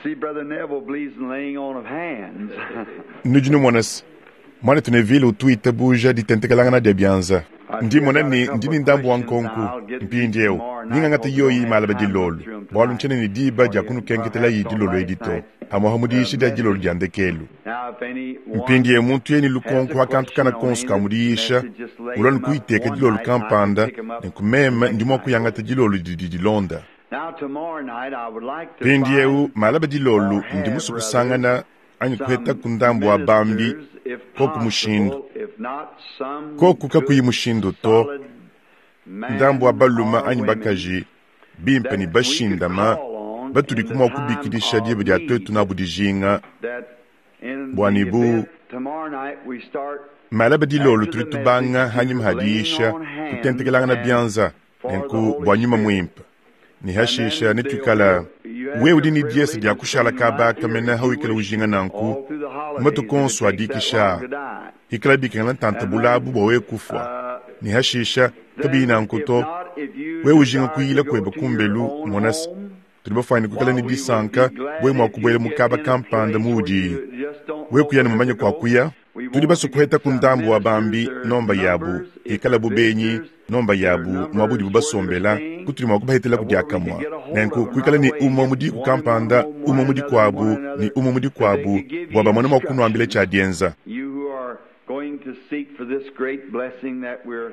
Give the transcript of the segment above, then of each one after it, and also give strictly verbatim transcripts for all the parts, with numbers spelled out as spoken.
See, Brother Neville believes in laying on of hands. Nudi numona se, muanetu Neville utu witabuja ditentekelangana dia bianza. Ndi mmona ne, ndi ne ndambu wa nkonku mpindieu. Ningangata yoyi malaba dilolo, bualu ntshiena ne diba dia kunukenketelayi dilolo edi to, pamuapa mu diyisha dia dilolo dia ndekelu. Mpindieu muntu yeye ne lukonko pa kantu kana konso ka mu diyisha, ulua ne kuyiteka dilolo kampanda, nenku meme ndi mua kuyangata dilolo didi dilonda. Mpindieu malaba dilolo ndi musue kusangana anyi kuhetaku ndambu wa bambi, koku mushindu. Koku kakuyi mushindu to, ndambu wa balume anyi bakaji bimpe ne bashindama batudiku mua kubikidisha diba dia tuetu nabu dijinga bua ne bu malaba dilolo tudi tubanga hanyima ha diyisha kutentekelangana bianza nenku bua nyuma muimpe. Ne hashisha netuikala wewe udi ne diese dia kushala kaba kamena hawikala ujinga nanku matuku onso adikisha ikala bikengela ntanta bulabu bua wewe kufua. Ne hashisha kabiyi nanku to, wewe ujinga kuyila kueba kumbelu monase tudi bafwane kuikala ne disanka wewe mua kubuela mu kaba kampanda muudi wewe kuya ne mumanye kua kuya. Tudi basue kuheta ku ndambu wa bambi nomba yabu ikala bu benyi nomba yabu muabu udibu basombela kutudi mua kubahetela ku diakamua. Nenku kuikala ne umue mu diku kampanda, umue mu dikuabu ne umue mu dikuabu bua bamone mua kunuambila tshia dienza.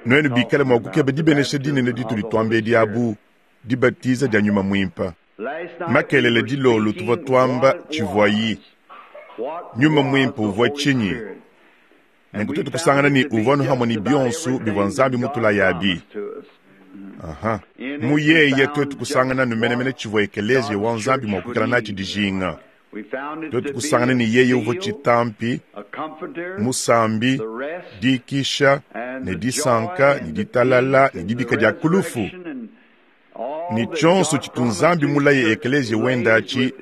Nuenu bikale mua kukeba dibenesha dinene ditudi tuamba edi abu, dibatiza dia nyuma muimpe. Makelele dilolo tuvua tuamba tshivuayi. Nyuma muimpe uvua tshinyi? Nenku tuetu kusangana ne uvua anu hamwe ne bionso bivua Nzambi mutulayabi. Aha. Mu yeye tuetu kusangana numenemene tshivua ekeleziya wa Nzambi mua kuikala natshi dijinga. Tuetu kusangana ne yeye uvua tshitampi, musambi, dikisha, ne disanka, ne ditalala, ne dibika dia kulufu. Ne tshionso tshitu Nzambi mulaye ekeleziya wenda atshi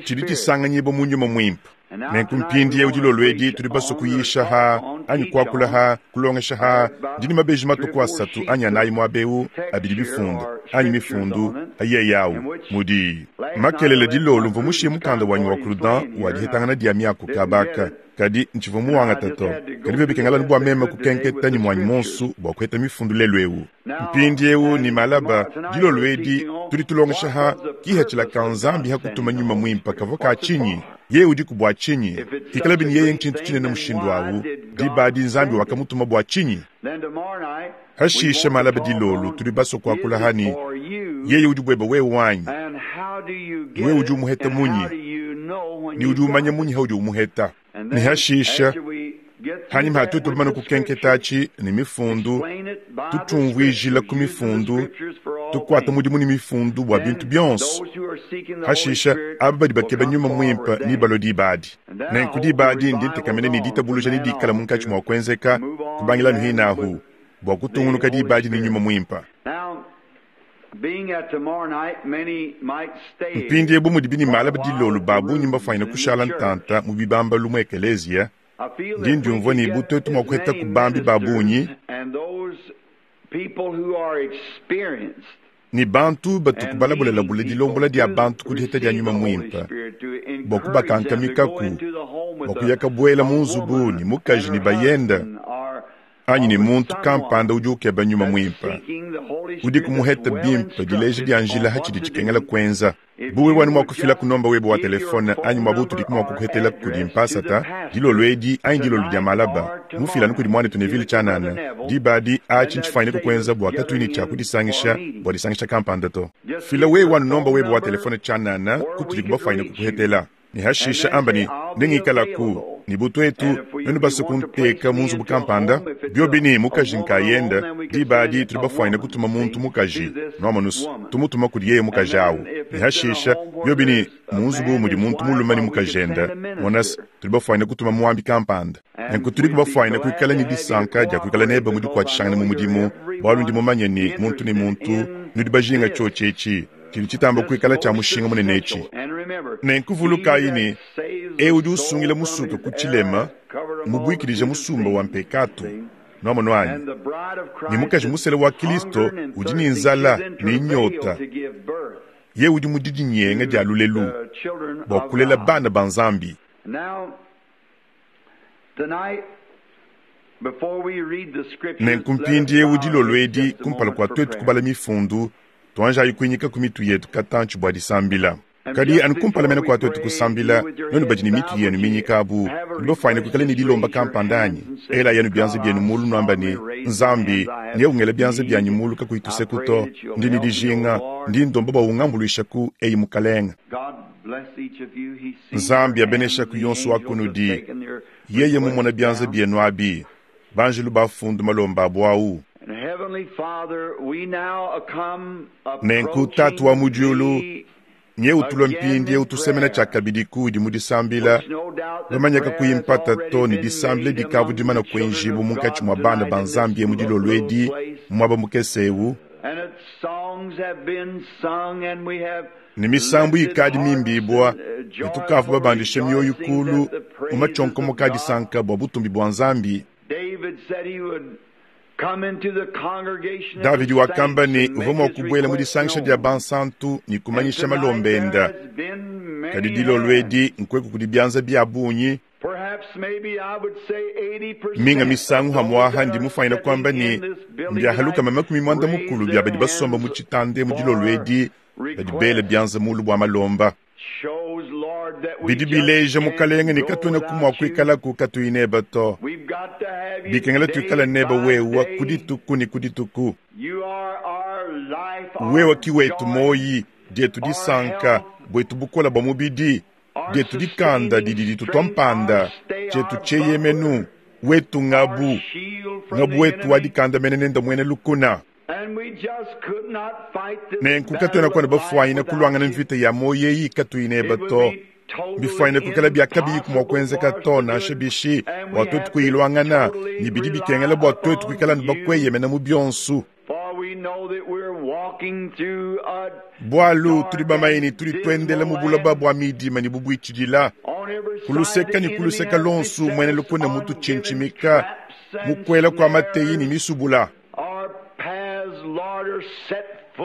tshidi tshisanganyibua mu nyuma muimpe. Nenku mpindieu dilolo edi tudi basue kuyisha ha anyi kuakula ha kulongesha ha ndi ne mabeji matuku asatu anyi anayi muaba eu abidi bifunda anyi mifundu ayeyi awu mudi makelele dilolo mvua mushiye mukanda wanyi wa Crudent wa dihetangana dia miaku kabaka kadi ntshivua muwangata to kadi bio bikengela bua meme kukenketa ne muanyi monso bua kuheta mifundu lelu eu. Mpindieu ne malaba dilolo edi tudi tulongesha ha kihatshila ka Nzambi ha kutuma nyuma muimpe kavua ka tshinyi. Yeye udiku bua tshinyi? Ikala bini yeye ntshintu tshinene mushindu awu, diba adi Nzambi wakamutuma bua tshinyi? Hashisha malaba dilolo tudi basue kuakula hani yeye udi bueba wewe wanyi, wewe udi umuheta munyi, ne udi umanya munyi haudi umuheta. Ne hashisha hanyima hatutu bamane kukenketa atshi ne mifundu, tutumvuijila ku mifundu, tukuata mudimu ne mifundu bua bintu bionso. Hashisha aba badi bakeba nyuma muimpe ne balua diba adi. Nenku diba adi ndi ntekamena ne ditabuluja ne dikala munkatshi mua kuenzeka kubangila anu hinahu bua kutungunuka diba adi ne nyuma muimpe. Mpindieu bu mudi bini malaba dilolo ba bungi mbafwanyine kushala ntanta mu bibambalu mu ekeleziya, ndi ndiumvua ne bu tuetu mua kuheta ku bambi ba bungi ne bantu batuku balabulalabula dilombola dia bantu ku diheta dia nyuma muimpe bua kubakankamikaku bua kuya kabuela mu nzubu ne mukaji ne bayenda anyi ne muntu kampanda udi ukeba nyuma muimpe udi kumuheta bimpe dileja dia njila hatshidi tshikengela kuenza. Bu wewe wanu mua kufila ku nomba webe wa telefone anyi muabu utudiku mua kukuhetela kudi mpasata dilolo edi anyi dilolo dia malaba mufila anu kudi muanetu Neville tshianana diba adi atshi ntshifanyine kukuenza bua katuyi ne tshia kudisangisha bua disangisha kampanda to. Fila wewe wanu nomba webe wa telefone tshianana kutudiku bafanyine kukuhetela. Ne hashisha amba ne nengikalaku ne butu etu nenu basue kunteka mu nzubu kampanda biobi ne mukaji nkayenda diba adi tudi bafwanyine kutuma muntu mukaji nuamonusu tumutuma kudi yeye mukaji awu. Ne hashisha biobi ne mu nzubu mudi muntu mulume ne mukajenda monasi tudi bafwanyine kutuma muambi kampanda. Nenku tudi bafwanyine kuikala ne disanka dia kuikala nebe mu dikuatshishangana mu mudimu bualu ndi mumanye ne muntu ne muntu nudi bajinga tshiotshi etshi tshidi tshitamba kuikala tshia mushinga munene etshi. Nenku vulukayi ne eu udi usungila musuke ku tshilema mubuikidije musumba wa mpekatu nuamono anyi ne mukaji musele wa Kristo udi ne nzala ne nyota Ye udi mu didinyenga dia lulelu bua kulela bana ba Nzambi. Nenku mpindieu dilolo edi kumpala kua tuetu kubala mifundu, tuanjayi kuinyika ku mitu yetu katantshi bua disambila. Kadi anu kumpala mene kua tuetu kusambila, nuenu badi ne mitu yenu minyika abu, nudi bafuane kuikala ne dilomba kampanda anyi? Ela yenu bianza bienu mulu nuamba ne, Nzambi, neungela bianza bianyi mulu kakuyi tuseku to, ndi ne dijinga, ndi ndomba bua ungambuluishaku eyi Mukalenga. Nzambi abeneshaku yonso wa kunudi, yeye mumona bianza bienu abi, banjelu bafundu malomba abu au. Nenku Tatu wa mu diulu, nye utulwa mpindieu tusemena tshiakabidi kudi mu disambila, bamanyaka kuyi mpata to ne disambila dikavu dimana kuenjibu munkatshi mua bana ba Nzambi mu dilolo edi muaba mukese eu. Ne misambu ikadi mimbibua, ne tukavu babandisha mioyo kulu mu matshionkomoka a disanka bua butumbi bua Nzambi. Davidi wakamba ne uvua mua kubuela mu disangisha dia bansantu ne kumanyisha malomba enda. Kadi dilolo edi nkueku kudi bianza bia bungi. Minga misangu hamwaha ndi mufanyina kuamba ne mbiahaluka makumi muanda mukulu bia badi basomba mu tshitande mu dilolo edi badi bela bianza mulu bua malomba. Bidi bileja Mukalenga ne katuena kumua kuikalaku katuyi neba to. Bikengela tuikala neba wewa ku dituku ne ku dituku. Wewa ki wetu moyi, dietu disanka, bwetu bukola bua mubidi, dietu dikanda didi ditutua mpanda, tshietu tsheyemenu, wetu ngabu, ngabu wetu wa dikanda mene nenda muena lukuna. Nenku katuena kuana bafuanyina kulwangana mvita ya moyo eyi katuyi neba to. Bifuanyina kuikala bia kabiyi kumua kuenzeka to nansha bishi bua tuetu kuyilwangana, ne bidi bikengela bua tuetu kuikala ne bakweyemena mu bionsu. Bwalu tudi bamanye ne tudi tuendela mu buloba bua midima ne bubuitshidila. Kuluseka ne kuluseka lonsu muena lukuna mutu tshinchimika, mukwela kua mateyi ne misubula.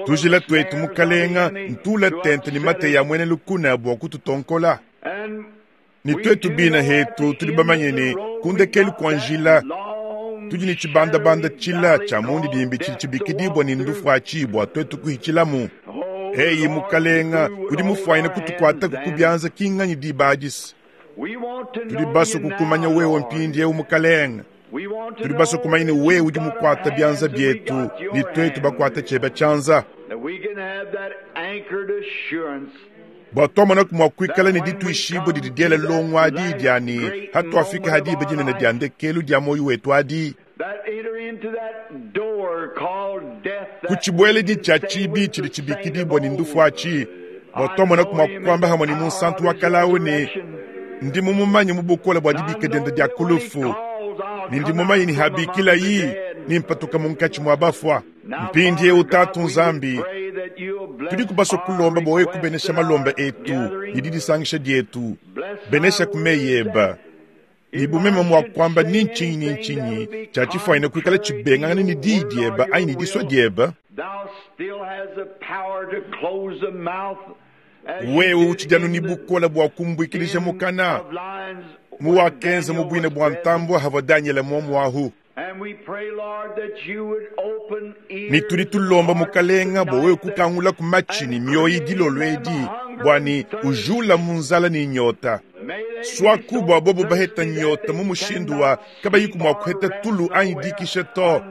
Tujila twetu mukalenga ntula tente ne mateyi a muena lukuna bua kututonkola. Ne twetu bina hetu tudi bamanye ne kundekelu kua njila tudi ne tshibandabanda tshila tshia mundidimbi tshidi tshibikidibwa ne ndufuatshi bua twetu kuhitshilamu. Eyi mukalenga udi mufuanyina kutukuataku ku bianza kinganyi diba adisi. Tudi basue kukumanya wewe mpindieu mukalenga. Tudi basue kumanya ne wewe udi mukuata bianza bietu ne twetu bakuata tshieba tshianza. Bua tuamonaku mua kuikala ne dituishibua didi diela longo adi dia ne hatuafika hadiba dinene dia ndekelu dia moyo wetu adi. Ku tshibueledi tshia tshibi tshidi tshibikidibua ne ndufuatshi, bua tuamonaku mua kuamba hamwe ne munsantu wa kalawu ne ndi mumumanye mu bukola bua dibika dienda dia kulufu, ne ndi mumanye ne habikilayi ne mpatuka munkatshi mua bafua. Mpindieu Tatu Nzambi, tudi kubasua kulomba bua wewe kubenesha malomba etu ne didisangisha dietu, benesha ku meyi eba. Ne bumema mua kuamba ni ntshinyi ni ntshinyi tshia tshifuanyina kuikala tshibengangana ne diyi dieba anyi ne disua dieba. Wewe utshidi anu ne bukola bua kumbuikilija mukana mu wakenza mu buina bua ntambua havua Daniele muomuahu. Ne tudi tulomba mukalenga bua wewe kukangula ku matshi ne mioyo dilolo edi bua ne ujula mu nzala ne nyota. Swaku bua bobo baheta nyota mu mushindu wa kabayiku mua kuheta tulu anyi dikisha to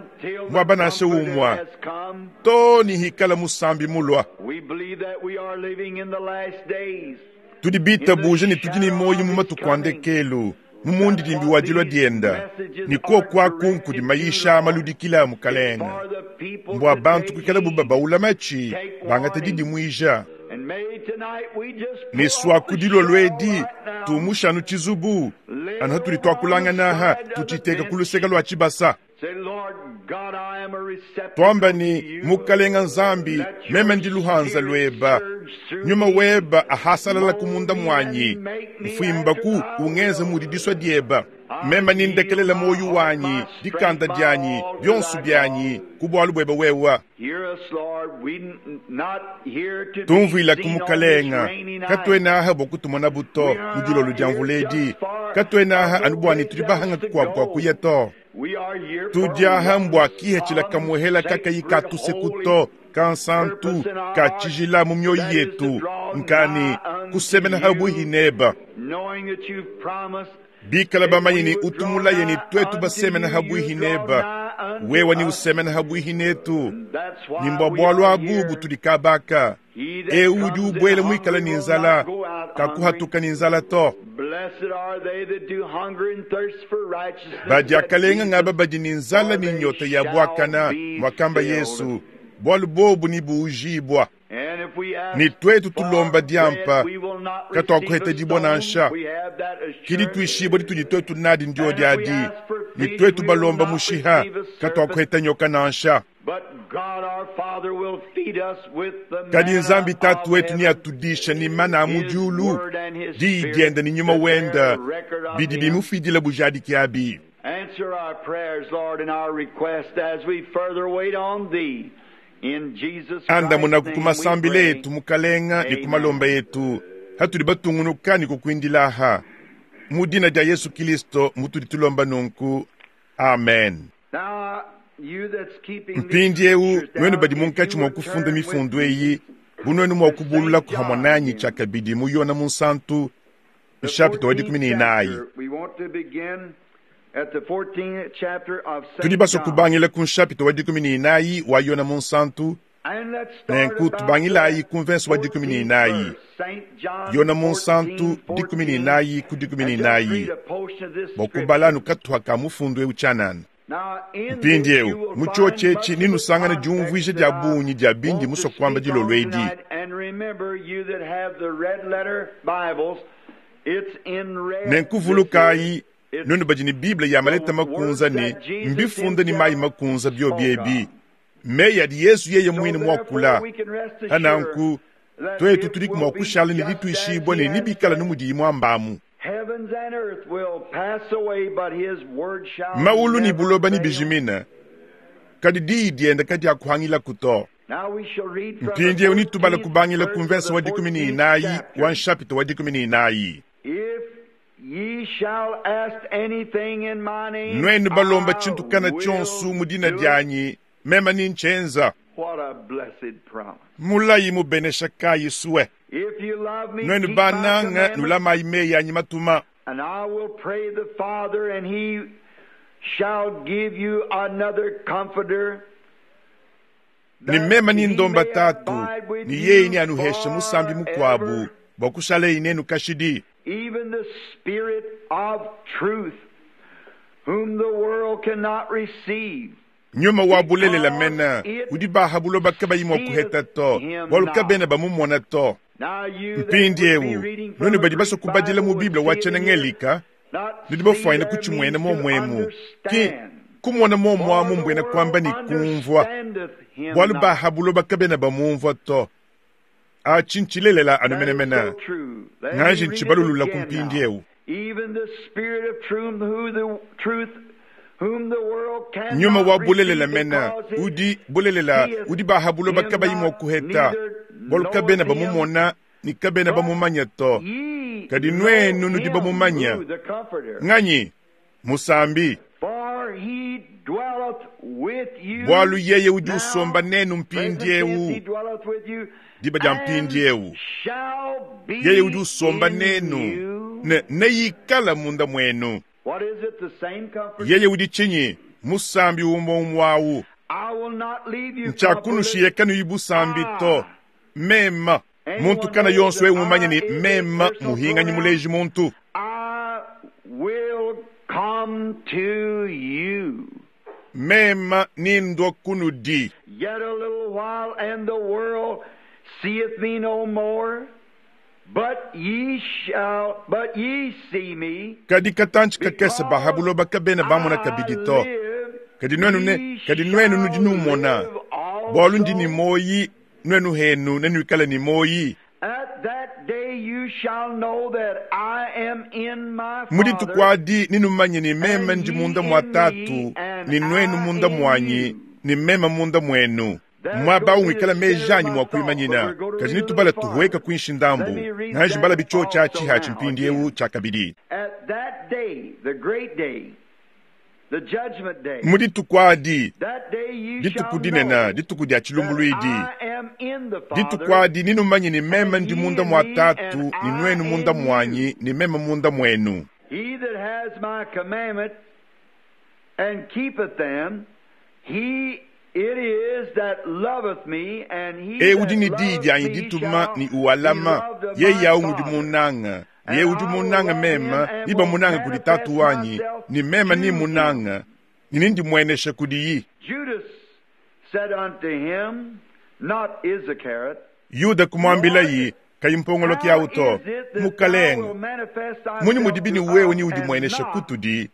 muaba nansha umua to ne hikala musambi mulua. Tudi bitabuja ne tudi ne moyo mu matuku a ndekelu mu mundidimbi wa dilua dienda ne kuokuaku nkudi mayisha maludikila a mukalenga mbua bantu kuikala bu babaula matshi bangata didimuija. Ne swaku dilolo edi tumushanu tshizubu anu hatudi tuakulanganaha tutshiteka ku luseka lua tshibasa. Twamba ni mukalenga Nzambi meme ndi luhanza lweba nyuma weba ahasalala kumunda mwanyi mfuimbaku ungenza mudi disua dieba. Mema nindekelela moyo wanyi, dikanda dyanyi, byonso byanyi, ku bwalu bwebe wewa. Tumvwila kumukalenga, katwenaha bwa kutumona buto, mu dilolo dya mvuledi. Katwenaha anu bwani tudi bahanga kwa kwa kuya to. Tudyaha mbwa kihechila kamuhela kakayi katusekuto, kansantu, kachijila mu myoyo yetu, nkani kusemena habuhi neba. Bikala bamanyi ni utumulaye ni twetu basemena habuhi neba, wewa ni usemena habuhi netu. Ni mbwa bwalwa abubu tulikabaka. Eu udi ubwele mwikala ni nzala, kakuhatuka ni nzala to. Badiakalenga ngaba badi ni nzala ni nyota ya bwakana, mwakamba Yesu, bwalu bobu ni buujibwa. Ni twetu tulomba diampa, katwakuheta dibwa nansha. Kidi tuishibwa ditudi twetu nadi ndio diadi. Ni twetu balomba mushiha, katwakuheta nyoka nansha. Kadi nzambi tatu wetu ni atudisha ni mana amujulu, di dienda ni nyuma wenda, bidi bimufidila bujadiki abi. Answer our prayers, Lord, and our request as we further wait on thee. In Jesus Anda Christ's munaku name we kumasambile pray. yetu mukalenga ni kumalomba yetu hatuli batungunuka ni kukwindilaha mu dina dia Yesu Kristo mutuli tulomba nunku. Amen. Now, you that's keeping these Mpindi eu scriptures nwenu down, badi if munkatshi you mwa would kufunda turn with mifundu me eyi bunwenu mwa kubulula kuhamwananyi chakabidi mu yona munsantu the nshapita wa dikumi ni fourteenth inayi. chapter. We want to begin at the fourteenth chapter of Saint Tudi baso John. kubangila ku nshapita wa dikumi ni inayi wa yona munsantu And let's start nenku about tubangilayi the ku mvenso wa dikumi ni fourteenth inayi. verse. Saint John Yona munsantu fourteen, dikumi ni inayi ku dikumi ni And just inayi. read a portion of this Bwa scripture. kubalanu katuha ka mufundu eu chanana. Now, in Mpindi this you eu will mu chio find chechi much of the ninusangana context diumvuija that dia I bunyi dia bindi want to muso kwamba speak on dilolo edi. tonight. And remember, you that have the red letter Bibles, it's in red. Nenkuvulukayi It's nwenu badi ni Biblia ya maleta makunza ni mbifunda ni mayi makunza byobyebi. Meyi adi Yesu yeye So mwine therefore mwakula. we can rest assured Hananku that twetu it tuli will kumwa be kushala ni just as lituishibwa he ni has nibikala said. numudi imwambamu. Heavens and earth will pass away, but his word shall Maulu ni never buloba ni fail. bijimina. Kadi diyi dienda kadi akuhangila kuto. Now we shall read from the Mpindi eu nitubala fourteenth kubangila verse of kumvenso the wa dikumi ni fourteenth inayi chapter. wa nshapito wa dikumi ni inayi. If ye shall ask anything in my name, Nwenu balomba I chintu kana will chonsu mu dina do it. dyanyi mema ni nchenza. What a blessed promise. Mulayi mubenesha kayi suwe. If you love me, Nwenu keep my bananga commandments, nulamayi meyi anyi matuma. and I will pray the Father, and he shall give you another comforter, Ni that mema ni he ndomba may tatu abide with ni yeyi you ni anuhesha musambi mukwabu forever, bwa kushala inenu kashidi. even the Spirit of truth, whom the world cannot receive, Nyuma wa bulelela mena because it udi baha buloba kabayi mwa kuheta seeth to him bwalu not. kabena bamumona to. Now you that Mpindi would be eu reading from nwenu a badi baso Greek kubadila Bible mu would Biblia wa see it in here. chenengelika Not nudi see bafwaina there kuchimwena means to momwemu ki understand. kumona momwamu For the mbwena world kwamba ni kumvwa understandeth him bwalu not. baha buloba kabena bamumvwa to. Achi nchilelela That is anumenemena so true. Let me ngaji read it nchibalulula again kumpindi now. eu. Even the Spirit of truth, who the truth, whom the world Nyuma cannot wa bulelela receive mena because it udi bulelela seeth udi baha buloba him kabayi mwa not, kuheta neither bwalu knoweth kabena him. bamumona ni kabena But bamumanya to. ye Kadi know nwenu nudi him, bamumanya. who the Comforter. Nganyi musambi For he dwelleth with you bwalu yeye udi now, usomba nenu present mpindi tense, he eu dwelleth with you, diba dia and mpindi eu shall yeye udi be usomba in nenu you. ne neyikala munda mwenu. What is it? The same comforter? Yeye udi chinyi musambi umwe umwawu I will not leave you comfortless. nchakunushiye kanu busambi to Ah, mema muntu anyone kana knows yonso that eu mumanye I ni is a mema personal muhinganyi pronoun. muleji muntu. I will come to you. Mema nindwa kunudi. Yet a little while, and the world seeth me no more. But ye shall, but ye see me, Kadi katanchi kakese because bahabuloba kabena bamona I kabidi to. live, Kadi nwenu ne ye kadi nwenu nudi shall numona. live Bwalu ndi ni also. moyi nwenu henu nenuikala ni moyi. Mu dituku adi ninumanye ne meme ndi munda mua Tatu, ne nuenu munda muanyi, ne meme munda muenu. Mwaba wikala meji anyi mua kuimanyina, kadi nitubala tuhueka kuinshi ndambu. Nganji mbala bicho cha chiha chimpindiewu cha kabidi. Mu dituku adi, dituku dinene, dituku dia chilumbuluidi, dituku adi ninumanye ne meme ndi munda mua Tatu, ne nuenu munda muanyi, ne meme munda muenu. He that has my commandment and keepeth them, he it is that loveth me, and he E udi ne diyi dianyi dituma ni uwalama, yeye awu ngudi munanga. Ye udi munanga mema, niba munanga kudi Tatu wanyi, ni mema ni munanga, ni nindi mwenesha kudiyi. Judas said unto him, not Iscariot, Yuda kumwambila yi, kayimpongolo kyawu to, mukalenga, munyi mudibini wewe ni udi mwenesha kutudi,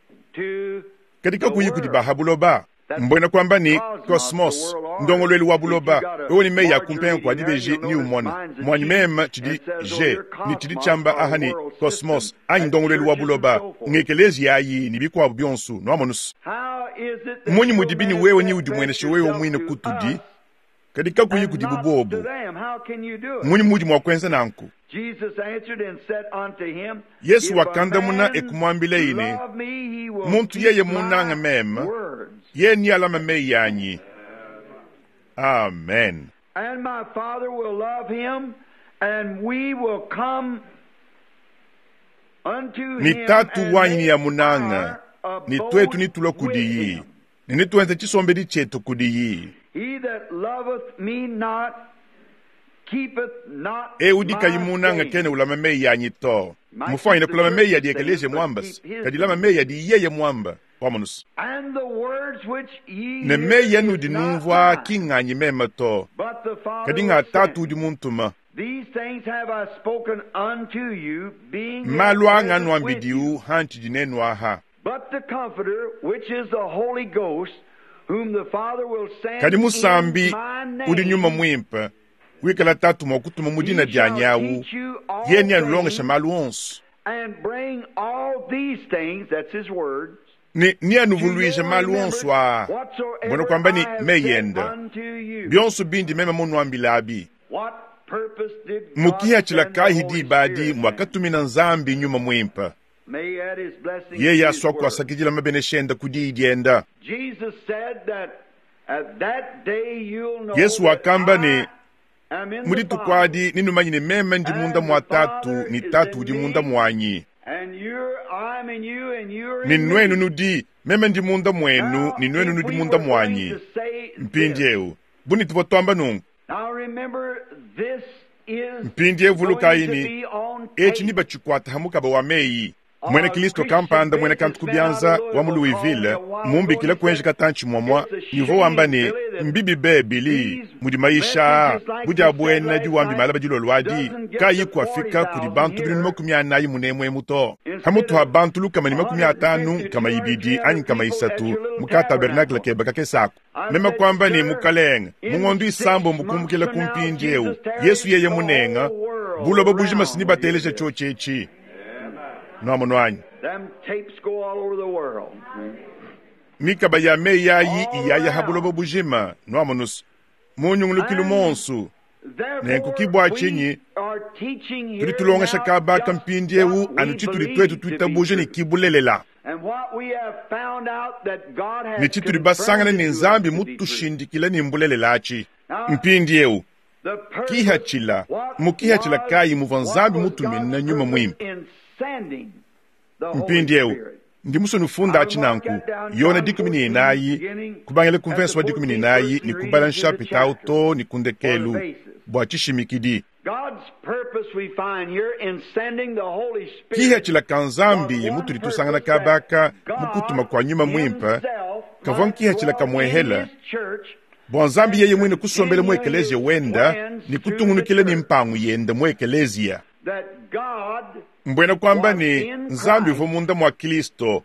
katika kuyi kudi bahabuloba. Mbona kwamba ni cosmos, ndongolwelu wa buloba, wewe ni meya kumpenga kwa dibeji ni umona. Mwanyi mema chidi G, ni chidi chamba aha ni cosmos, anyi ndongolwelu wa buloba, ngekelezi yayi ni bikwabu byonsu, nwamonus. Munyi mudibini wewe ni udi mwenesha wewe mwine kutudi, katika kuyi kudi bubobu. Munyi mudi mwa kwenza nanku. Yesu wakandamuna ekumwambile ine, muntu yeye munanga mema, ye ni alama meyi yanyi. Amen. And my Father will love him, and we will come unto him. Ni tatu wanyi ni ya munanga, ni twetu ni tulwa kudiyi, ni nituenze chisombedi chetu kudiyi. He that loveth me not keepeth not E udi kayimunanga kene ulama meyi yanyi to. Mufanyine kulama meyi yadi ekeleje mwambas, kadilama meyi yadi yeye mwamba. Wamonus. Ne meyi yanu di numvwa kinganyi mema to, kadi nga Tatu udi muntuma. Malu anga nwambidiu hanchi dinenu aha. Kadi musambi udi nyuma mwimpe, wikala Tatu mwa kutuma mudina dya nyawu, ye ni anulongesha malu onso. Ni ni anuvuluisha malu onso a mbona kwamba ni meyenda byonso bindi meme munwambila abi. Mukihachila kahi dibadi mwakatumina Nzambi nyuma mwimpa, yeye aswa kuasakidila mabeneshenda kudi idienda. Yesu wakamba ne mudituku adi ninumanye ne meme ndi munda mua Tatu, ni Tatu udi munda muanyi. Ni nwenu nudi meme ndi munda mwenu, ni nwenu nudi munda mwanyi. Mpindiewu buni tuvo twamba nungu. Mpindiewu vulukayi echi ni bachikwata hamukaba wa meyi. Mwene Kristo kampanda mwene kantu kubyanza wa mu Louisville mumbikila kwenje katanchi mwamwa nivo wamba ne mbibi be bili mudi maisha budi abwena diwambi malaba dilolwadi kayi kuafika kudi bantu binunu makumi anayi munemwe muto hamutu ha bantu lukama ni makumi atanu kama ibidi anyi kama isatu muka tabernacle keba kakesako mema kwamba ni mukalenga mungondo isambo mukumbukila kumpindiewu Yesu yeye munenga buloba bujima sinibateleja chochechi. Nwamonwanyi. Mikaba ya meyi yayi iyaya habuloba bujima nwamonus munyungulukilu monsu nenkukibwa chinyi tuli tulongesha kabaka mpindiewu anu chituli twetu tuitabuje ni kibulelela ni chituli basangane ni Nzambi mutushindikile ni mbulelelachi mpindiewu kihachila mukihachila kayi muva Nzambi mutumina nyuma mwimpe. Mpindiewu ndi musunufunda achinanku yona dikumi ni inayi kubangele kumvenso wa dikumi ni inayi ni kubala nshapita auto ni kundekelu bwa chishimikidi. Kihachila ka Nzambi mutuli tusangana kabaka mukutuma kwa nyuma mwimpe kavwa nkihachila kamwehela bwa Nzambi yeye mwine kusombele mu ekelezia wenda ni kutungunukile ni mpangu yenda mu ekelezia. Mbwena kwamba ni Nzambi uvo munda mwa Kristo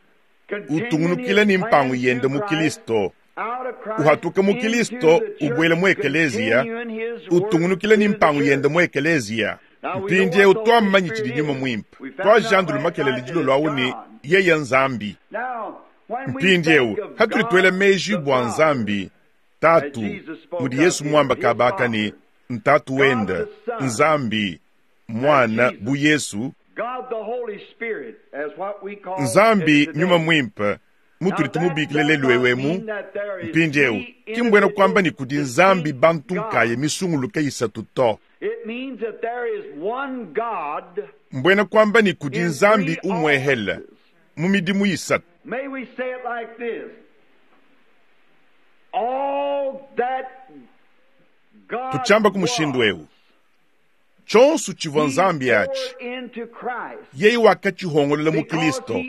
utungunukile ni mpangu yenda mu Kristo uhatuka mu Kristo ubwele mu ekelezia utungunukile ni mpangu yenda mu ekelezia. Mpindieu twamanyi tshidi Nyuma Muimpe. Twajandulu makelele dilolo awu ne yeye Nzambi. Mpindieu hatudi tuela meji bua Nzambi Tatu, mudi Yesu muamba kabaka ne Ntatu wenda Nzambi Mwana bu Yesu, Nzambi Nyuma Muimpe mutudi tumubikila lelu ewemu. Mpindieu ki mbuena kuamba ne kudi Nzambi bantu nkaye misunguluke isatu to. Mbuena kuamba ne kudi Nzambi umwehele mu midimu isatu. Tutshiamba ku mushindu eu, tshionso tshivua Nzambi atshi yeye wakatshihongolola mu Kristo,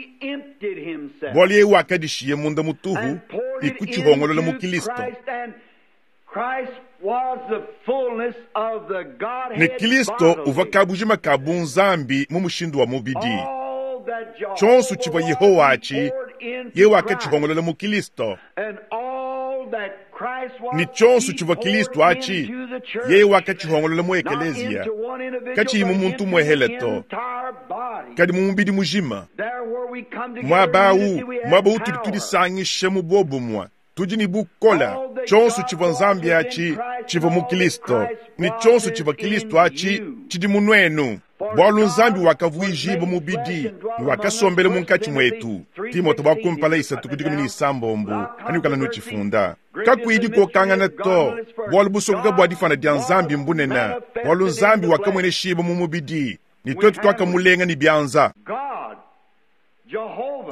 bualu yeye wakadishiye munda mutuhu ne kutshihongolola mu Kristo. Ne Kristo uvua kabujima ka bunzambi mu mushindu wa mubidi. Tshionso tshivua Yehowa atshi yeye wakatshihongolola mu Kristo. Ne tshionso tshivua Kristo atshi yeye wakatshihongolola mu ekeleziya, katshiyi mu muntu muehele to, kadi mu mubidi mujima. Muaba awu, muaba utudi tudisangisha mu bobumue, tudi ne bukola. Tshionso tshivua Nzambi atshi tshivua mu Kristo, ne tshionso tshivua Kristo atshi tshidi mu nuenu. Bualu Nzambi wakavuijibwa mubidi ne wakasombela munkatshi mwetu. Timote wa kumpala isatu ku dikumi ne isambombo anukala nutshifunda. Kakuyi dikokangana to, bualu busokoka bua difana dia Nzambi mbunene, bualu Nzambi wakamueneshibwa mu mubidi, ne twetu twakamulenga ne bianza.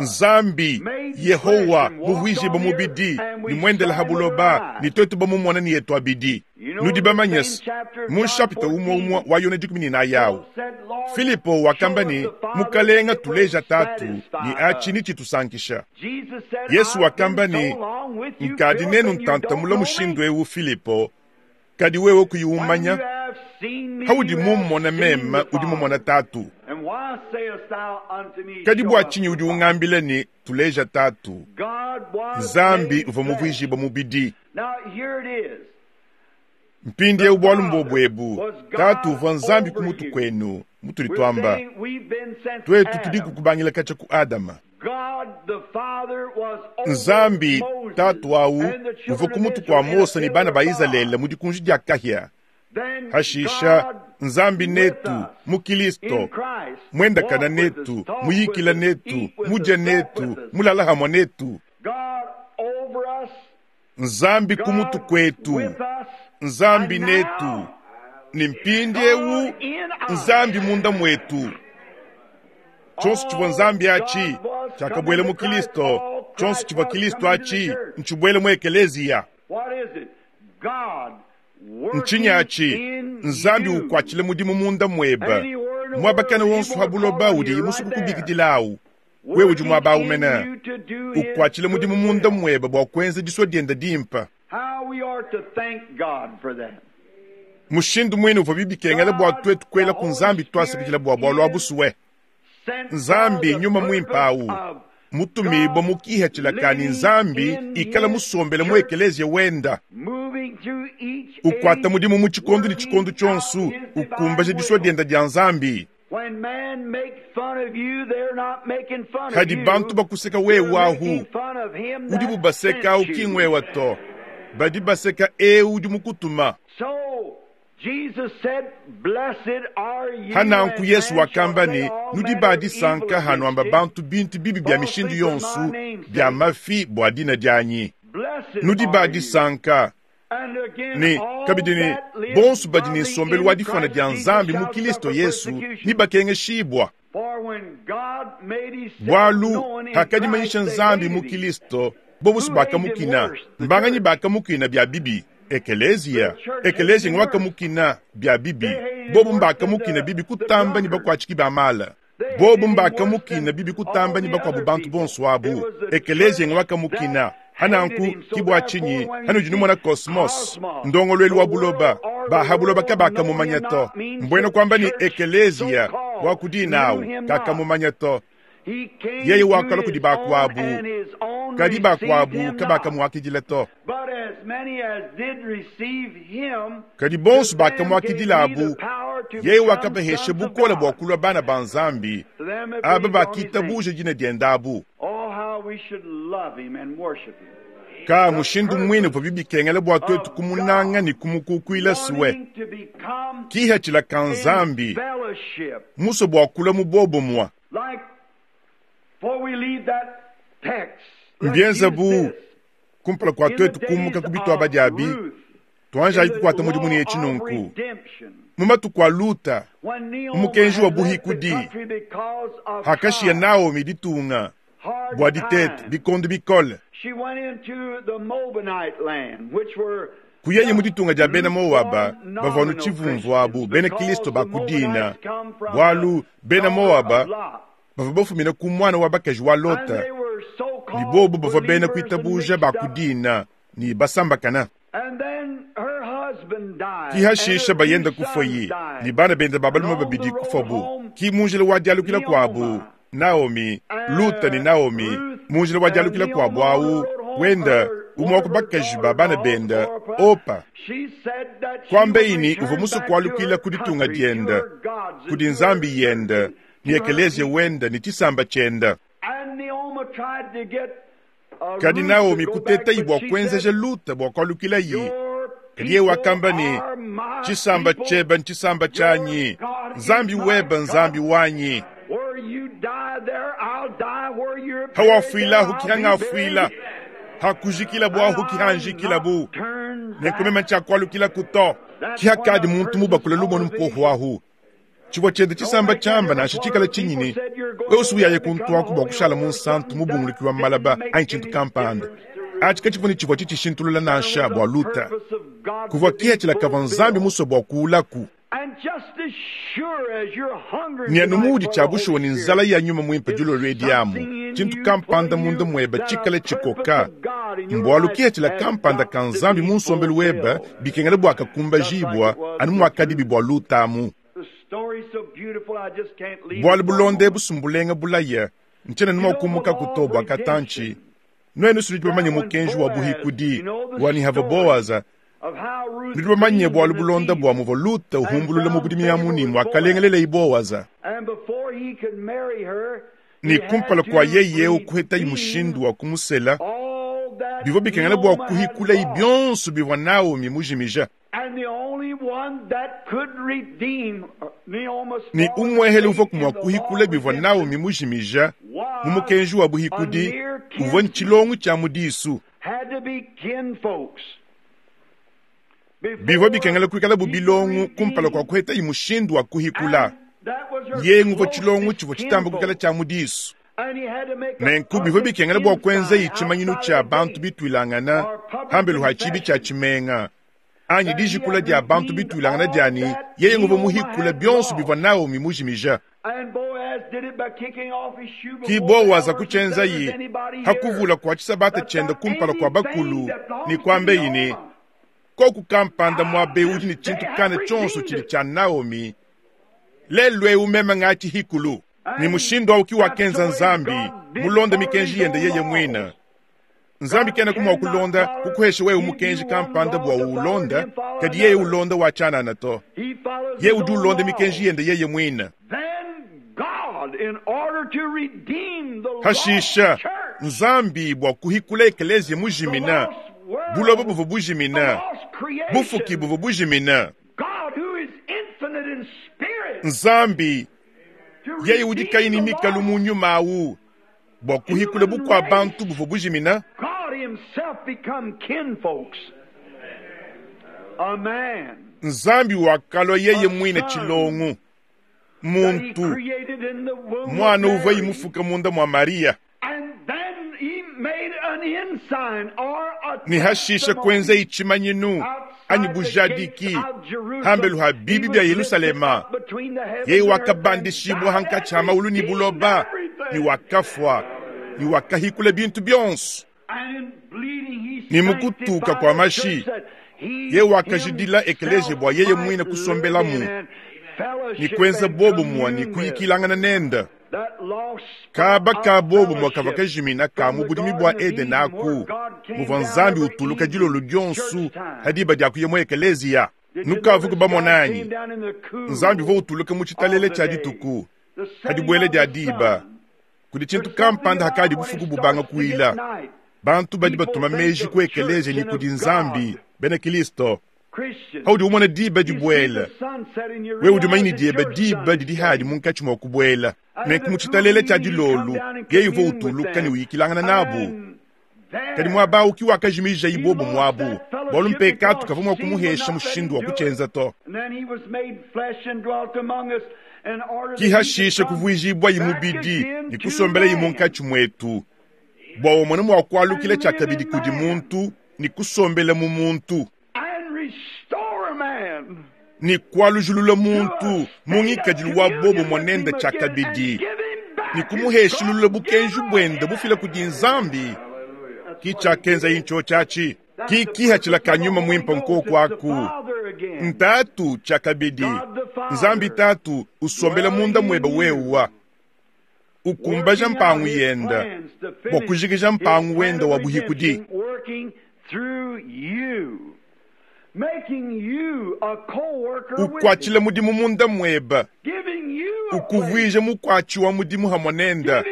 Nzambi Yehowa muvuijibwa mubidi ne mwendela ha buloba, ne twetu bamumona ne yetu abidi. Nudi bamanyese mu chapitre umwe umwe wa Yona dikumi ne inayi awu, Filipo wakamba ne mukalenga tuleja tatu ne atshi ni tshitusankisha. Yesu wakamba ne nkadi nenu ntantamula mushindu ewu Filipo, kadi wewe kuyiumanya haudi mummona meme udi mumona tatu. Kadi bua tshinyi udi ungambila ne tuleja tatu? Nzambi uvua muvuijibwa mubidi. Mpindieu bualu mbobwebu, tatu uvua Nzambi ku mutu kwenu, mutudi twamba twetu tudi kukubangila katshia ku Adama. Nzambi tatu awu uvua ku mutu kwa Mose ne bana ba Izalele mu dikunji dia kahia. Hashisha Nzambi netu mu Kristo, mwendakana netu, muyikila netu, mudya netu, mulala hamwe netu. Nzambi ku mutu kwetu, Nzambi netu, ni mpindieu Nzambi munda mwetu. Tshionso tshivua Nzambi atshi tshiakabwela mu Kristo, tshionso tshivua Kristo atshi ntshibwele mu ekeleziya. Ntshinyi atshi Nzambi ukwatshile mudimu munda mweba, mwabakana wonso ha buloba udi musuku kubikidilawu. Wewe udi mwaba umena ukwatshile mudimu munda mweba bua kuenza disua dienda dimpa. Mushindu mwene uvua bibikengela bua twetu kuela ku Nzambi twasakidila bua bualu abusuwe. Nzambi nyuma mwimpe awu mutumibwa mukiha tshilakani Nzambi ikala musombele mu ekeleziya wenda, ukwata mudimu mu tshikondo ne tshikondo tshionso, ukumbaja disua dienda dia Nzambi. Hadi bantu bakuseka wewe ahu, udi bubaseka ahu ki ngwewa to, badi baseka ewu udi mukutuma. Hananku Yesu wakamba ne nudi badisanka hanuamba bantu bintu bibi bya mishindu yonso bya mafi bua dina dianyi. Nudi badisanka ne kabidi ne bonso badi ne nsombelu wa difana dia Nzambi mu Kristo Yesu ni bakengeshibwa. Bualu hakadimanyisha Nzambi mu Kristo, bobusu bakamukina, mbanganyi bakamukina bya bibi. Ekelezia, ekelezia ngwakamukina bya bibi, bobu mbakamukina bibi kutamba ni bakwatshiki ba mala. Bobu mbakamukina bibi kutamba ni bakwabu bantu bonso abu. Ekelezia ngwakamukina. Hananku kibwa chinyi, hanu junumona kosmos, ndongolwelu wa buloba, ba buloba kabakamumanya to. Mbwena kwamba ni ekelezia wakudinawu kakamumanya to. Yeye wakala kudi bakwabu, kadi bakwabu kabakamuakidila to. Kadi bonso bakamuakidilabu, Yeye wakabahesha bukole bua kulua bana ba Nzambi, aba bakitabuje dina diende. Ka mushindu mwine uvua bikengela bua tuetu kumunanga ne kumukukuila suwe. Kihachila ka Nzambi, musue bua kulua mu bobomwa. Mbienza bu kumpala kua tuetu kumuka ku bituaba diabi, tuanjayi kukuata mudimu ne etshi nunku. Mu matuku a Luta, umukenji wa buhikudi, hakashiya Naomi ditunga bua ditete bikondo bikole. Kuyeye mu ditunga dia bena Moaba bavua nu tshivumvu abu bena Kristo ba kudina, bualu bena Moaba bavua bafumina ku mwana wa bakaji wa Lota, ni bobu bavua bena kuitabuja ba kudina ni basambakana. Kihashisha bayenda kufoyi ni bana benda babalume babidi kufobu. Ki munjila wa dialukila kuabu Naomi, Luta ni Naomi, munjila wa dialukila kuabu awu wenda umwe wa kubakaji ba bana benda Opa. Kwambe ini uvua musue kualukila ku ditunga dienda, kudi Nzambi yenda, ni ekelezia wenda ni tshisamba tshienda. Kadi Naomi kuteta bua kuenzeja Luta bua kualukila yi. Kadi yeye wakamba ni tshisamba tshiebe ntshisamba tshianyi, Nzambi webe Nzambi wanyi. Hawafuila hukihanga hakujikila bua hukihanjikila bu nekumema ntshiakualukila kuto. Kihakadi muntu mubakula lumonu mpohu ahu. Tshivua tshiende tshisamba tshiamba nansha tshikala tshinyini, wewe uyaye kuntu aku bua kushala mu nsantu mubunguluki wa malaba anyi tshintu kampanda. Atshi katshivua ne tshivua tshitshishintulula nansha bua Luta. Kuvua kihachila kavua Nzambi musue bua kuulaku. Nyanu mudi tshia bushuwa ni nzala ya nyuma mwimpe dilolo edi amu, tshintu kampanda munda mwebe tshikala tshikoka. Mbualu kihachila kampanda ka Nzambi mu nsombelu webe bikengela bua kakumbajibwa anu muakadibi bua Luta amu. Bualu bulonde busumbulenga bulaya, ntshiena numa kumuka kuto bua katanchi. Nuenu sudi bamanye mukenji wa buhikudi wa nihava Boaza. Nudi bamanye bualu bulonda bua muvua Luta uhumbulula mu budimi amu ni muakalengelela Boaza. Ni kumpala kua yeye ukuheta mushindu wa kumusela, bivua bikengela bua kuhikula bionso bivua Naomi mujimija. Ni umwehele uvua kumua kuhikula bivua Naomi mujimija mu mukenji wa buhikudi uvua ntshilongo tshia mudisu. Bivua bikengela kuikala bu bilongo kumpala kua kuheta mushindu wa kuhikula. Yengu uvua tshilongo tshivua tshitamba kuikala tshia mudisu. Nenku bivua bikengela bua kuenza tshimanyinu tshia bantu bituilangana hambelu ha tshibi tshia tshimenga. Anyi dijikula dia bantu bituilangana diani yeye nguvua muhikula bionso bivua Naomi mujimija. Ki Boaza kutshienza yi hakuvula kua tshisabata tshienda kumpala kua bakulu ni kuambe yini koku kampanda muabe udi ni tshintu kana tshionso tshidi tshia Naomi lelu eu meme ngatshihikulu. Ni mushindu awu ki wakenza Nzambi mulonde mikenji yende yeye mwina. Nzambi kena kumwa kulonda kukuhesha wewe mukenji kampanda bua ulonda, kadi yeye ulonda wa chanana to. Ye udi ulonda mikenji yende yeye mwina. Hashisha Nzambi bua kuhikula ekelezia mujimina, buloba buvua bujimina, bufuki buvua bujimina. Nzambi yeye udi kayi mikalu mu nyuma awu bua kuhikula bukua bantu buvua bujimina. Nzambi wakalua yeye mwine tshilongo muntu mwana uvua imufuka munda mwa Maria. Ni hashisha kuenza itshimanyinu anyi bujadiki hambelu ha bibi bya Yerusalema. Yeye wakabandishibwa hankatshi ha maulu ni buloba, ni wakafwa ni wakahikula bintu bionso. Ni mukutuka kwa mashi ye wakajidila ekelezia bua yeye mwine kusombelamu ni kuenza bobo mwa ni kuyikilangana nenda. Kaba ka bobo mwa kava kajimina ka mu budimi bua Eden aku muvua Nzambi utuluka dilolo dionso hadiba dia kuya mu ekelezia. Nukavuku bamona anyi? Nzambi uvua utuluka mu tshitalele tshia dituku, ha dibuela dia diba. Kudi tshintu kampanda hakadi bufuku bubanga kuila. Bantu badi batuma meji ku ekeleziya ne kudi Nzambi, bena Kristo. Haudi umona diba dibuela, wewe udi umanya ne dieba diba didi hadi munkatshi mua kubuela. Nenku mu tshitalele tshia dilolu, yeye uvua utuluka ne uyikilangana nabu. Kadi muaba awu ki wakajimija ibobo muabu, bualu mpekatu kavua mua kumuhesha mushindu wa kutshienza to. Ki hashishe kuvuijibua mubidi ne kusombela munkatshi muetu, bua umone mua kualukila tshiakabidi kudi muntu ne kusombela mu muntu, ne kualujulula muntu mu ngikadilu wa bobo mwanenda tshiakabidi, ne kumuheshilula bukenji buende bufila kudi Nzambi. Ki tshiakenza incho tshiatshi ki kihatshila ka nyuma mwimpe nkoku aku ntatu tshiakabidi. Nzambi tatu usombela munda mwebe wewa, ukumbaja mpangu yenda bua kujikija mpangu wenda wa buhikudi. Ukwatshila mudimu munda mwebe, ukuvuija mukwatshi wa mudimu hamwe nenda,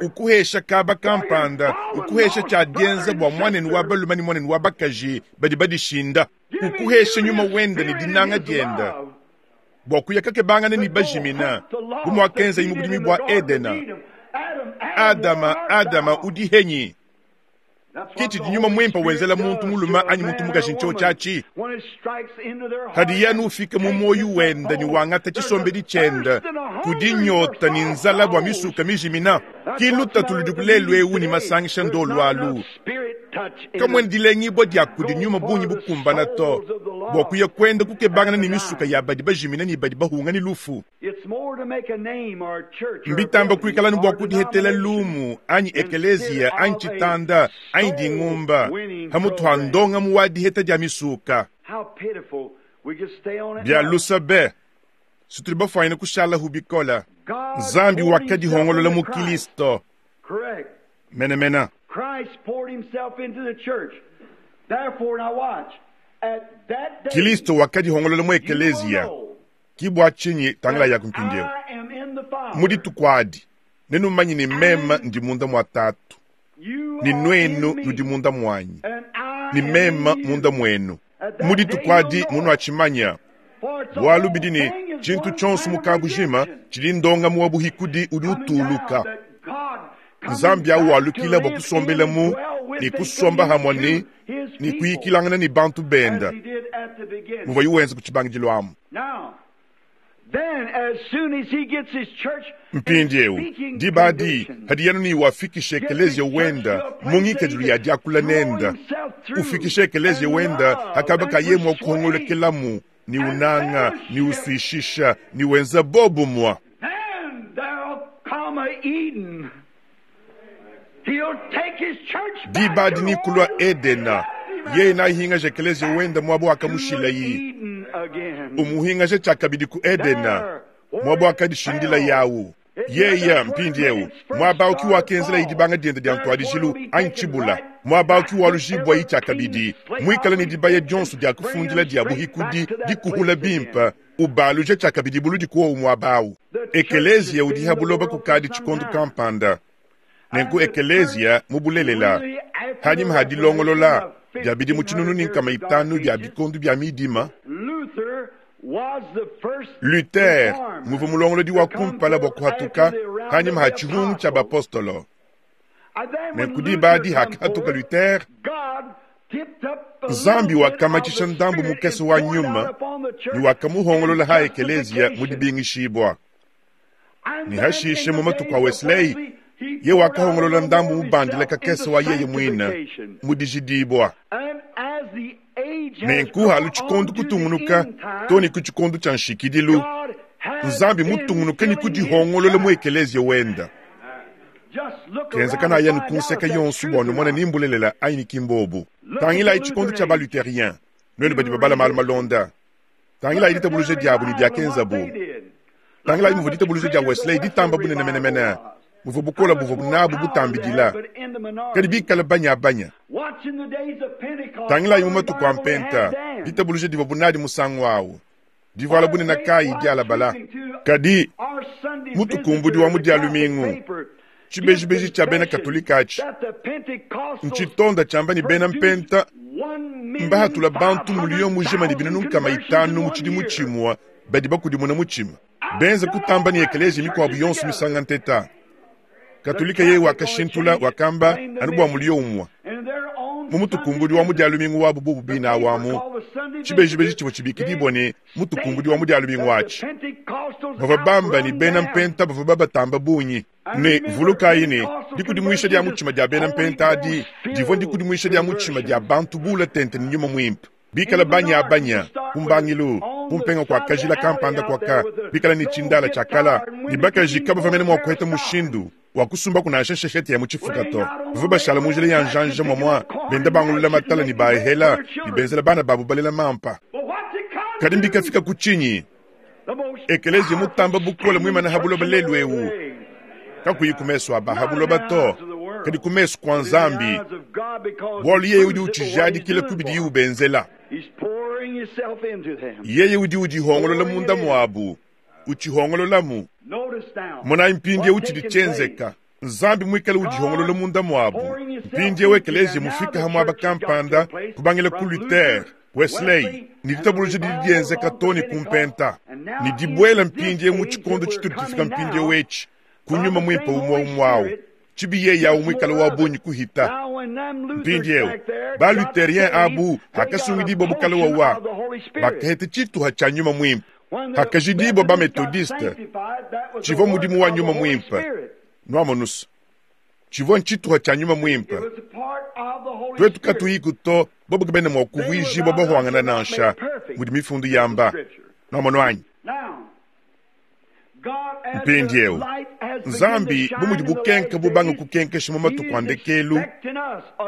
ukuhesha kaba kampanda, ukuhesha tshia dienza bua mwanenu wa balume ne mwanenu wa bakaji badi badishinda, ukuhesha nyuma wenda ne dinanga dienda bua kuya kakebangana ne bajimina bu muakenza mu budimi bua Edena. Adama, Adama udi henyi? Kiti di nyuma mwimpe wenzela muntu mulume anyi muntu mukaji ncho tshiatshi. Hadi yanu ufika mu moyo wenda ni wangata tshisombedi tshienda kudi nyota ni nzala bua misuka mijimina. Ki lutatu ludi kulelu ewu ni masangisha ndolu alu. Kamwene dilengibua dia kudi nyuma bungi bukumbana to bua kuya kwenda kukebangana ni misuka ya badi bajimina ni badi bahunga ni lufu. Mbitamba kuikala ni bua kudihetela lumu anyi ekelezia anyi tshitanda anyi dingumba hamutu ha ndonga mu wa diheta dia misuka. Bia lusa be situli bafwanyine kushala hubikola. Nzambi wakadihongolola mu Kristo menemena. Kristo wakadihongolola mu ekelezia ki bua tshinyi tangila ya kumpindieu. Mu dituku adi nenumanye ne meme ndi munda mua tatu, ni nwenu nudi munda mwanyi, ni meme munda mwenu. Mu dituku adi munuatshimanya, bualu bidi ne tshintu tshionso mu kabujima tshidi ndonga mu wa buhikudi udi utuluka. Nzambi awu walukila bua kusombela mu ne kusomba hamwe ne ne kuyikilangana ne bantu benda muvua yuwenza ku tshibangidilo amu. Mpindieu diba adi hadi yanu ni wafikisha ekelezia wenda mu ngikadilu ya diakula nenda, ufikisha ekelezia wenda hakaba kaye mua kuhongolekelamu ni unanga ni uswishisha ni wenza bobu mwa. Diba adi ni kulwa Edena yeye nayihingaje ekelezia wenda mwabo akamushila yi umuhingaje tshiakabidi ku Edena mwabo akadishindila yawu. Yeye mpindieu mwaba uki wakenzela idibanga dienda dia ntwadijilu anyi tshibula, mwaba uki walujibwa yi tshiakabidi mwikala ne dibaya dionso dia kufundila dia buhikudi dikuhula bimpe ubaluje tshiakabidi buludi kuowu mwaba awu. Ekelezia udi ha buloba kukadi tshikondo kampanda. Nenku ekelezia mubulelela hanyima ha dilongolola dia bidimu tshinunu ni nkama itanu bia bikondo bia midima. Luther muvua mulongolodi wa kumpala bua kuhatuka hanyima ha tshihungu tshia bapostolo. Nenku diba adi hakahatuka Luther, Nzambi wakamatshisha ndambu mukese wa nyuma ne wakamuhongolola ha ekelezia mu dibingishibua. Ne hashishe mu matuku a Wesley, ye wakahongolola ndambu mubandila kakese wa yeye mwina mu dijidibua. Nenku halu tshikondo kutungunuka to ne ku tshikondo tshia nshikidilu, Nzambi mutungunuka ne kudihongolola mu ekelezia wenda. Kenzekana yanu kunseka yonso bua numona nimbulelela anyi ni kimbobu. Tangilayi tshikondo tshia baluterien, nuenu badi babala malu malonda. Tangilayi ditabuluja diabu ne diakenzabu. Tangilayi muvua ditabuluja dia Wesley ditamba bunene menemene Muvua bukola buvua nabu butambidila. Kadi bikala banya-banya. Tangilayi mu matuku a mpenta, ditabuluja divua bunadi musangu awu. Divuala bunene kayi dialabala. Kadi mutukumbudi wa mu dia lumingu, tshibejibeji tshia bena Katolika atshi, ntshitonda tshiamba ne bena mpenta mbahatula bantu muliyo mujima ne binunu nkama itanu mu tshidimu tshimue badi bakudimuna mutshima. Benza kutamba ne ekeleziya mikuabu yonso misanga nteta. Katolika yeye wakashintula wakamba anu bua muliyo umue. Mu mutukumbudi wa mu dia lumingu wabu bubu bina awamu, tshibejibeji tshivua tshibikidibua ne mutukumbudi wa mu dia lumingu atshi. Bavua bamba ne bena mpenta bavua babatamba bungi. Ne vulukayi ne dikudimuisha dia mutshima dia bena mpenta adi divua dikudimuisha dia mutshima dia bantu bula tente ne nyuma muimpe. Bikala banya-banya kumbangilu kumpenga kwa kajila kampanda kwaka bikala ne tshindala tshiakala ne bakaji kabavua mene mua kuheta mushindu wa kusumba kunansha sheshete ya mu tshifuka to. Bavua bashala mu njila ya njanja mwamwa benda bangulula matala ne baehela ne benzela bana babu balela mampa. Kadi mbikafika ku tshinyi? Ekeleziya mutamba bukola muimana ha buloba lelu ewu. Kakuyi ku mesu aba ha buloba to, kadi ku mesu kwa Nzambi. Bualu yeye udi utshijadikila ku bidiye ubenzela. Yeye udi udihongolola munda muabu, utshihongololamu. Monayi mpindieu tshidi tshienzeka. Nzambi muikale udihongolola munda muabu. Mpindieu ekeleziya mufika ha muaba kampanda kubangila ku Luther, Wesley, ne ditabuluja didi dienzeka to ne ku mpenta. Ne dibuela mpindieu mu tshikondo tshitudi tufika mpindieu etshi, ku nyuma muimpe umue umue awu. Tshibi yeye awu muikale wa bungi kuhita. Mpindieu, ba Lutherien abu hakasungidibua bukale wawa, bakaheta tshituha tshia nyuma muimpe. Hakajidibua ba Methodiste, tshivua mudimu wa nyuma muimpe. Nuamonusa, tshivua ntshituha tshia nyuma muimpe. Twetu katuyiku to, bobo kabena mua kuvuijibua bahwangana nansha, mudi mifundu yamba. Nuamono anyi? Mpindieu, Nzambi bu mudi bukenka bubanga kukenkesha mu matuku a ndekelu,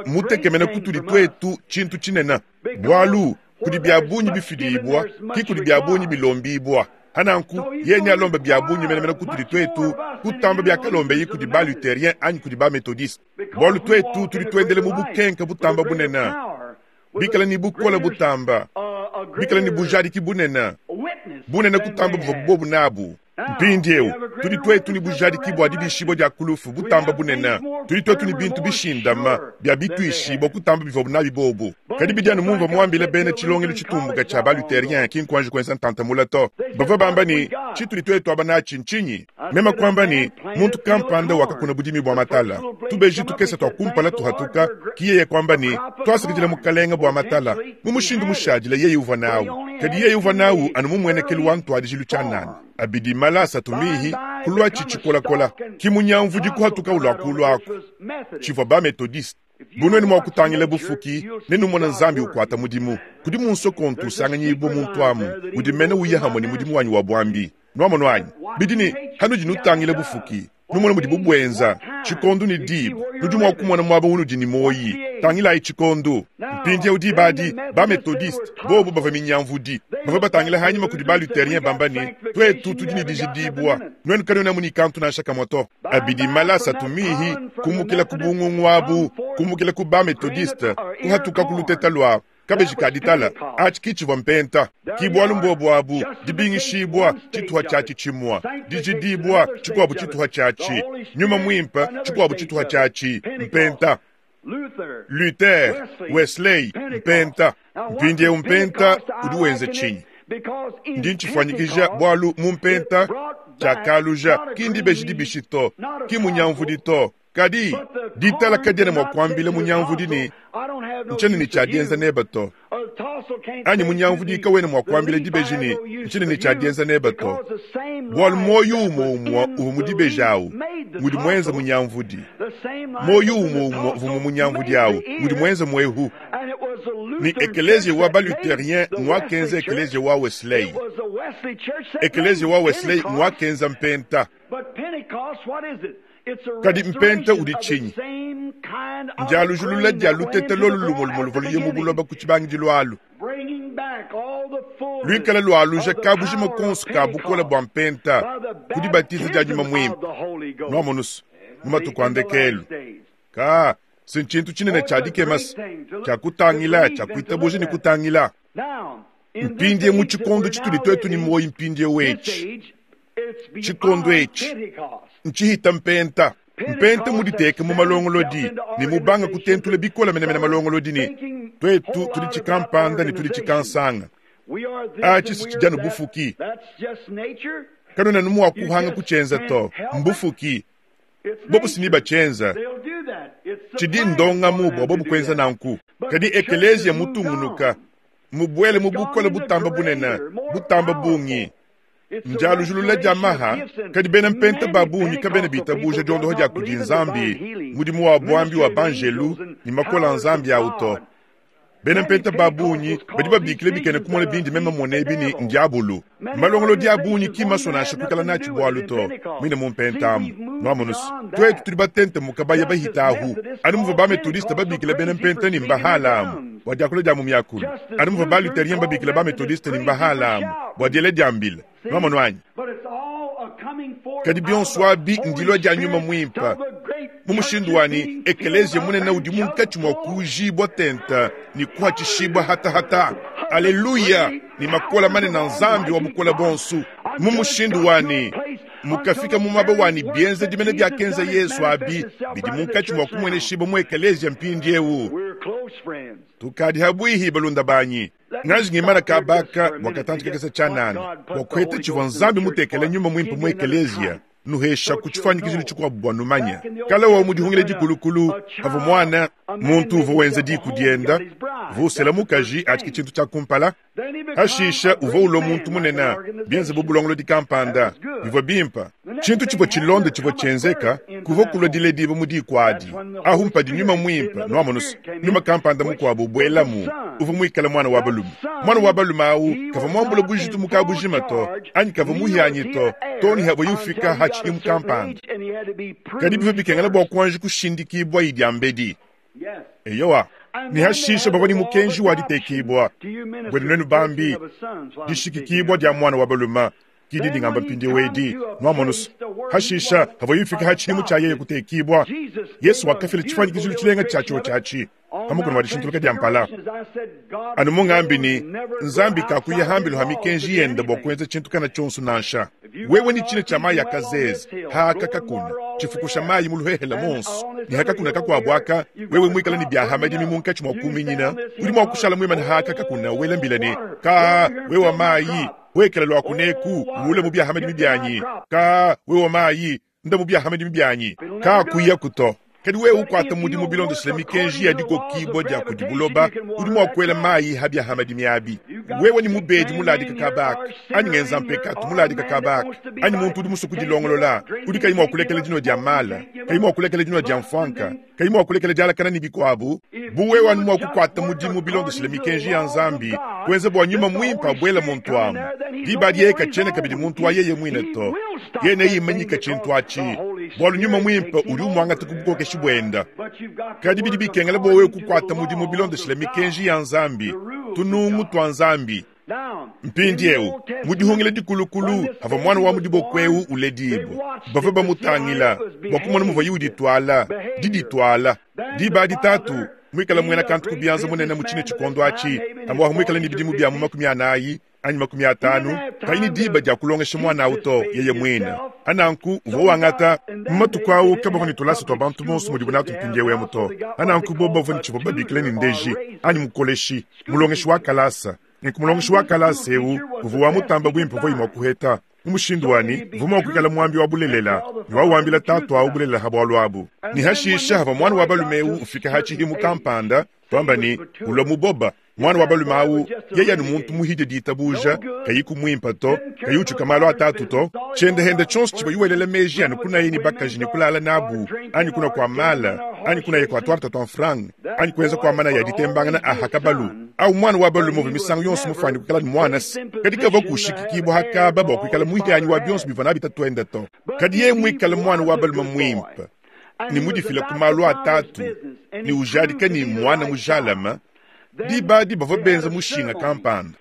mutekemena kutudi twetu tshintu tshinene. Bualu kudi bia bungi bifidibua, ki kudi bia bungi bilombibua. Hananku yeye alomba bia bungi menemene kutudi twetu, kutamba bia kalombeyi kudi ba Lutherien anyi kudi ba Methodiste. Bualu twetu tudi tuendele mu bukenka butamba bunene, bikala ni bukola butamba, bikala ni bujadiki bunene, bunene kutamba buvua bobu nabu. Mpindieu, tudi twetu ni bujadiki bua dibishibua dia kulufu butamba bunene. Tudi twetu ni bintu bishindama bia bituishibua kutamba bivua nabi bobu. Kadi bidianu mumvua muambile bena tshilongelo tshitumbuka tshia ba Lutherien ki nkuanji kuenza ntantamula to. Bavua bamba ni tshitudi twetu aba natshi ntshinyi? Mema kuamba ni muntu kampanda wakakuna budimi bua matala. Tubeji tukesa tua kumpala tuhatuka, ki yeye kuamba ni twasakidila mukalenga bua matala. Mu mushindu mushadila yeye uvua nawu. Kadi yeye uvua nawu anu mumuenekelu wa ntuadijilu tshia nani. Abidi malasa tumihi kulwa chichikolakola kimunyamvudi kuhatuka ulwa aku tshivua ba Methodiste bunweni mwa kutangila bufuki nenumona Nzambi ukwata mudimu kudi munso kontu usanganyibo muntu amu udi mene uya hamwe ni mudimu wanyi wa bwambi nwamono anyi bidini hanudi nutangila bufuki numona mudi bubwenza tshikondu ni diba nudi mwa kumona mwaba unudi ni moyi tangilayi tshikondu mpindieu dibadi ba Methodiste bobu bava minyamvudi bava batangila hanyima kudi ba Lutherien bamba ne twetu tudi ni dijidibua nwenu kanwena muni kantu nansha kamwe to abidi malasa tumihi kumukila ku bungungu abu kumukila ku ba Methodiste kuhatuka ku luteta lwa kabeji kaditala atshi kitshivua mpenta kibwalu mbobu abu dibingishibwa tshituha tshiatshi tshimua dijidibwa tshikuabu tshituha tshiatshi nyuma muimpe tshikuabu tshituha tshiatshi mpenta Luther, Wesley, mpenta. Mpindieu mpenta udi wenza tshinyi? Ndi ntshifanyikija bualu mu mpenta tshiakaluja ki ndibeji dibishi to, ki munyamvudi to. Kadi ditala kadiena mua kuambila munyamvudi ne ntshinene ne tshiadienza neba to. Anyi munyamvudi kawena mua kuambila dibeji ne ntshinene ne tshiadienza neba to. Bualu moyo umue umue uvua mu dibeji awu mudi muenza munyamvudi. Moyo umue umue uvua mu munyamvudi awu mudi muenza mwehu. Ni ekeleziya wa ba Lutherien ngwakenza ekeleziya wa Wesley. Ekeleziya wa Wesley ngwakenza mpenta. Kadi mpenta udi tshinyi? Ndialujulula dia lutete lolu lumwe luvua luye mu buloba ku tshibangidilu alu. Luikala lualuja kabujima konso ka bukola bua mpenta ku dibatiza dia nyuma muimpe. Nwamonusa, Mu matuku a ndekelu. Ka, si ntshintu tshinene tshia dikema tshia kutangila, tshia kuitabuja ne kutangila. Mpindie mu tshikondo tshitudi twetu ne muoyo mpindiewu etshi. Tshikondo etshi ntshihita mpenta. Mpenta muditeke mu malongolodi ne mubanga kutentula bikole menemene malongolodi ne twetu tudi tshikampanda ne tudi tshikansanga. Atshi si tshidi anu bufuki. Kanwena anu mua kuhanga kutshienza to, mbufuki. Bobu si ne batshienza. Tshidi ndongamu bua bobu kuenza nanku. Kadi ekeleziya mutungunuka, mubuele mu bukole butamba bunene, butamba bungi. Ndialujulula dia maha, kadi bena mpenta ba bungi kabena bitabuja diondoha dia kudi Nzambi, mudimu wa buambi wa banjelu ne makola a Nzambi awu to. Bena mpenta ba bungi badi babikila bikene kumona bindi meme mmona ebi ne ndiabulu. Malongolodi a bungi ki masua nansha kuikala natshi bualu to, muine mu mpenta amu. Nuamonu's, twetu tudi batentemuka baya bahita ahu. Anu muvua ba-methodiste babikila bena mpenta ne mbahala amu bua diakula dia mu miakulu. Anu muvua ba-luthérien babikila ba-methodiste ne mbahala amu bua diela dia mbila. Nuamonu anyi? Kadi bionso abi ndilua dia Nyuma Muimpe. Mu mushindu wa ne, ekeleziya munene udi munkatshi mua kuujibua tente ne kuatshishibua hatahata. Aleluya! Ne makola manene a Nzambi wa bukole buonso. Mu mushindu wa ne, mukafika mu muaba wa ne bienzedi dimene biakenza Yesu abi bidi munkatshi mua kumueneshibua mu ekeleziya mpindiewu. Tukadi habuihi balunda banyi. Ngaji ngimana kabaka bua katantshi kakese tshianana bua kuheta tshivua Nzambi mutekele Nyuma Muimpe mu ekeleziya. Nuhesha ku tshifuanyikijilo tshikuabu bua numanya. Kala wa mu dihungila dikulukulu, pavua mwana muntu uvua wenza diku dienda, uvua usela mukaji atshiki tshintu tshia kumpala. Hashisha uvua ulua muntu munene, bienze bu bulongolodi kampanda, bivua bimpe. Tshintu tshivua tshilonda tshivua tshienzeka, kuvua kulua dilediba mu diku adi. Ahu mpadi Nyuma Muimpe, nuamonu's, nyuma kampanda mukuabu ubuelamu, uvua muikale mwana wa balume. Mwana wa balume awu kavua muambule bujitu mu kabujima to, anyi kavua muhianyi to, to ne havua yufika hatshimu kampanda. Kadi bivua bikengela bua kuanji kushindikibua idi ambedi. Eyowa. Ne hashisha bavua ne mukenji wa ditekibua buenu nuenu bambi, dishikikibua dia mwana wa balume kidi dingamba mpindiewu edi, nuamonu's. Hashisha havua yufika hatshimu tshia yeye kutekibua. Yesu wakafila tshifuanyikijilo tshilenga tshia tshio tshiatshi hamukuna wa dishintuluka dia mpala. Anu mungambi ne Nzambi kakuya hambilo ha mikenji yenda bua kuenza tshintu kana tshionso nansha. Wewe ni tshina tshia mayi akazeze haka kakuna tshifukusha mayi mu luhehela monso ne hakakuna kakuabu aka wewe mwikala ne biahamadimi munkatshi mua kuminyina udi mua kushala mwimana haka kakuna wela mbila ne ka wewe mayi wekela lwa kuneku ule mu biahamadimi byanyi ka wewe mayi nda mu biahamadimi byanyi ka kuya kuto. Kadi wewe ukwata mudimu bilondeshile mikenji ya dikokibua dia kudi buloba udi mua kuela mayi ha biahamadimi abi. Wewe ni mubedi muladika kabaka anyi ngenza mpekatu muladika kabaka anyi muntu udi musue kudilongolola udi kayi mua kulekela dinua dia mala kayi mua kulekela dinua dia mfuanka kayi mua kulekela dialakana ne bikuabu. Bu wewe anu mua kukwata mudimu bilondeshile mikenji ya Nzambi kuenza bua Nyuma Muimpe abuela muntu amu diba dieka tshiena kabidi muntu wa yeye muine to yene yimanyika tshintu atshi bualu Nyuma Muimpe udi umuangata ku bukokeshi buenda. Kadi bidi bikengela bua wewe kukwata mudimu bilondeshile mikenji ya Nzambi tunungu tua Nzambi. Mpindiewu mu dihungila dikulukulu havua mwana wa mudiboko ewu uledibua bavua bamutangila bua kumona muvua ye uditwala diditwala diba adi tatu muikala muena kantu ku bianza munene mu tshine tshikondo atshi amwahu muikala ne bidimu bia mu makumi anayi anyi makumi atanu kayi ne diba dia kulongesha mwana awu to yeye muine. Ananku uvua wangata mu matuku awu kabavua ne tulasa tua bantu bonso mudibu natu mpindiewu emu to. Ananku bobo bavua ne tshivua babikila ne ndeji anyi mukoleshi mulongeshi wa kalasa. Nku mulongeshi wa kalasa ewu uvua wamutamba bwimpe uvua mua kuheta mu mushindu wani uvua mua kuikala muambi wa bulelela ne wawambila tatu awu bulelela ha bualu abu. Ne hashisha havua mwana wa balume ewu ufika hatshihimu kampanda twamba ne ulua muboba mwana wa balume awu yeye anu muntu muhidie ditabuja kayi kumwimpa to kayi utshuka malu atatu to tshiendehenda tshionso tshivua yuwelela meji anu kunaye ne bakaji ne kulala nabu anyi kuna kua mala anyi kunaye kua tuarta tua mfranga anyi kuenza kua mana ya ditembangana aha kabalu au mwana wa balume uvua misangu yonso mufuani kuikala ne mwana si kadi kavua kushikikibua hakaba bua kuikala muhianyi wa bionso bivua nabi tatuenda to. Kadi yeye muikale mwana wa balume muimpe ne mudifila ku malu atatu ne ujadika ne mwana mujalama diba adi bavua benza mushinga kampanda.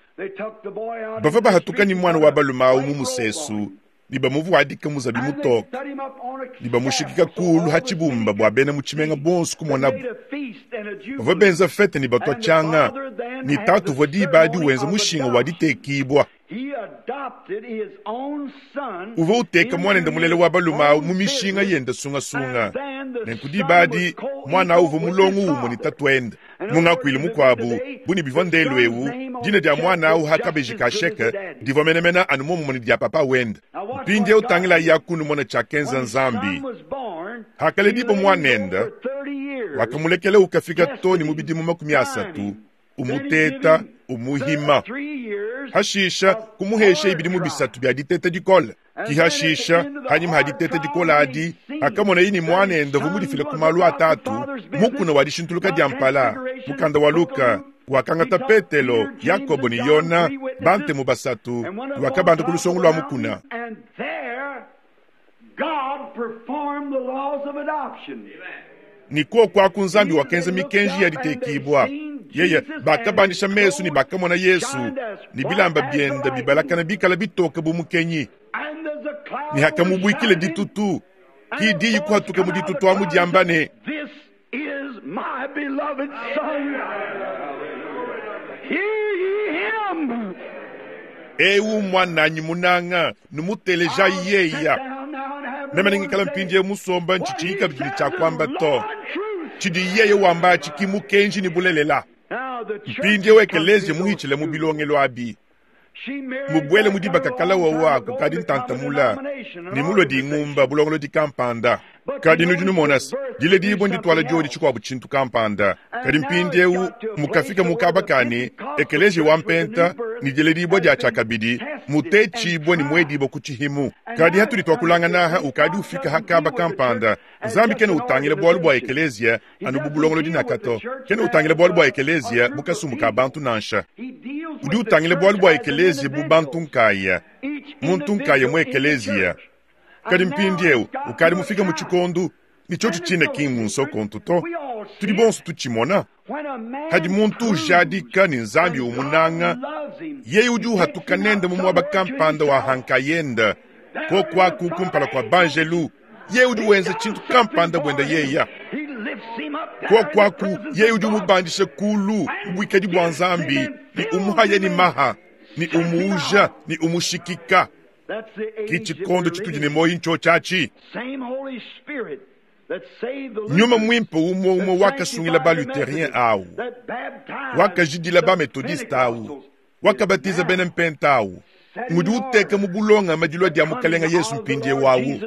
Bavua bahatuka ne mwana wa balume awu mu musesu Ne bamuvuadika muzabi mutoke ne bamushikika kulu ha tshibumba bua bena mu tshimenga bonso kumonabu. Bavua benza fete ne batua tshianga ne tatu uvua diba adi wenza mushinga wa ditekibua. Uvua uteka muanende mulele wa balume awu mu mishinga yende sungasunga. Nenku diba adi muana awu uvua mulongo umue ne tatuende. Mu ngakuilu mukuabu bu ne bivua ndelu ewu, dina dia muana awu ha kabeji ka sheke divua menemene anu muomumue ne dia papa wende. Mpindieu tangilayi yakunu mona tshiakenza Nzambi. Hakaledibo muanende, wakamulekela ukafika to ne mu bidimu makumi asatu, umuteta umuhima. Hashisha kumuhesha ibidimu bisatu bia diteta dikole. Kihashisha hanyuma ha diteta dikole adi, akamona yini muanende uvua mudifile ku malu atatu, mukuna wa dishintuluka dia mpala. Mukanda wa Luka wakangata Petelo, Yakobo ne Yona, bantemu basatu, wakabanda ku lusongo lua mukuna. Ni kuoku aku Nzambi wakenza mikenji ya ditekibua. Yeye bakabandisha mesu ne bakamona Yesu ne bilamba biende bibalakana bikala bitoke bu mukenyi. Ne hakamubuikile ditutu, ki diyi kuhatuka mu ditutu amu diamba ne, This is my beloved son. Hear ye him. Ewu mwananyi munanga numuteleja yeya. Meme ningikala mpindie musomba nchichika bidi tshiakuamba to. Tshidi yeye wamba tshiki mukenji ni bulelela. Mpindie wekeleze muhitshile mu bilongelo abi. Mubwele mu dibaka kala wawa kukadi ntantamula ni mulwe dingumba bulongolo di kampanda. Kadi nudi numona se dile dibo nditwala diodi tshikuabu tshintu kampanda. Kadi mpindiewu mukafika mukabakani ekelezie wa mpenta ni dile dibo dia tshiakabidi mutetshibwe ni mwedibo ku tshihimu. Kadi hatudi twakulanganaha ukadi ufika hakaba kampanda. Nzambi kena utangila bwalu bwa ekelezia anu bu bulongolo dinakato. Kena utangila bwalu bwa ekelezia bukasumbu ka bantu nansha. Udi utangila bwalu bwa ekelezia bu bantu nkaya. Muntu nkaya mu ekelezia. Kadi mpindiewu ukadi mufika mu tshikondu ni tshotsho tshine kingu nsokontu to. Tudi bonso tutshimona. Hadi muntu ujadika ni Nzambi umunanga, yeye udi uhatuka nende mu mwaba kampanda wa hankayenda, kokwaku kumpala kwa banjelu, yeye udi wenza tshintu kampanda bwenda yeya. Kokwaku yeye udi umubandisha kulu ubwikadi bwa Nzambi, ni umuhaya ni maha, ni umuuja, ni umushikika. Ki tshikondo tshitudi ne moyi ntsho tshiatshi. Nyuma mwimpe umwe umwe wakasungila ba luthérien awu, wakajidila ba methodiste awu, wakabatiza bena mpenta awu. Ngudi uteka mu bulonga madilwa dia mukalenga Yesu mpindie wawu.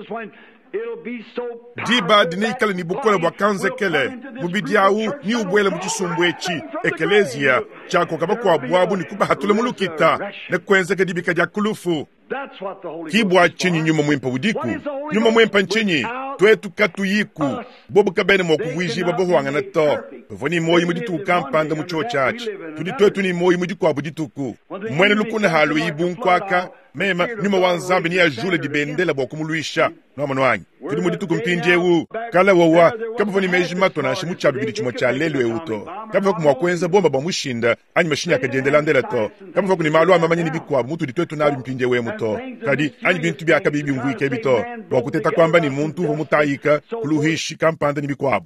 Diba dine ikala ni bukola bwa kanzekele mubidi awu ni ubwele mu tshisumbu etshi ekelezia tshiakoka bakuabu abu ni kubahatula mu lukita ne kuenzeka dibika dia kulufu. Kibwa tshinyi nyuma mwimpe udiku? Nyuma mwimpe ntshinyi? Twetu katuyiku bobu kabene mwa kuvuijiba bohwangana to. Bavua ni moyi mu dituku kampanda mu tsho tshiatshi. Tudi twetu ni moyi mu dikuabu dituku. Mwene lukuna halu ibu nkwaka mema nyuma wa Nzambi ni ajule dibendela bua kumuluisha. Nwamano wanyi tudi mu dituku mpindiewu kala wawa kabavua ni meji mato nansha mu tshialu bidi tshimue tshia lelu ewu to. Kabavua ku mua kuenza bomba bua mushinda anyi mashinyi akadiendelandela to. Kabavua ku ni malu a mamanya ni bikuabu mutudi twetu nabi mpindiewu emu to. Kadi anyi bintu biakabi bimvuike ebi to. Bua kuteta kuamba ni muntu uvua mutayika kuluhishi kampanda ni bikuabu.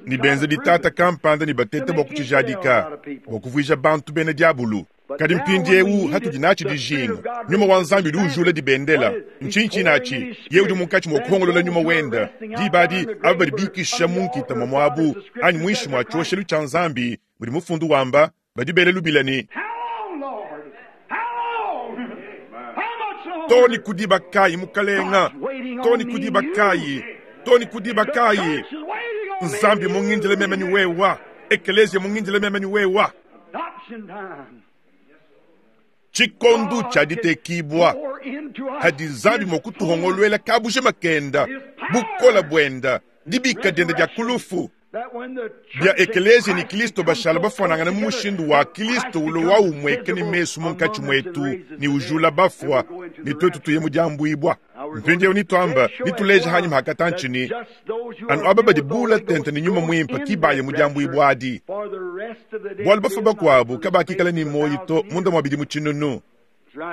Ni benza ditata kampanda ni batete bua kutshijadika bua kuvuija bantu bena diabulu. Kadi mpindiewu hatudi natshi dijinga. Nyuma wa Nzambi udi ujula dibendela. Ntshintshi natshi ye udi munkatshi mua kuhongolola nyuma wenda. Diba adi aba badi bikisha mu nkita mwa mwabu anyi muinshi mua tshioshelu tshia Nzambi mudi mufundu wamba badi bele lubila ni toni kudiba kayi mukalenga, toni kudiba kayi, toni kudiba kayi. Nzambi mungindile meme ni wewa, ekelezia mungindile meme ni wewa. Tshikondu tshia ditekibua hadi Nzambi mua kutuhongoluela kabuje makenda bukola bwenda dibika dienda dia kulufu bia ekelezia ni Kristo bashala bafanangana mu mushindu wa Kristo ulo wa umweke ni mesu munkatshi mwetu ni ujula bafwa ni twetu tuye mu diambuibwa. Mpindiewu nituamba nituleja hanyuma hakatantshini anu aba badi bula tente ni nyuma mwimpe kibaye mu diambuibwa adi. Bwalu bafwa bakuabu kabakikala ni moyi to munda mwa bidi mu tshinunu.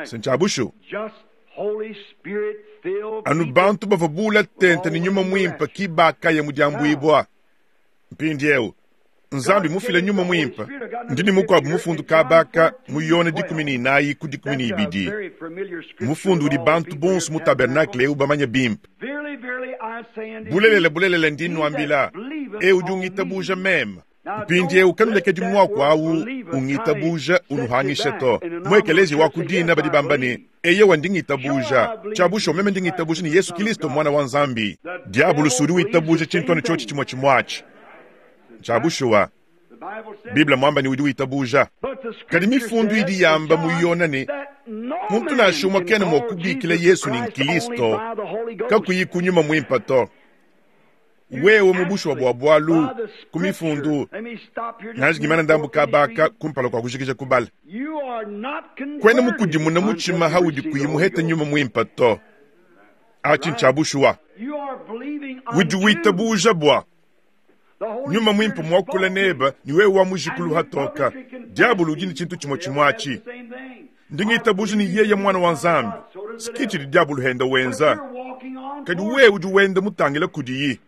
Sentshabushu. Anu bantu bavua bula tente ne nyuma mwimpe ki bakaya mu diambuibua. Mpindieu Nzambi mufile nyuma mwimpe ndi ne mukuabu mufundu kabaka mu Yone dikumi ne inayi ku dikumi ne ibidi. Mufundu udi bantu bonso mu tabernakle eu bamanye bimpe. Bulelela bulelela ndi nnuambila, eu udi ungitabuja meme. Mpindieu kanulekedi muaku awu ungitabuja unuhangisha to. Mu ekeleziya wa ku dina badi bamba ne, eyewa ndi ngitabuja. Tshia meme ndi ngitabuja ne Yesu Kristo mwana wa Nzambi. Diabulusi udi witabuja tshintu anu tshiotshi tshimue tshimue Tshia bushuwa. Bible mwamba ni udi witabuja. Kadi mifundu idi yamba mu Yona ne muntu nansha umue kena mua kubikila Yesu ni Kristo kakuyi kunyuma mwimpe to. Wewe mu bushuwa bua bualu ku mifundu nanji ndambu kabaka kumpala kwa kujikija kubala. Kwena mukudimuna mutshima haudi kuyi muhete nyuma mwimpe to. Achi ncha bushuwa. Udi witabuja bua nyuma mwimpe mwakula neba ni wewe wa mujikulu hatoka. Diabulu udi ni tshintu tshimue tshimue Ndi ngitabuja ni yeye mwana wa Nzambi. Sikichi di diabulu henda wenza. Kadi wewe udi wenda mutangila kudiyi.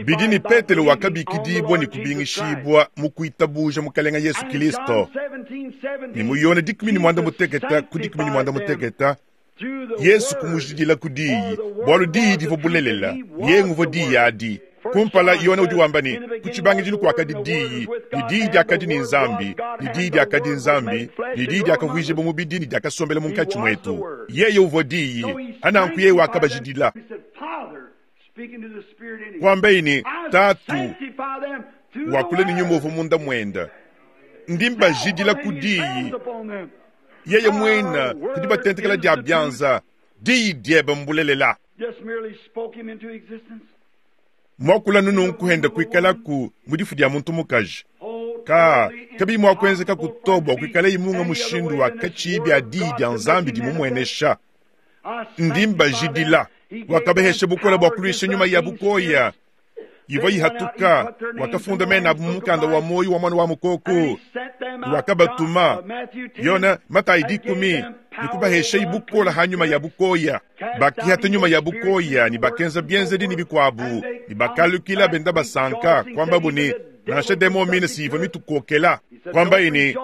Bidi ni Petelo wakabikidibwa ni kubingishibwa mu kuitabuja mukalenga Yesu Kristo. Ni mu Yone dikumi ni mwanda muteketa ku dikumi ni mwanda muteketa Yesu kumujidila ku diyi bualu diyi divua bulelela ye nguvua diyi adi. Kumpala Yone udi wamba ne ku tshibangidilu kuakadi diyi ni diyi diakadi ni Nzambi ni diyi diakadi Nzambi ni diyi diakavuijibwa mubidi ni diakasombela munkatshi mwetu. Yeye uvua diyi ananku yeye wakabajidila. Kwambayi ni tatu wakule ni nyuma uvua munda mwenda ndi mbajidila ku diyi yeye mwena kudi batentekela dia byanza diyi diebe mbulelela. Mwakula nunu nkuhenda kuikalaku mu difu dia muntu mukaji. Ka kabi mwakwenzeka kutobwa kuikala imunga mushindu wa kachibi bya diyi dia Nzambi dimumwenesha. Ndi mbajidila wakabehesha bukola bwa kulwisha nyuma ya bukoya. Ivua ihatuka wakafunda mena abu mukanda wa moyo wa mwana wa mukoko wakabatuma Yona Matayi dikumi nikubahesha ibukola hanyuma ya bukoya. Bakihata nyuma ya bukoya ni bakenza bienzedi ni bikwabu ni bakalukila benda basanka kwamba buni nansha demo mine siva mitukokela kwamba ini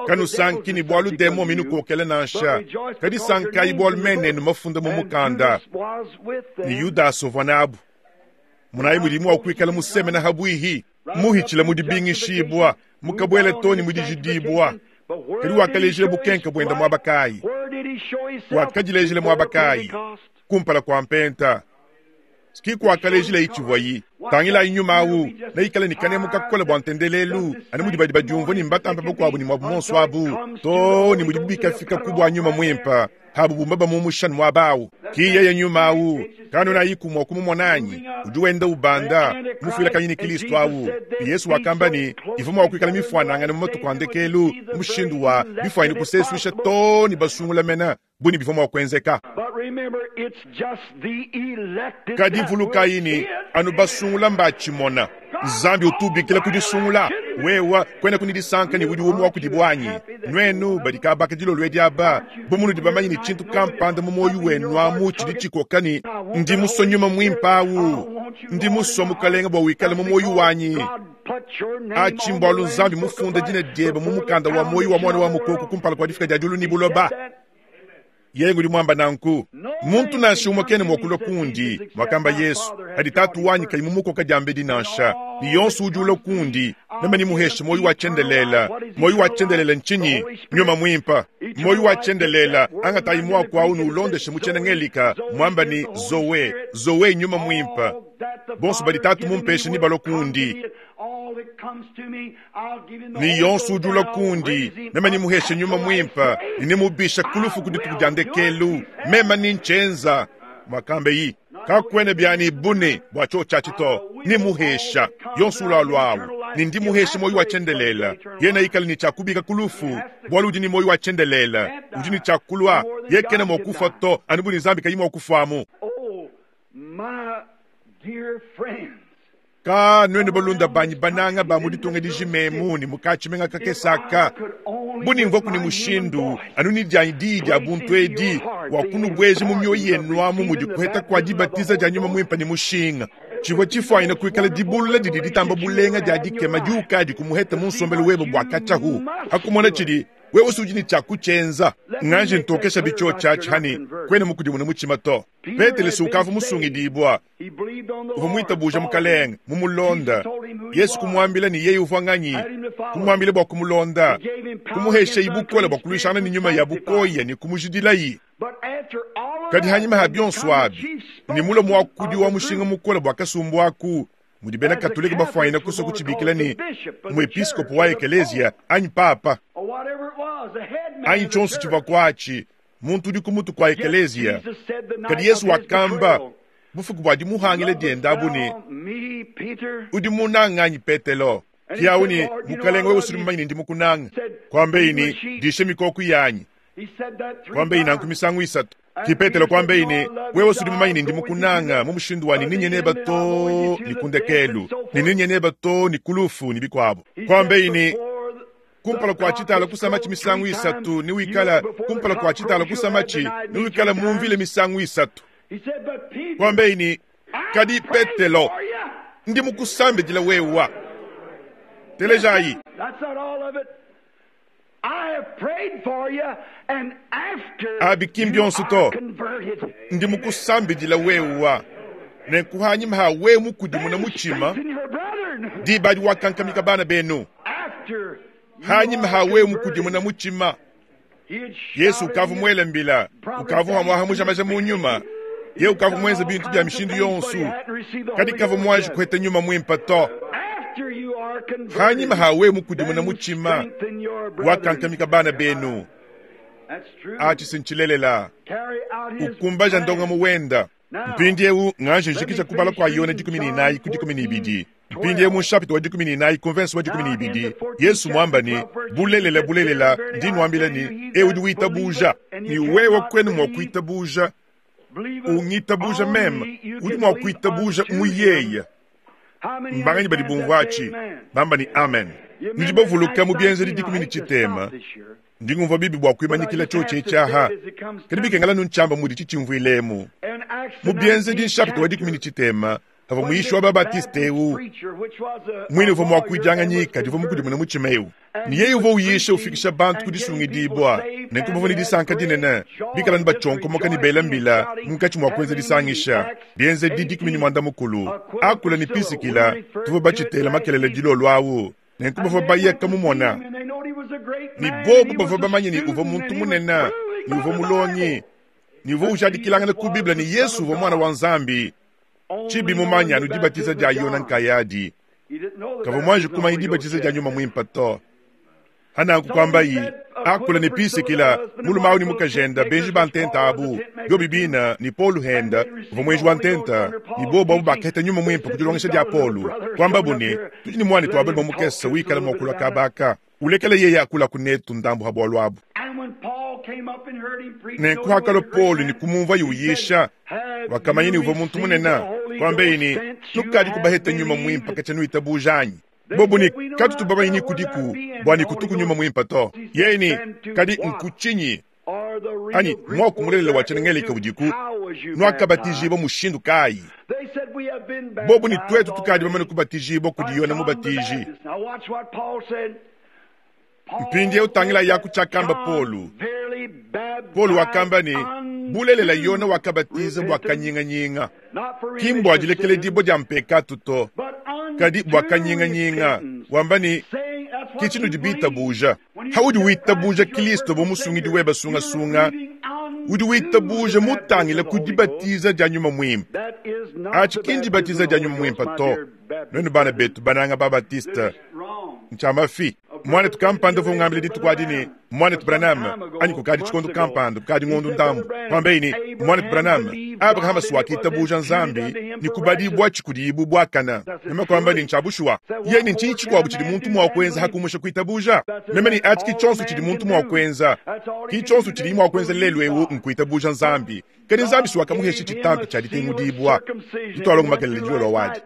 kanusanki ni bwalu demo minukokela nansha kadi sanka ibwalu menenu mafunda mu mukanda ni Yudas uvua nabu. Munayi mudimu wa kuikala musemena habwihi muhichila mudibingishibwa mukabwela toni mudijidibwa. Kadi wakalejile bukenka bwenda mwabakayi. Wakadilejile mwabakayi kumpala kwa mpenta. Sikiku wakalejile ichivwayi tangila inyuma awu na ikala ni kanemu kakola bwa ntendelelu ani mudi badi badiumvua ni mbatampa bakuabu ni mwabu monso abu to ni mudi bikafika kubwa nyuma mwimpa habu bumba bamumusha mwabawu ki yeye nyuma awu kano na yikumwa kumumwananyi udi wenda ubanda mufila kanyini Kristo awu. Yesu wakamba ni ivumo wakuikala mifwanangana mu matuku andekelu mushindu wa bifwanyi kusesuisha to ni basungula mena buni bivumo wakwenzeka. Kadi vulukayini anu basungula mbachimona Nzambi utubikila kudisungula wewa kwena kunidisanka ni udi umu wa kudibwanyi nwenu badikabaka dilolo edi aba bumunu dibamanyi ni tshintu kampanda mu moyo wenu amu tshidi tshikokani ndi musonyuma mwimpe awu ndi muswa mukalenga bwa wikala mu moyo wanyi achi mbwalu Nzambi mufunda dina diebe mu mukanda wa moyo wa mwana wa mukoko kumpala kwa difika dia diulu ni buloba. Yengu udi mwamba nanku muntu nansha umwe kene mwakulwa kundi mwakamba Yesu hadi tatu wanyi kayi mumukoka diambedi nansha ni yonso udi ulwa kundi meme nimuheshe moyo wa chendelela moyo wa chendelela nchinyi nyuma mwimpa moyo wa chendelela angatayi mwaku awu nuulondeshe muchena ngelika mwamba ni zowe zowe nyuma mwimpa bonso badi tatu mumpeshe ni balwa kundi ni yonso udi ulwa kundi meme nimuheshe nyuma mwimpa ninimubisha kulufu kudituku dia ndekelu meme ninchenza mwakambe yi kakwene byani bune bwa cho chachi to nimuhesha yonso ulwa ni ndimuheshe moyo wa chendelela yena ikali ni chakubika kulufu bwalu udi ni moyo wa chendelela udi ni chakulwa yekena mwakufa to anibu ni Nzambi kayi mwakufamu. Ka nwenu balunda banyi bananga ba muditunga dijimemu ni mukachimenga kakesaka Bu nimvua ni mushindu anu ni dianyi diyi dia buntu edi wa kunubweja mu mioyo yenu amu mudi kuheta kua dibatiza dia nyuma mwimpa ni mushinga. Chivua chifuanyina kuikala dibulula didi ditamba bulenga dia dikema diukadi kumuheta mu nsombelu webe bua kachahu. Hakumona chidi wewe usudi ni cha kuchenza nganje ntokesha bicho chachi hani kwene mukudimuna muchima to. Petele sukavu musungidibwa uva mwitabuja mukalenga mumulonda Yesu kumwambila ni yeye uvwanganyi kumwambila bwa kumulonda kumuhesha ibukola bwa kulwishana ni nyuma ya bukoya ni kumujidilayi. Kadi hanyima ha bionso abi ni mulo mwakudi wa mushinga mukola bwa kasumbu aku mudi bena Katolika bafwanyina kusa kuchibikila ni muepiskopo wa ekelesia anyi papa anyi chonso chivwa kwachi muntu udi kumutu kwa ekelesia. Kadi Yesu wakamba bufuku bwa dimuhangile dienda ni udi munanga Petelo kiawu ni mukalenga wewe usuli mumanyi ndi mukunanga kwambe ini dishe mikoko yanyi kwambe ina nkumisangu isatu. Ki Petelo kwambe ini wewe usuli mumanyi ndi mukunanga mu mushindu wani ninye neba to ni kundekelu ni ninye neba to ni kulufu ni bikwabo. Kwambe ini kumpala kwa chitala kusamachi misangu isatu ni wikala kumpala kwa chitala kusamachi ni wikala mumvile misangu isatu. Kwambe ini kadi Petelo ndi mukusambe dila wewa telejayi. Abi kimbionso to ndi mukusambe dila wewa nenkuhanyi mha we mukudimuna muchima di badi wakankamika bana benu hanyi mha we mukudimuna muchima. Yesu ukavu mwele mbila ukavu hamwaha mujamaja munyuma ye ukavu mwenze bintu bya mishindu yonsu kadi kavu mwaji kuheta nyuma mwimpa to. Hanyi mha we mukudimuna muchima wakankamika bana benu achi sinchilelela ukumbaja ndonga muwenda. Mpindi eu nganje njikisha kubala kwa Yona dikumi ni inayi ku dikumi ni ibidi. Mpindi eu mushapito wa dikumi ni inayi konvensi wa dikumi ni ibidi. Yesu mwamba ni bulelela bulelela ndi nwambila ni eu udi witabuja ni wewe kwenu mwa kuitabuja ungitabuja mema udi mwa kuitabuja muyeya mbanganyi badi bumvachi bamba ni amen. Nidibavuluka mu bienzedi dikumi ni chitema ndingumva bibi bwa kuimanyikila choche chaha kadi bikengala nunchamba mudi chichimvwilemu mu bienzedi nshapito wa dikumi ni chitema ava muishi wa babatiste eu mwine uva mwakuijanganyika diva mukudimuna muchima eu ni yeye uva uyisha ufikisha bantu kudisungidibwa nenkumva ni disanka dinene bikala ni bachonkomoka ni bela mbila munkachi mwakwenza disangisha bienzedi dikumi ni mwanda mukulu akula ni pisikila tuva bachitela makelele dilolo awu nenkumva bayeka mumona ni bobu bava bamanye ni uva muntu munene ni uva mulonyi ni uva ujadikilangana ku Biblia ni Yesu uva mwana wa Nzambi chibi mumanya anu dibatiza dia Yona nkayadi kava mwanji kumanya dibatiza dia nyuma mwimpa to hana kukwamba yi akula ni pisikila mulumau ni mukajenda benji bantenta abu yo bibina ni Polu henda uva mwenji wa ntenta ni bobo abu baketa nyuma mwimpa kudilongesha dia Polu kwamba bune tudi ni mwana twabele mukesa wikala mwakula kabaka ulekele yeye akula kunetu ndambu habwalwabu abu. Nenkuhakalo Polu ni kumumva yuyisha wakamanya ni uva muntu munene kwambe ini nukadi kubaheta nyuma mwimpa kachanu itabujanyi bobu ni katu tubaba kudiku bwani kutuku nyuma mwimpa to yeni kadi nkuchinyi anyi mwakumulele wachenengelika udiku nwakabatijibwa mushindu kayi bobu ni twetu tukadi bamene kubatijibwa kudi Yona mubatiji. Mpindi utangila yaku chakamba Polu Polu wakamba ni bulelela Yona wakabatiza bwa kanyinganyinga kimbwa ajilekele dibo dia mpekatu to kadi bwa kanyinganyinga wamba ni kichinu dibita buja haudi witabuja Kristo bo musungidi weba sunga sunga udi witabuja mutangila kudibatiza dia nyuma mwimpa achi kindi batiza dia nyuma mwimpa to nenu bana betu bananga babatista nchama fi mwana tukampanda vungambile ditukwadi mwana Branham anyi kukadi chikondo kampanda kukadi ngondo ndambu pambeini mwana Branham Abraham swakita buja nzambi ni kubadibwa chikudibu bwakana mema kwamba ni nchabushwa yeni nchi chikwabu chidi muntu mwa kwenza hakumusha kuitabuja mema ni ati kichonso chidi muntu mwa kwenza kichonso chidi mwa kwenza lelo ewu nkuitabuja nzambi kadi nzambi swakamuhesha chitambi chaditengudibwa ditwalongo makelele jolo wadi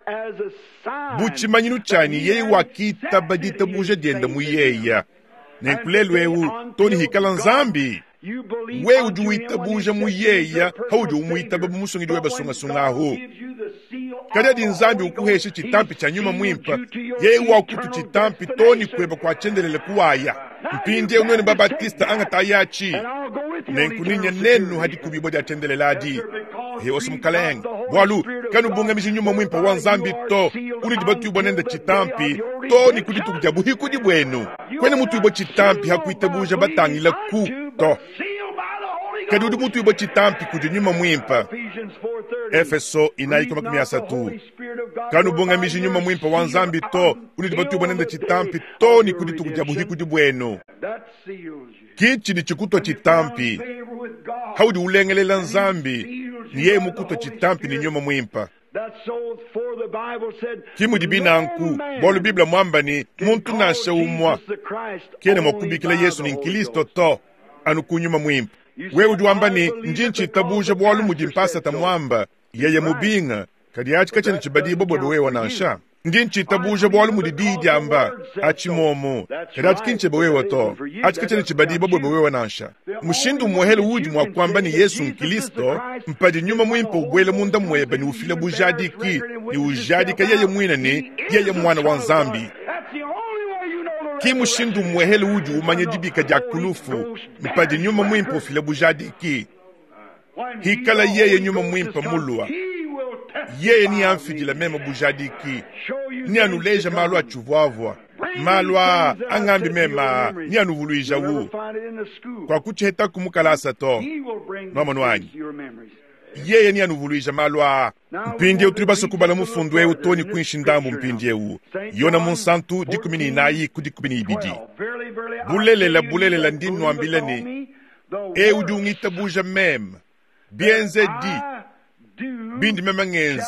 buchimanyinu chani yeye wakita baditabuja dienda muyeya Nenku lelu eu to ne hikala Nzambi. Wewe udi witabuja mu yeya haudi umwitaba bu musungidi webe sungasunga ahu. Kadi adi Nzambi ukuhesha chitampi cha nyuma mwimpa, yeye wakutu chitampi to ne kweba kwa chendelele kuwaya. Mpindiewu nwenu Babatista anga yachi. Nenku ninya nenu hadi kubibwa dia chendelele adi. Hewa mukalenga. Bwalu kanu bungamiji nyuma mwimpa wa Nzambi to uli dibatubwa nenda chitampi to ni kuditukuja buhikudi bwenu. Kwene mutuibwa chitampi hakuitabuja batangila ku to. Kadi udi mutuibwa chitampi kudi nyuma mwimpa. Efeso inayi koma makumi asatu. Kanu bungamiji nyuma mwimpa wa Nzambi to uli dibatubwa nenda chitampi to ni kuditukuja buhikudi bwenu. Kichi ni chikutwa chitampi. Haudi ulengelela Nzambi ni yeye mukutwa chitampi ni nyuma mwimpa. Kimudi binanku bwalu Biblia mwamba ni muntu nasha umwa kene mwakubikila Yesu ni Nkristo to anu kunyuma mwimpa. Wewe udi wamba ni njinchi tabuja bwalu mudi mpasa tamwamba yeye mubinga kadi achi kachene chibadibo bwebe wewe nansha. Njinchi tabuja bwalu mudi didi amba achimomo kadi achi kinchebe wewe to achi kachene chibadibo bwebe wewe nansha. Mushindu muhele udi mwakwamba ni Yesu Nkristo mpadi nyuma mwimpa ubwele munda mwebe ni ufile bujadiki ni ujadika yeye mwina ni yeye mwana wa Nzambi. Ki mushindu muhele udi umanye dibika dia kulufu mpadi nyuma mwimpa ufile bujadiki. Hikala yeye nyuma mwimpa mulua. Yeye ni amfidila mema bujadiki. Ni anuleja malu achuvwavwa. Malu a angambi mema ni anuvuluija wu. Kwa kucheta kumukalasa to. Nwamonu wanyi. Yeye ni anuvuluija malu a. Mpindi eu tuli kubala mufundu eu toni kuinshi ndambu mpindi eu. Yona munsantu dikumi ni inayi ku dikumi ni ibidi. Bulelela bulelela ndi nwambile ni. Eu udi ungitabuja mema. Bienze di. Bindi mema ngenzi.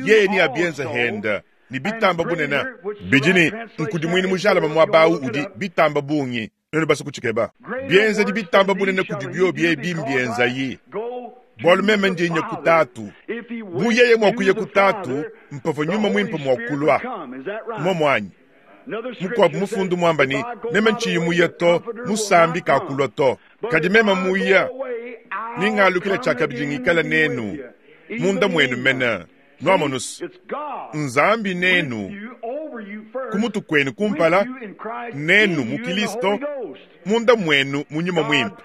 Yeye ni abienza henda. Ni bitamba bunena. Bijini nkudi mwini mujala mamwabau udi bitamba bungi. Neno basa kuchikeba. Bienze di bitamba bunena kudi bio bie bimbienza yi. Bwalu mema ndi nye kutatu. Bu yeye mwakuye kutatu, mpavo nyuma mwimpa mwakulwa. Mwa mwanyi. Mukwabu mufundu mwamba ni, mema nchiyi muya to, musambi kakulwa to. Kadi mema muya, ningalukila chakabidi ngikala nenu. Munda mwenu mena. Nwamonus, Nzambi nenu, kumutu kwenu kumpala, nenu mukilisto, munda mwenu munyuma mwimpa.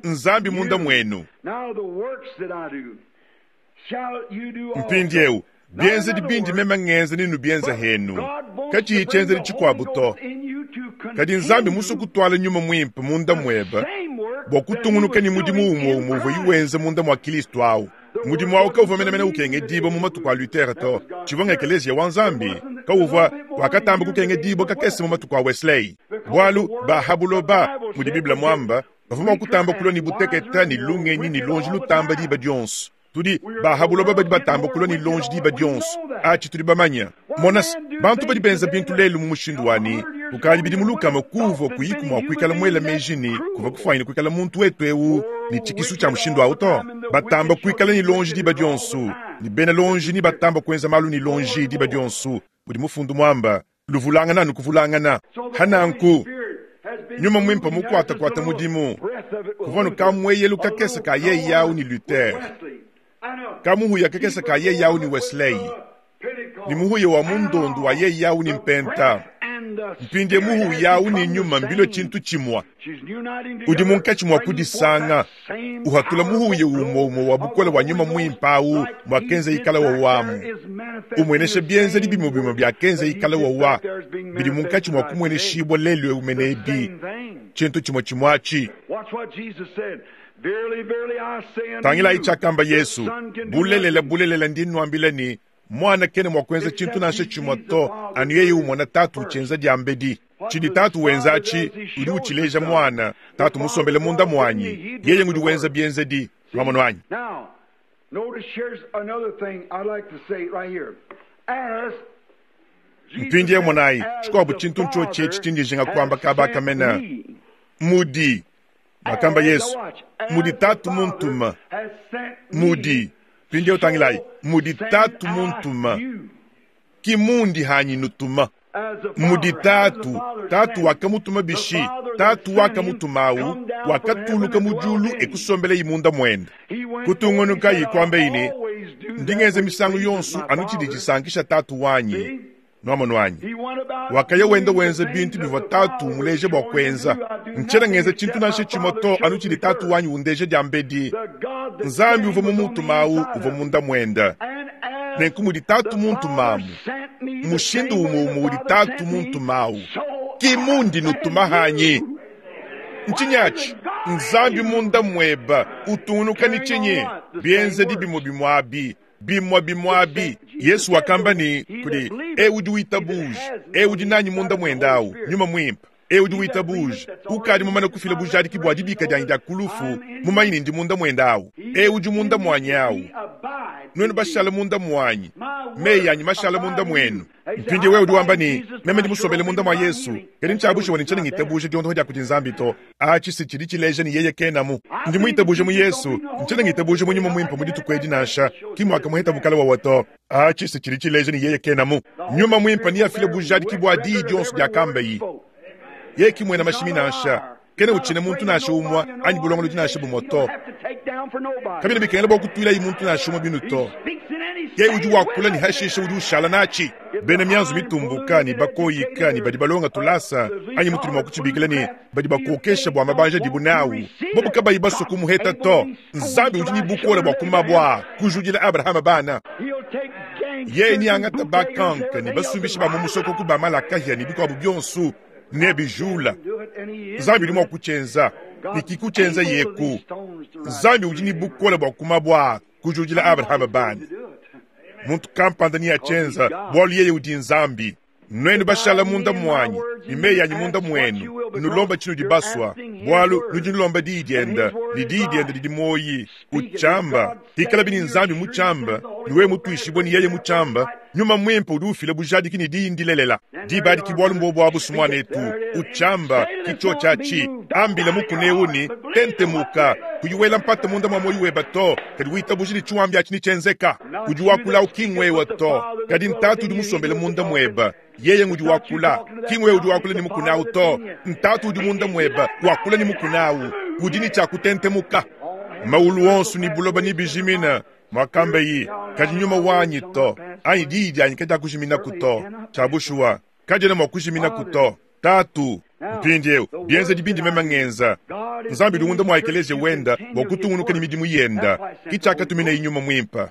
Nzambi munda mwenu. Mpindi eu, bienze di bindi mema ngenze ninu bienze henu. Kachi chenze di chikwabu to. Kadi Nzambi muso kutwala nyuma mwimpa munda mweba, bwa kutungunuka ni mudimu umwe umwe yuwenze munda mwa Kristo au. Mudimu wao kauva mena mena ukenge dibo mu matuku a Luther to. Chivonga ekelezia wa Nzambi kauva wakatamba kukenge dibo kakese mu matuku a Wesley. Bwalu bahabuloba mudi Biblia mwamba bavuma kutamba kulo ni buteketa ni lungenyi ni lonji lutamba diba dionso. Tudi bahabuloba badi batamba kulo ni lonji diba dionso. Achi tudi bamanya. Monas bantu badi benza bintu lelu mu mushindu wani. Ukali bidi muluka makuvo kuyiku mwa kuikala mwela mejini kuva kufaina kuikala muntu wetu eu ni chikisu cha mushindu auto. Batamba kuikala ni lonji diba dionso. Ni bena lonji ni batamba kuenza malu ni lonji diba dionso. Mudi mufundu mwamba luvulangana nukuvulangana. Hananku nyuma mwimpa mukwata kwata mudimu. Kuvanu kamweyelu kakesa ka ye yao ni Luther. Kamuhuya kakesa ka ye yao ni Wesley. Ni muhuya wa mundondu wa ye yao ni Mpenta. Mpinde muhu yao ni nyuma mbilo chintu chimwa. Udi munkachi mwa kudisanga. Uhatula muhu ye umo umo wa bukola wa nyuma mwimpau mwa kenze ikala wa wamu. Umweneshe bienze di bimo bimo bya kenze ikala wa wa. Bidi munkachi mwa kumwene shibwa lelwe umenebi. Chintu chimwa chimwachi. Tangila ichakamba Yesu. Bulelela bulelela ndinu ambile ni. Mwana kene mwa kwenza chintu nashe chimwa to anu yeye umwana tatu uchenza diambedi. Chidi tatu wenzachi udi uchileja mwana tatu musombele munda mwanyi yeye ngudi wenza bienzedi lwamono anyi. Now, notice here's another thing I'd like to say right here. As Mpindi mwanai chikwabu chintu ncho chechi chindijinga kwamba kaba kamena mudi makamba Yesu mudi tatu muntuma mudi pindi utangilai mudi tatu muntuma kimundi hanyi nutuma. Mudi Tatu, Tatu wakamutuma bishi, Tatu wakamutumawu, wakatuluka mu diulu ekusombela munda mwende. Kutungunuka yikwambe ine, ndingenze misangu yonso anu tshidi tshisankisha Tatu wanyi. Nwamonu wanyi. Wakaya wenda wenza bintu bivua Tatu muleje bua kuenza. Ntshiena ngenza tshintu nansha tshimue to anu tshidi Tatu wanyi undeje diambedi. Nzambi uvua mumutumawu uvua munda mwenda. Nenku mudi Tatu muntumamu. Mushindu umue umue udi Tatu muntumawu. Ki mundi nutuma hanyi. Ntshinyi Nzambi munda mweba utungunuka ni tshinyi? Bienzedi bimue bimue abi. Bimue bimue abi. Yesu wakamba ni kudi e udi witabuja, e udi nanyi munda mwendawu, nyuma mwimpe. E udi witabuja, ukadi mumane kufila bujadiki bua dibika dianyi dia kulufu, mumanyi ndi munda mwendawu. E udi munda mwanyi awu. Nuenu bashala munda mwanyi, meyi anyi mashala munda mwenu. Mpindi wewe udi wamba ni meme ndi musombele munda mwa Yesu, kadi ntshiabusha wani ntshiena ngitabuja diondoho dia kudi Nzambi to. Atshi si tshidi tshileja ni yeye kenamu. Ndi muitabuja mu Yesu, ntshiena ngitabuja mu nyuma mwimpe mu dituku edi nansha, ki mwakamuheta bukala wawa to. Atshi si tshidi tshileja ni yeye kenamu. Nyuma mwimpe ni afile bujadiki bua diyi dionso diakambayi. Yeye ki mwena mashimi nansha, kena utshina muntu nansha umwa anyi bulongolodi nansha bumwe to. Kabina bikengela bua kutuila muntu nansha umwe binu to. Yeye udi wakula ni hashisha udi ushala nachi. Bena mianzu mitumbuka ni bakoyika ni badi balonga tulasa anyi mutuli mwa kuchibikila ni badi bakokesha bua mabanja dibu nawu. Bobu kabayi baswa kumuheta to. Nzambi udi ni bukola bua kumabwa kujudila Abrahama bana. Yeye ni angata bakanka ni basumbisha ba mumusoko ku ba malakahia ni bikwabu byonsu ne bijula. Nzambi udi mwa kuchenza ni kikuchenza yeku. Nzambi udi ni bukola bua kumabwa kujudila Abrahama bana. Muntu kampanda ni achenza bwalu yeye udi Nzambi. Nwenu bashala munda mwanyi ni meyi anyi munda mwenu. Nulomba tshinu dibaswa bwalu nudi nulomba diyi dienda ni diyi dienda didi moyi uchamba hikala bini Nzambi muchamba niwe mutuishibwe ni yeye muchamba. Nyuma mwimpe udi ufila bujadiki ni diyi ndilelela dibadiki bwalu mbobo abusu mwanetu uchamba kicho chachi ambila mukuneuni tentemuka kuyiwela mpata munda mwa moyi weba to kadi witabuji ni chiwambi achi ni chenzeka udi wakula ukingwewa to kadi ntatu udi musombele munda mweba yeye ngudi wakula kingwewa udi wakula ni mukunau to ntatu udi munda mweba wakula ni mukunau udi ni chakutentemuka maulu onso ni buloba ni bijimina mwakambe kadi nyuma wanyi to anyi diyi dianyi kadi akujimina kuto chabushuwa kadi na mwakujimina kuto Tatu mpindiewu bienza dibindi mema ngenza Nzambi udi mwa ekelesia wenda bua kutungunuka ni midimu yenda kichakatumina inyuma mwimpa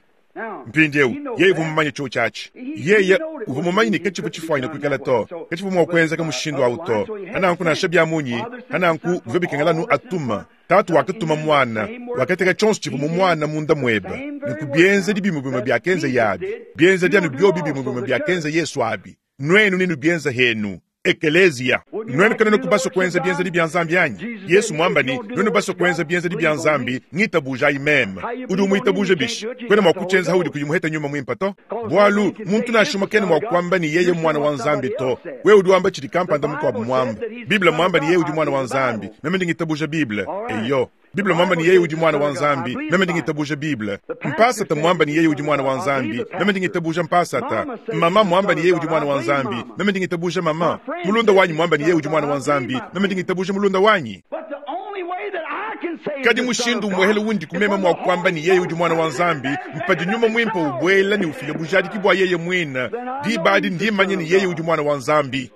mpindiewu yeye uvua cho chachi yeye uvua mumanyi ni kachivu chifwanyina kuikala to kachivu mwa kuenza kamushindu awu to ananku nansha bya munyi ananku bivua bikengelanu atuma Tatu wakatuma mwana wakateka chonso chivu mu mwana munda mweba nikubienza dibimwe bimwe byakenza yabi bienza dyanu byobi bimwe bimwe byakenza Yesu abi nwenu ninu bienza henu Ekelezia nwenu kanene kubaso kuenza bienza di bya Nzambi anyi Yesu mwamba ni nwenu baso kuenza bienza di bya Nzambi ngitabuja imeme udi umuitabuja bishi kwena mwa kuchenza haudi kuyimuheta nyuma mwimpa to bwalu muntu nashuma kene mwa kwamba ni yeye mwana wa Nzambi to wewe udi wamba chidi kampanda mukwabu mwamba Biblia mwamba ni yeye udi mwana wa Nzambi meme ndingitabuja Biblia eyo Biblia mwamba ni yeye udi mwana wa Nzambi meme ndingitabuja Biblia mpasata mwamba ni yeye udi mwana wa Nzambi meme ndingitabuja mpasata mama mwamba ni yeye udi mwana wa Nzambi meme ndingitabuja mama mulunda wanyi mwamba ni yeye udi mwana wa Nzambi meme ndingitabuja mulunda wanyi kadi mushindu mwehele wundi kumema mwa kwamba ni yeye udi mwana wa Nzambi mpadi nyuma mwimpe ubwela ni ufile bujadiki bwa yeye mwina dibadi ndimanye ni yeye udi mwana wa Nzambi